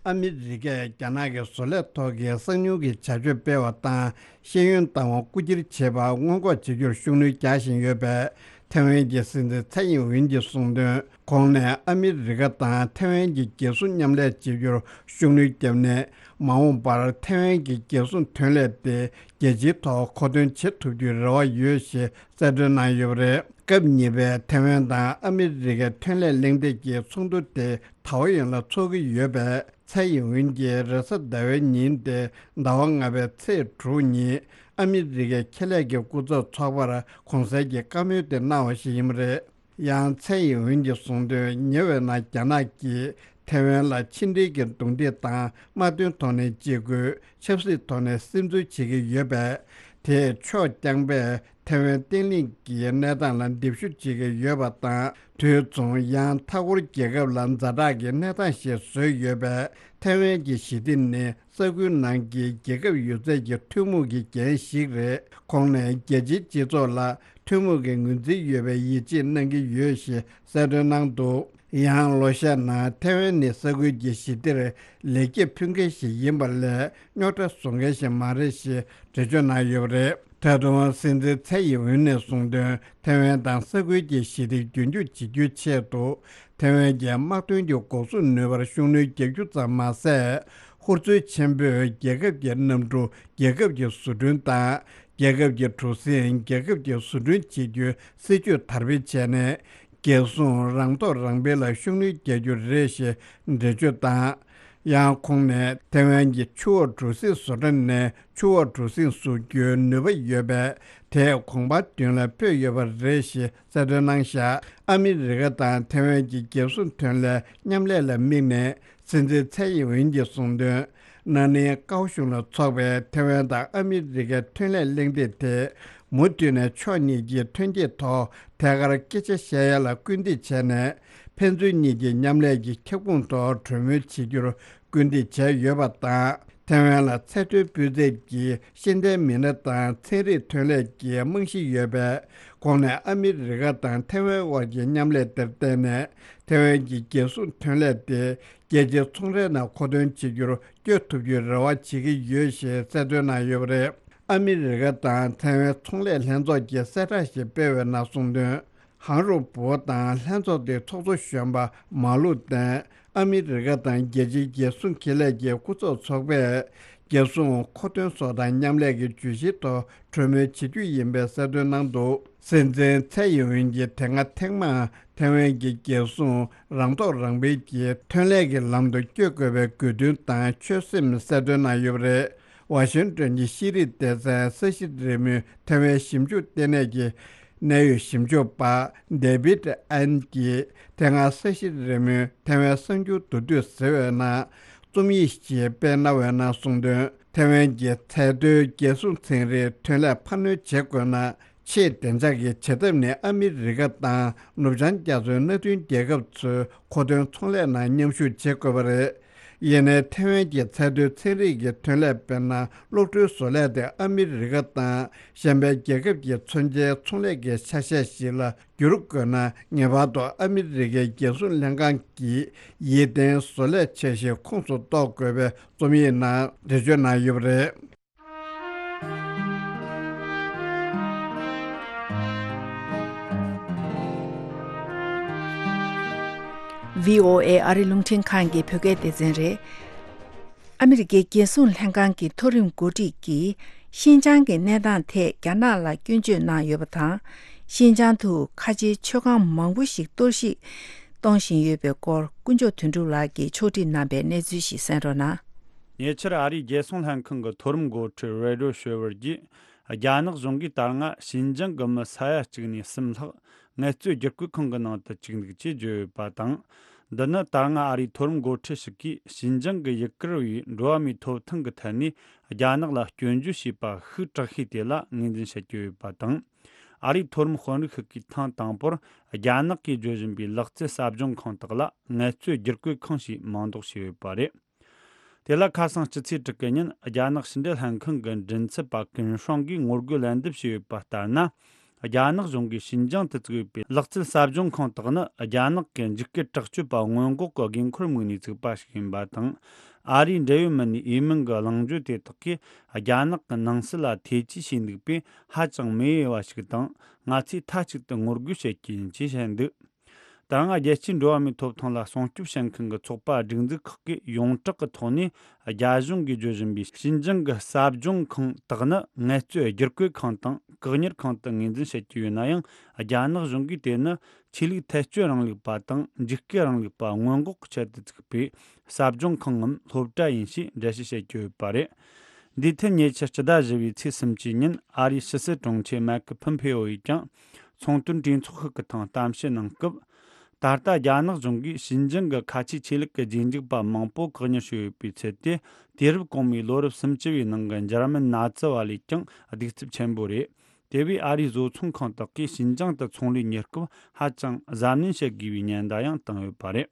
ཨ་མི་རི་ཀས་རྒྱ་ནག་གི་བཟོ་ལས་ཐོག་གི་གསང་ཉུལ་གྱི་བྱ་སྤྱོད་སྤེལ་བ་དང་། ཤེས་ཡོན་ལྟ་བ་རྐུ་འཁྱེར་བྱེད་པ་སྔོན་འགོག་བྱེད་རྒྱུར་ཤུགས་སྣོན་རྒྱག་བཞིན་ཡོད་པས། ཐའེ་ཝན་གྱི་སྲིད་འཛིན་ཚའེ་ཨིན་ཝིན་གྱིས་གསུངས་དོན། གོང་ནས་ཨ་མི་རི་ཀ་དང་ཐའེ་ཝན་གྱི་རྒྱལ་སྲུང་མཉམ་ལས་བྱེད་རྒྱུར་ཤུགས་སྣོན་བརྒྱབ་ནས། མ་འོངས་པར་ཐའེ་ཝན་གྱི་རྒྱལ་སྲུང་ཐོན་ལས་དེ་རྒྱལ་སྤྱིའི་ཐོག་མཁོ་འདོན་བྱེད་ཐུབ་རྒྱུའི་རེ་བ་ཡོད་ཞེས་གསལ་སྟོན་གནང་ཡོད་པ་རེད། སྐབས་གཉིས་པའི་ཐའེ་ཝན་དང་ཨ་མི་རི་ཀའི་ཐོན་ལས་གླེང་སྟེགས་ཀྱི་ཚོགས་འདུ་དེ་ཐའོ་ཡོན་ལ་འཚོགས་ཀྱི་ཡོད་པས། ཚའེ་ཨིན་ཝིན་གྱིས་རེས་གཟའ་ཟླ་བའི་ཉིན་ཏེ་ཟླ་བ་ལྔ་པའི་ཚེས་དྲུག་ཉིན་ཨ་མི་རི་ཀའི་ཁེ་ལས་ཀྱི་སྐུ་ཚབ་ཚོགས་པར་གོང་གསལ་གྱི་བཀའ་མོལ་དེ་གནང་བ་ཞིག་ཡིན་པ་རེད། ཡང་ཚའེ་ཨིན་ཝིན་གྱིས་གསུངས་དོན། ཉེ་བའི་ནང་རྒྱ་ནག་གིས་ཐའེ་ཝན་ལ་ཕྱི་འབྲེལ་གྱི་རྡུང་རྡེག་དང་དམག་དོན་ཐོག་ནས་ཅི་དགོས། ཆབ་སྲིད་ཐོག་ནས་སིམ་འཛུལ་བྱེད་ཀྱི་ཡོད་པས། དེས་ཕྱོགས་རྐྱང་པས་ཐའེ་ཝན་བརྟན་ལྷིང་གི་གནས་སྟངས་ལ་འདེབས་ཞུ་བྱེད་ཀྱི་ཡོད་པ་དང་། དུས་མཚུངས་ཡང་མཐའ་འཁོར་རྒྱལ་ཁབ་ལ་ཛ་དྲག་གི་གནས་སྟངས་ཤིག་བཟོས་ཡོད་པས། ཐའེ་ཝན་གྱི་ཞི་བདེ་ནི་ས་ཁུལ་ནང་གི་རྒྱལ་ཁབ་ཡོད་ཚད་ཀྱི་ཐུན་མོང་གི་འགན་ཞིག་རེད། ཁོང་ནས་རྒྱལ་སྤྱིའི་སྤྱི་ཚོགས་ལ་ཐུན་མོང་གི་ངོས་འཛིན་ཡོད་པའི་ཡིད་ཆེས་གནང་གི་ཡོད་ཞེས་གསལ་སྟོན་གནང་འདུག་ཡང་ལོ་ཤས་ནང་ཐའེ་ཝན་ནི་ས་ཁུལ་གྱི་ཞི་བདེར་ལེགས་སྐྱེས་ཕུལ་མཁན་ཞིག་ཡིན་པ་ལས། རྙོག་དྲ་བཟོ་མཁན་ཞིག་མ་རེད་ཞེས་འགྲེལ་བརྗོད་གནང་ཡོད་པ་རེད། ད་དུང་སྲིད་འཛིན་ཚའེ་ཡིན་ཝུན་ནས་གསུངས་དོན། ཐའེ་ཝན་དང་ས་ཁུལ་གྱི་ཞི་བདེ་རྒྱུན་འཁྱོངས་བྱེད་རྒྱུའི་ཆེད་དུ། ཐའེ་ཝན་གྱི་དམག་དོན་གྱི་འགོག་སྲུང་ནུས་པར་ཤུགས་སྣོན་རྒྱག་རྒྱུ་ཙམ་མ་ཟད། ཧུར་བརྩོན་ཆེན་པོས་རྒྱལ་ཁབ་ཀྱི་གནམ་གྲུ་རྒྱལ་ཁབ་ཀྱི་བཟོ་སྐྲུན་དང་། རྒྱལ་ཁབ་ཀྱི་གྲུ་གཟིངས་རྒྱལ་ཁབ་ཀྱི་བཟོ་སྐྲུན་བྱེད་རྒྱུའི་སྲིད་ཇུས་དར་སྤེལ་བྱས་ནས། རྒྱལ་སྲུང་རང་ཐོག་རང་འཕེལ་ལ་ཤུགས་སྣོན་རྒྱག་རྒྱུ་རེད་ཞེས་འགྲེལ་བརྗོད་དང་། ཡང་ཁོང་ནས་ཐའེ་ཝན་གྱི་ཆུ་འོག་གྲུ་གཟིངས་བཟོ་གྲྭ་ནས་ཆུ་འོག་གྲུ་གཟིངས་བཟོ་རྒྱུའི་ནུས་པ་ཡོད་པས། དེས་གོང་འཕེལ་དོན་ལ་ཕོད་ཡོད་པ་རེད་ཞེས་གསལ་སྟོན་གནང་བཞག་ཨ་མི་རི་ཀ་དང་ཐའེ་ཝན་གྱི་རྒྱལ་སྲུང་ཐོན་ལས་མཉམ་ལས་ལ་དམིགས་ནས། སྲིད་འཛིན་ཚའེ་ཡིན་ཝུན་གྱིས་གསུངས་དོན། ན་ནིང་ཀའོ་གཞུང་ལ་འཚོགས་པའི་ཐའེ་ཝན་དང་ཨ་མི་རི་ཀའི་ཐོན་ལས་གླེང་སྟེགས་དེ། མུ་མཐུད་ནས་ཕྱོགས་གཉིས་ཀྱི་ཐོན་སྐྱེད་ཐོག་ཐད་ཀར་སྐད་ཆ་བཤད་ཡ་ལ་སྐུལ་འདེད་བྱས་ནས། ཕན་ཚུན་གཉིས་ཀྱི་མཉམ་ལས་ཀྱི་ཁྱབ་ཁོངས་ཐོག་གྲོས་མོལ་བྱེད་རྒྱུར་སྐུལ་འདེད་བྱས་ཡོད་པ་དང་། ཐའེ་ཝན་ལ་ཚད་མཐོའི་སྤུས་ཚད་ཀྱི་ཤེས་ལྡན་མི་སྣ་དང་ཚན་རིག་ཐོན་ལས་ཀྱི་རྨང་གཞི་ཡོད་པས། ཁོང་ནས་ཨ་མི་རི་ཀ་དང་ཐའེ་ཝན་དབར་གྱི་མཉམ་ལས་དེར་བརྟེན་ནས། ཐའེ་ཝན་གྱི་རྒྱལ་སྲུང་ཐོན་ལས་དེ་རྒྱལ་སྤྱིའི་ཚོང་རའི་ནང་མཁོ་འདོན་བྱེད་རྒྱུར་བསྐྱོད་ཐུབ་རྒྱུའི་རེ་བ་བྱེད་ཀྱི་ཡོད་ཞེས་གསལ་སྟོན་གནང་ཡོད་པ་རེད། ཨ་མི་རི་ཀ་དང་ཐའེ་ཝན་ཚོང་ལས་ལྷན་ཚོགས་ཀྱིས་གསལ་བསྒྲགས་ཤིག་སྤེལ་བའི་ནང་གསུངས་དོན། ཧང་རུ་པོ་དང་ལྷན་ཚོགས་དེའི་ཚོགས་གཙོ་གཞོན་པ་མ་ལུ་ཏན། ཨ་མི་རི་ཀ་དང་རྒྱལ་སྤྱིའི་རྒྱལ་སྲུང་ཁེ་ལས་ཀྱི་སྐུ་ཚབ་ཚོགས་པས། རྒྱལ་སྲུང་མཁོ་འདོན་སོགས་དང་མཉམ་ལས་ཀྱི་བརྗོད་གཞིའི་ཐོག་གྲོས་མོལ་བྱེད་རྒྱུ་ཡིན་པའི་གསལ་སྟོན་གནང་འདུག་སྲིད་འཛིན་ཚའེ་ཡིན་ཝུན་གྱིས་དེ་སྔ་ཐེངས་མང་ཐའེ་ཝན་གྱི་རྒྱལ་སྲུང་རང་ཐོག་རང་འཕེལ་གྱི་ཐོན་ལས་ཀྱི་ལམ་དུ་བསྐྱོད་དགོས་པའི་དགོས་འདུན་དང་ཆོད་སེམས་གསལ་སྟོན་གནང་ཡོད་པ་རེད། ཝ་ཤིང་ཏོན་གྱི་ཤེས་རིག་སྡེ་ཚན་ས་གཞི་རིལ་མོའི་ཐའེ་ཝན་ཞིབ་འཇུག་ལྟེ་གནས་ཀྱི་གནད་ཡོད་ཞིབ་འཇུག་པ་ཌེ་བིད་ཨན་གྱིས་དེ་སྔ་ས་གཞི་རིལ་མོའི་ཐའེ་ཝན་གསར་འགྱུར་མདོར་བསྡུས་ཟེར་བའི་ནང་རྩོམ་ཡིག་ཅིག་སྤེལ་གནང་བའི་ནང་གསུངས་དོན། ཐའེ་ཝན་གྱི་ཚད་མཐོའི་རྒྱལ་སྲུང་ཚན་རིག་ཐོན་ལས་འཕར་སྣོན་བྱེད་དགོས་ན། ཆེས་བདེ་འཇགས་ཀྱི་བྱེད་ཐབས་ནི་ཨ་མི་རི་ཀ་དང་ནུབ་བྱང་རྒྱ་མཚོའི་མནའ་མཐུན་རྒྱལ་ཁབ་ཚོའི་མཁོ་འདོན་ཚོང་ལས་ནང་མཉམ་ཞུགས་བྱེད་དགོས་པ་རེད། ཡིན་ནའི་ཐའེ་ཝན་གྱི་ཚད་མཐོའི་ཚན་རིག་གི་ཐོན་ལས་དཔེར་ན་གློག་འཕྲུལ་བཟོ་ལས་དེ་ཨ་མི་རི་ཀ་དང་གཞན་པའི་རྒྱལ་ཁབ་ཀྱི་མཚོན་ཆའི་ཚོང་ལས་ཀྱི་ཆ་ཤས་ཤིག་ལ་བསྒྱུར་དགོས་ན། ངེས་པར་དུ་ཨ་མི་རི་ཀའི་རྒྱལ་སྲུང་ལྷན་ཁང་གི་ཡིད་བརྟན་བཟོ་ལས་འཆར་གཞི་ཁོངས་སུ་གཏོགས་དགོས་པའི་རྩོམ་ཡིག་ནང་འགྲེལ་བརྗོད་གནང་ཡོད་པ་རེད། ཝི་ཨོ་ཨེ་ཨ་རི་རླུང་འཕྲིན་ཁང་གི་བོད་སྐད་སྡེ་ཚན་རེད། ཨ་མི་རི་ཀའི་རྒྱལ་སྲུང་ལྷན་ཁང་གི་མཐོ་རིམ་འགོ་ཁྲིད་ཀྱིས་ཤིན་ཅང་གི་གནས་སྟངས་ཐད་རྒྱ་ནག་ལ་སྐྱོན་བརྗོད་གནང་ཡོད་པ་དང་། ཤིན་ཅང་དུ་ཁ་ཆེའི་མཆོད་ཁང་མང་པོ་ཞིག་གཏོར་བཤིག་གཏོང་བཞིན་ཡོད་པའི་སྐོར། དཀོན་མཆོག་དོན་གྲུབ་ལགས་ཀྱིས་ཕྱོགས་སྒྲིག་གནང་པའི་གནས་ཚུལ་ཞིག་གསན་རོགས་གནང་། ཉེ་ཆར་ཨ་རིའི་རྒྱལ་སྲུང་ལྷན་ཁང་གི་མཐོ་རིམ་འགོ་ཁྲིད་རེ་ཌོ་ཤོ་ཝར་གྱིས། རྒྱ་ནག་གཞུང་གིས་ད་སྔ་ཤིན་ཅང་གི་མི་ས་ཡ་གཅིག་ནས་གསུམ་ལྷག་ངལ་རྩོལ་བསྒྱུར་བཀོད་ཁང་གི་ནང་དུ་བཅུག་འདུག་ཅེས་བརྗོད་ཡོད་པ་དང་། འདི་ནི་ད་སྔ་ཨ་རིའི་མཐོ་རིམ་འགོ་ཁྲིད་ཞིག་གིས་ཤིན་ཅང་གི་ཡུ་གུར་བའི་འགྲོ་བ་མིའི་ཐོབ་ཐང་གི་ཐད་ནས་རྒྱ་ནག་ལ་སྐྱོན་བརྗོད་བྱས་པ་ཤུགས་དྲག་ཤོས་དེ་ལ་ངོས་འཛིན་བྱེད་ཀྱི་ཡོད་པ་དང་། ཨ་རིའི་མཐོ་རིམ་དཔོན་རིགས་ཤིག་གིས་ཐེངས་དང་པོར་རྒྱ་ནག་གིས་བརྗོད་བཞིན་པའི་ལག་རྩལ་ཟབ་སྦྱོང་ཁང་དག་ལ་ངལ་རྩོལ་བསྒྱུར་བཀོད་ཁང་ཞེས་མིང་འདོགས་བྱས་ཡོད་པ་རེད། དེ་ལ་ཁ་སང་སྤྱི་ཚེས་དྲུག་གི་ཉིན་རྒྱ་ནག་ཕྱི་འབྲེལ་ལྷན་ཁང་གི་མགྲིན་ཚབ་པ་ཀུན་ཧྲང་གིས་ངོ་རྒོལ་ལན་འདེབས་བྱས་ཡོད་པ་ལྟར་ན། རྒྱ་ནག་གཞུང་གིས་ཞིན་ཅང་དུ་བཙུགས་ཡོད་པའི་ལག་རྩལ་ཟབ་སྦྱོང་ཁང་དག་ནི་རྒྱ་ནག་གི་འཇིགས་སྐུལ་དྲག་སྤྱོད་པ་སྔོན་འགོག་གི་དགོས་མཁོར་དམིགས་ནས་བཙུགས་པ་ཞིག་ཡིན་པ་དང་། ཨ་རིའི་འབྲེལ་ཡོད་མི་སྣས་འོས་མིན་གྱི་གླེང་བརྗོད་དེ་དག་གིས་རྒྱ་ནག་གི་ནང་སྲིད་ལ་ཐེ་ཇུས་བྱས་འདུག་པས་ཧ་ཅང་མི་འོས་པ་ཞིག་དང་། ང་ཚོས་མཐའ་གཅིག་ཏུ་ངོ་རྒོལ་བྱེད་ཀྱི་ཡིན་ཅེས་བཤད་འདུག་ད་རུང་རྒྱལ་སྤྱིའི་འགྲོ་བ་མིའི་ཐོབ་ཐང་ལ་སྲུང་སྐྱོབ་བྱེད་མཁན་གྱི་ཚོགས་པ་སྒྲིག་འཛུགས་ཁག་གིས་ཡོངས་གྲགས་ཀྱི་ཐོག་ནས་རྒྱ་གཞུང་གིས་བརྗོད་བཞིན་པའི་ཞིན་ཅང་གི་ཟབ་སྦྱོང་ཁང་དག་ནི་ངལ་རྩོལ་བསྒྱུར་བཀོད་ཁང་དང་བཀག་ཉར་ཁང་དུ་ངོས་འཛིན་བྱེད་ཀྱི་ཡོད་ན་ཡང་། རྒྱ་ནག་གཞུང་གིས་དེ་ནི་ཆོས་ལུགས་ཐལ་སྤྱོད་རིང་ལུགས་པ་དང་འཇིགས་སྐུལ་རིང་ལུགས་པ་སྔོན་འགོག་གི་ཆེད་དུ་བཙུགས་པའི་ཟབ་སྦྱོང་ཁང་ངམ་སློབ་གྲྭ་ཡིན་ཞེས་འགྲེལ་བཤད་བྱེད་ཀྱི་ཡོད་པ་རེད། འདིའི་ཐད་ཉེ་ཆར་སྤྱི་ཟླ་བཞི་པའི་ཚེས་སུམ་ཅུ་ཉིན་ཨ་རིའི་ཕྱི་སྲིད་དྲུང་ཆེ་མའེ་ཁི་ཕུམ་ཕེ་ཨོ་ཡིས་ཀྱང་ཚོང་དོན་གྲོས་ཚོགས་ཤིག་གི་ཐེངས་གཏམ་བཤད་གནང་སྐབས། ད་ལྟ་རྒྱ་ནག་གཞུང་གིས་ཞིན་ཅང་གི་ཁ་ཆེའི་ཆོས་ལུགས་ཀྱི་རྗེས་འཇུག་པ་མང་པོ་བཀག་ཉར་བྱས་ཡོད་པའི་ཚུལ་དེ། དུས་རབས་གོང་མའི་ལོ་རབས་སུམ་ཅུ་བའི་ནང་གི་འཇར་མན་ནཱ་ཛི་བ་ལས་ཀྱང་གདུག་རྩུབ་ཆེན་པོ་རེད། དེ་བས་ཨ་རིའི་བཟོ་ཚོང་ཁང་དག་གིས་ཞིན་ཅང་དུ་ཚོང་ལས་གཉེར་སྐབས་ཧ་ཅང་གཟབ་ནན་བྱེད་དགོས་པའི་ཉེན་བརྡ་ཡང་བཏང་ཡོད་པ་རེད།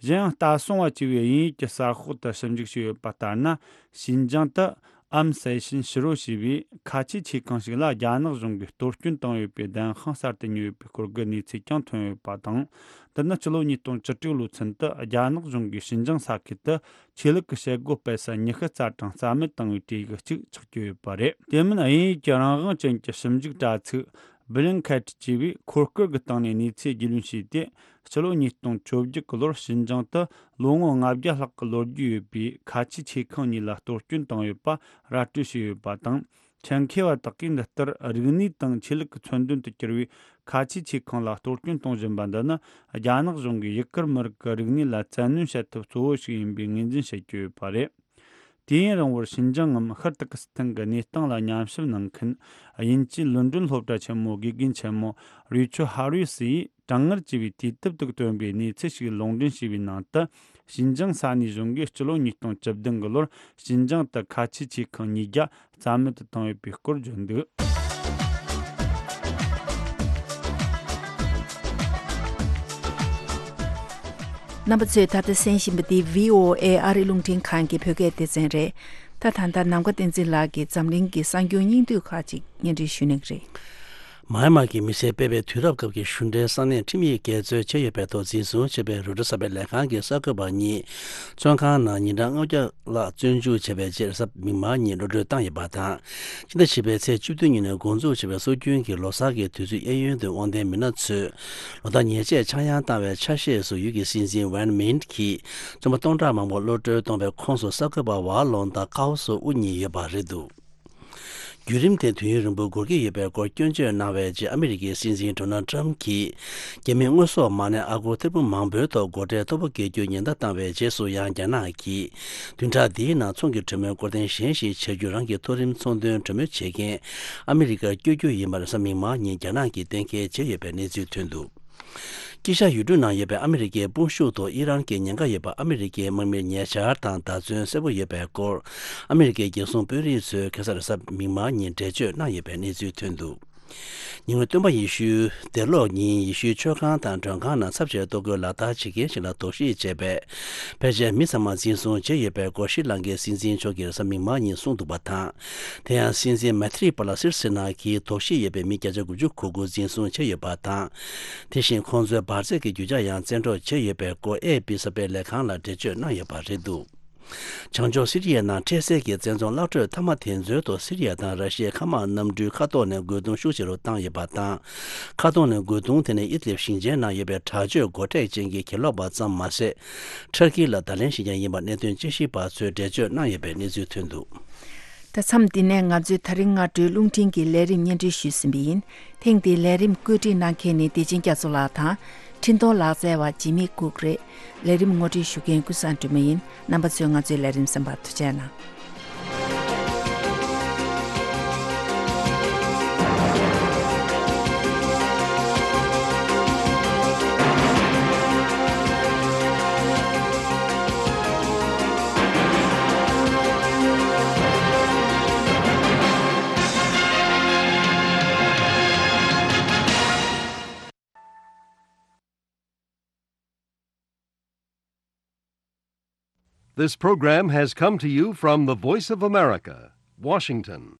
གཞན་ཡང་ལྟ་སྲུང་བ་ཅེས་པའི་དབྱིན་ཡིག་གི་གསར་ཤོག་ཏུ་ཞིབ་འཇུག་བྱས་ཡོད་པ་ལྟར་ན། ཞིན་ཅང་དུ་ཨམ་སེ་ཤིན་ཕྱི་རོལ་ཞེས་པའི་ཁ་ཆེའི་ཆེ་ཁང་ཞིག་ལ་རྒྱ་ནག་གཞུང་གིས་གཏོར་སྐྱོན་བཏང་ཡོད་པའི་བདེན་དཔང་གསར་དུ་ཉོས་ཡོད་པའི་སྐོར་གྱི་གནས་ཚུལ་ཀྱང་ཐོན་ཡོད་པ་དང་། འདི་ནི་ཕྱི་ལོ་ཉིས་སྟོང་བཅུ་དྲུག་ལོའི་ཚུན་དུ་རྒྱ་ནག་གཞུང་གིས་ཞིན་ཅང་ས་ཁུལ་དུ་ཆོས་ལུགས་ཀྱི་བྱེད་སྒོ་སྤེལ་ས་ཉི་ཤུ་རྩ་གྲངས་རྩ་མེད་བཏང་བའི་གྲས་ཀྱི་གཅིག་ཆགས་ཀྱི་ཡོད་པ་རེད། དེ་མིན་དབྱིན་ཡིག་གི་རང་དབང་ཅན་གྱི་ཞིབ་འཇུག་དྲ་ཚིགས་བྷི་ལིང་ཁེཊ་ཅེས་པས་འཁོར་སྐར་གྱི་སྟེང་ནས་གནས་ཚུལ་རྒྱུས་ལོན་བྱས་ཏེ། ཕྱི་ལོ་ཉིས་སྟོང་བཅོ་བརྒྱད་ཀྱི་ལོར་ཞིན་ཅང་དུ་ལོ་ངོ་ལྔ་བརྒྱ་ལྷག་གི་ལོ་རྒྱུས་ཡོད་པའི་ཁ་ཆེའི་ཆེ་ཁང་གཉིས་ལ་གཏོར་སྐྱོན་བཏང་ཡོད་པ་ར་སྤྲོད་བྱས་ཡོད་པ་དང་། ཆེད་མཁས་པ་དག་གིས་འདི་ལྟར་རིག་གནས་དང་ཆོས་ལུགས་ཀྱི་མཚོན་དོན་དུ་གྱུར་བའི་ཁ་ཆེའི་ཆེ་ཁང་ལ་གཏོར་སྐྱོན་གཏོང་བཞིན་པ་འདི་ནི། རྒྱ་ནག་གཞུང་གིས་ཡུ་གུར་མི་རིགས་ཀྱི་རིག་གནས་ལ་བཙན་གནོན་བྱེད་ཐབས་གཙོ་བོ་ཞིག་ཡིན་པའི་ངོས་འཛིན་བྱེད་ཀྱི་ཡོད་པ་རེད། དུས་ཡུན་རིང་བོར་ཞིན་ཅང་ངམ་ཤར་ཏུར་ཀི་སི་ཐན་གྱི་གནས་སྟངས་ལ་ཉམས་ཞིབ་གནང་མཁན་དབྱིན་ཇིའི་ལོན་ཌོན་སློབ་གྲྭ་ཆེན་མོའི་དགེ་རྒན་ཆེན་མོ་རུའི་ཆོ་ཧ་རུས་སི་ཡིས། གྲང་ངར་ཆེ་བའི་དུས་དེབ་དུ་བཏོན་པའི་གནས་ཚུལ་ཞིག་ལུང་འདྲེན་བྱས་པའི་ནང་དུ། ཞིན་ཅང་ས་གནས་གཞུང་གིས་སྤྱི་ལོ་ཉིས་སྟོང་བཅུ་བདུན་གྱི་ལོར་ཞིན་ཅང་དུ་ཁ་ཆེའི་ཆེ་ཁང་ཉིས་བརྒྱ་རྩ་མེད་དུ་བཏང་ཡོད་པའི་སྐོར་བརྗོད་འདུག་རྣམ་པ་ཚོས་ད་ལྟ་གསན་བཞིན་པ་འདི་བྷི་ཨོ་ཨེ་ཨ་རི་རླུང་འཕྲིན་ཁང་གི་བོད་སྐད་སྡེ་ཚན་རེད། ད་ད་ལྟ་ནམ་མཁའ་བསྟན་འཛིན་ལགས་ཀྱིས་འཛམ་གླིང་གི་གསར་འགྱུར་སྙིང་བསྡུས་ཁག་ཅིག་སྙན་སྒྲོན་ཞུ་གནང་གི་རེད། མཱ་ཡན་མཱ་གི་མི་སེར་སྤེལ་བའི་དུས་རབས་སྐབས་ཀྱི་གཞུང་འབྲེལ་ས་གནས་ཁྲིམས་ཡིག་འགལ་འཛོལ་བྱས་ཡོད་པའི་ཐོག་འཛིན་བཟུང་བྱས་པའི་རོའི་ཊར་གསར་སྤེལ་ལས་ཁང་གི་གསར་འགོད་པ་གཉིས་བཙོན་ཁང་ནང་ཉིན་གྲངས་ལྔ་བརྒྱ་ལྷག་བཙོན་འཇུག་བྱས་པའི་རྗེས་གཟའ་མིག་དམར་ཉིན་གློད་གྲོལ་བཏང་ཡོད་པ་དང་། ཕྱི་ཟླ་བཞི་པའི་ཚེས་བཅུ་བདུན་ཉིན་འགོ་འཛུགས་བྱས་པའི་སྲོལ་རྒྱུན་གྱི་ལོ་གསར་གྱི་དུས་ཚོད་གཡས་གཡོན་དུ་དབང་ལྡན་མི་སྣ་ཚོས་ལོ་ཟླ་ཉེར་གཅིག་ཆག་ཡང་བཏང་བའི་ཆ་ཤས་སུ་ཡུལ་གྱི་སྲིད་འཛིན་ཝན་མིན་གྱིས་བཙོན་པ་སྟོང་ཕྲག་མང་པོ་གློད་གྲོལ་གཏོང་བའི་ཁོངས་སུ་གསར་འགོད་པ་ཝ་ལོང་དང་ཀའོ་སོ་དབུ་གཉིས་ཡོད་པ་རེད་འདུག་བརྒྱུད་རིམ་དེ་དུས་ཡུན་རིང་པོའི་འགོར་གྱི་ཡོད་པའི་སྐོར་སྐྱོན་བརྗོད་གནང་བའི་རྗེས་ཨ་མི་རི་ཀའི་སྲིད་འཛིན་ཌོ་ནལ་ཊམ་གྱིས་རྒྱ་མིའི་དངོས་ཟོག་མ་གནས་ཨ་སྒོར་ཐེར་འབུམ་མང་པོའི་ཐོག་སྒོ་ཁྲལ་མཐོ་པོ་འགེལ་རྒྱུ་ཉེན་བརྡ་བཏང་བའི་རྗེས་སུ་ཡང་རྒྱ་ནག་གིས་བདུན་ཕྲག་འདིའི་ནང་ཚོང་གི་གྲོས་མོལ་སྐོར་ཐེངས་གཞན་ཞིག་བྱ་རྒྱུ་རང་གི་མཐོ་རིམ་ཚོང་དོན་གྲོས་མོལ་བྱེད་མཁན་ཨ་མི་རི་ཀར་བསྐྱོད་རྒྱུ་ཡིན་པར་གཟའ་མིག་དམར་ཉིན་རྒྱ་ནག་གིས་གཏན་འཁེལ་བྱས་ཡོད་པའི་གནས་ཚུལ་ཐོན་འདུག་དཀྱིལ་ཤར་ཡུལ་གྲུ་ནང་ཡོད་པའི་ཨ་མི་རི་ཀའི་དཔུང་ཤུགས་ཐོག་ཨི་རན་གྱི་ཉེན་ཁ་ཡོད་པ་ཨ་མི་རི་ཀའི་དམག་མིར་ཉེ་ཆར་དང་བརྡ་མཚོན་གསལ་པོ་ཡོད་པའི་སྐོར། ཨ་མི་རི་ཀའི་རྒྱལ་སྲུང་དཔོན་རིགས་ཚོས་ཁ་སང་རེས་གཟའ་མིག་དམར་ཉིན་འགྲེལ་བརྗོད་གནང་ཡོད་པའི་གནས་ཚུལ་ཐོན་འདུག་ཉེ་སྔོན་སྟོན་པ་ཡེ་ཤུའི་སྡེར་ལོག་ཉིན་ཡེ་ཤུའི་མཆོད་ཁང་དང་མགྲོན་ཁང་ནང་ཚབས་ཆེའི་ལྟོ་གོས་ལག་བསྟར་བྱེད་མཁན་ཞིག་ལ་དོགས་གཞི་བྱས་པས། ཕལ་ཆེར་མི་ཚང་མ་འཛིན་བཟུང་བྱས་ཡོད་པའི་སྐོར་ཤྲི་ལང་ཀའི་སྲིད་འཛིན་མཆོག་གིས་རེས་གཟའ་མིག་དམར་ཉིན་གསུངས་འདུག་པ་དང་། དེ་ཡང་སྲིད་འཛིན་མེ་ཐི་རི་པ་ལ་སིར་སེ་ན་གྱིས་དོགས་གཞི་ཡོད་པའི་མི་བརྒྱ་ཆ་དགུ་བཅུ་གོ་དགུ་འཛིན་བཟུང་བྱས་ཡོད་པ་དང་། དེ་བཞིན་ཁོང་ཚོའི་འབར་རྫས་ཀྱི་རྒྱུ་ཆ་ཡང་བཙན་འཕྲོག་བྱས་ཡོད་པའི་སྐོར་ཨེ་ཨེཕ་པི་གསར་སྤེལ་ལས་ཁང་ལ་འགྲེལ་བརྗོད་གནང་ཡོད་པ་རེད་འདུག་བྱང་ཕྱོགས་སི་རི་ཡའི་ནང་འཕྲལ་སེལ་གྱི་བཙན་རྫོང་གླག་ཁྲོད་མཐའ་མ་དེ་ཚོའི་ཐོག་སི་རི་ཡ་དང་ར་ཤི་ཡའི་མཁའ་དམག་གནམ་གྲུའི་མཁའ་ཐོག་ནས་རྒོལ་རྡུང་ཤུགས་ཆེ་རུ་བཏང་ཡོད་པ་དང་། མཁའ་ཐོག་ནས་རྒོལ་རྡུང་དེ་ནི་ཨི་ཏི་ལིབ་ཞིང་ཆེན་ནང་ཡོད་པའི་དྲག་སྤྱོད་སྒོ་ཁྲལ་ཅན་གྱི་གྱེན་ལོག་པ་ཙམ་མ་ཟད། ཊར་ཀི་ལ་བརྡ་ལན་ཞིག་ཀྱང་ཡིན་པ་གནད་དོན་དཔྱད་ཞིབ་པ་ཚོས་འགྲེལ་བརྗོད་གནང་ཡོད་པའི་གནས་ཚུལ་ཐོན་འདུག་ད་མཚམས་འདི་ནས་ང་ཚོས་ད་རིང་སྔ་དྲོའི་རླུང་འཕྲིན་གྱི་ལས་རིམ་སྙན་སྒྲོན་ཞུས་ཟིན་པ་ཡིན། ཐེངས་འདིའི་ལས་རིམ་བཀོད་སྒྲིག་གནང་མཁན་ནི་བདེ་ཆེན་རྒྱ་མཚོ་ལགས་དང་། འཕྲིན་གཏོང་ལག་རྩལ་བ་འཇིགས་མེད་ལྐུགས་རེད། ལས་རིམ་ངོ་སྤྲོད་ཞུ་མཁན་ཀུན་བཟང་སྒྲོལ་མ་ཡིན། རྣམ་པ་ཚོས་ང་ཚོའི་ལས་རིམ་གསན་པར་ཐུགས་རྗེ་གནང་། This program has come to you from the Voice of America, Washington.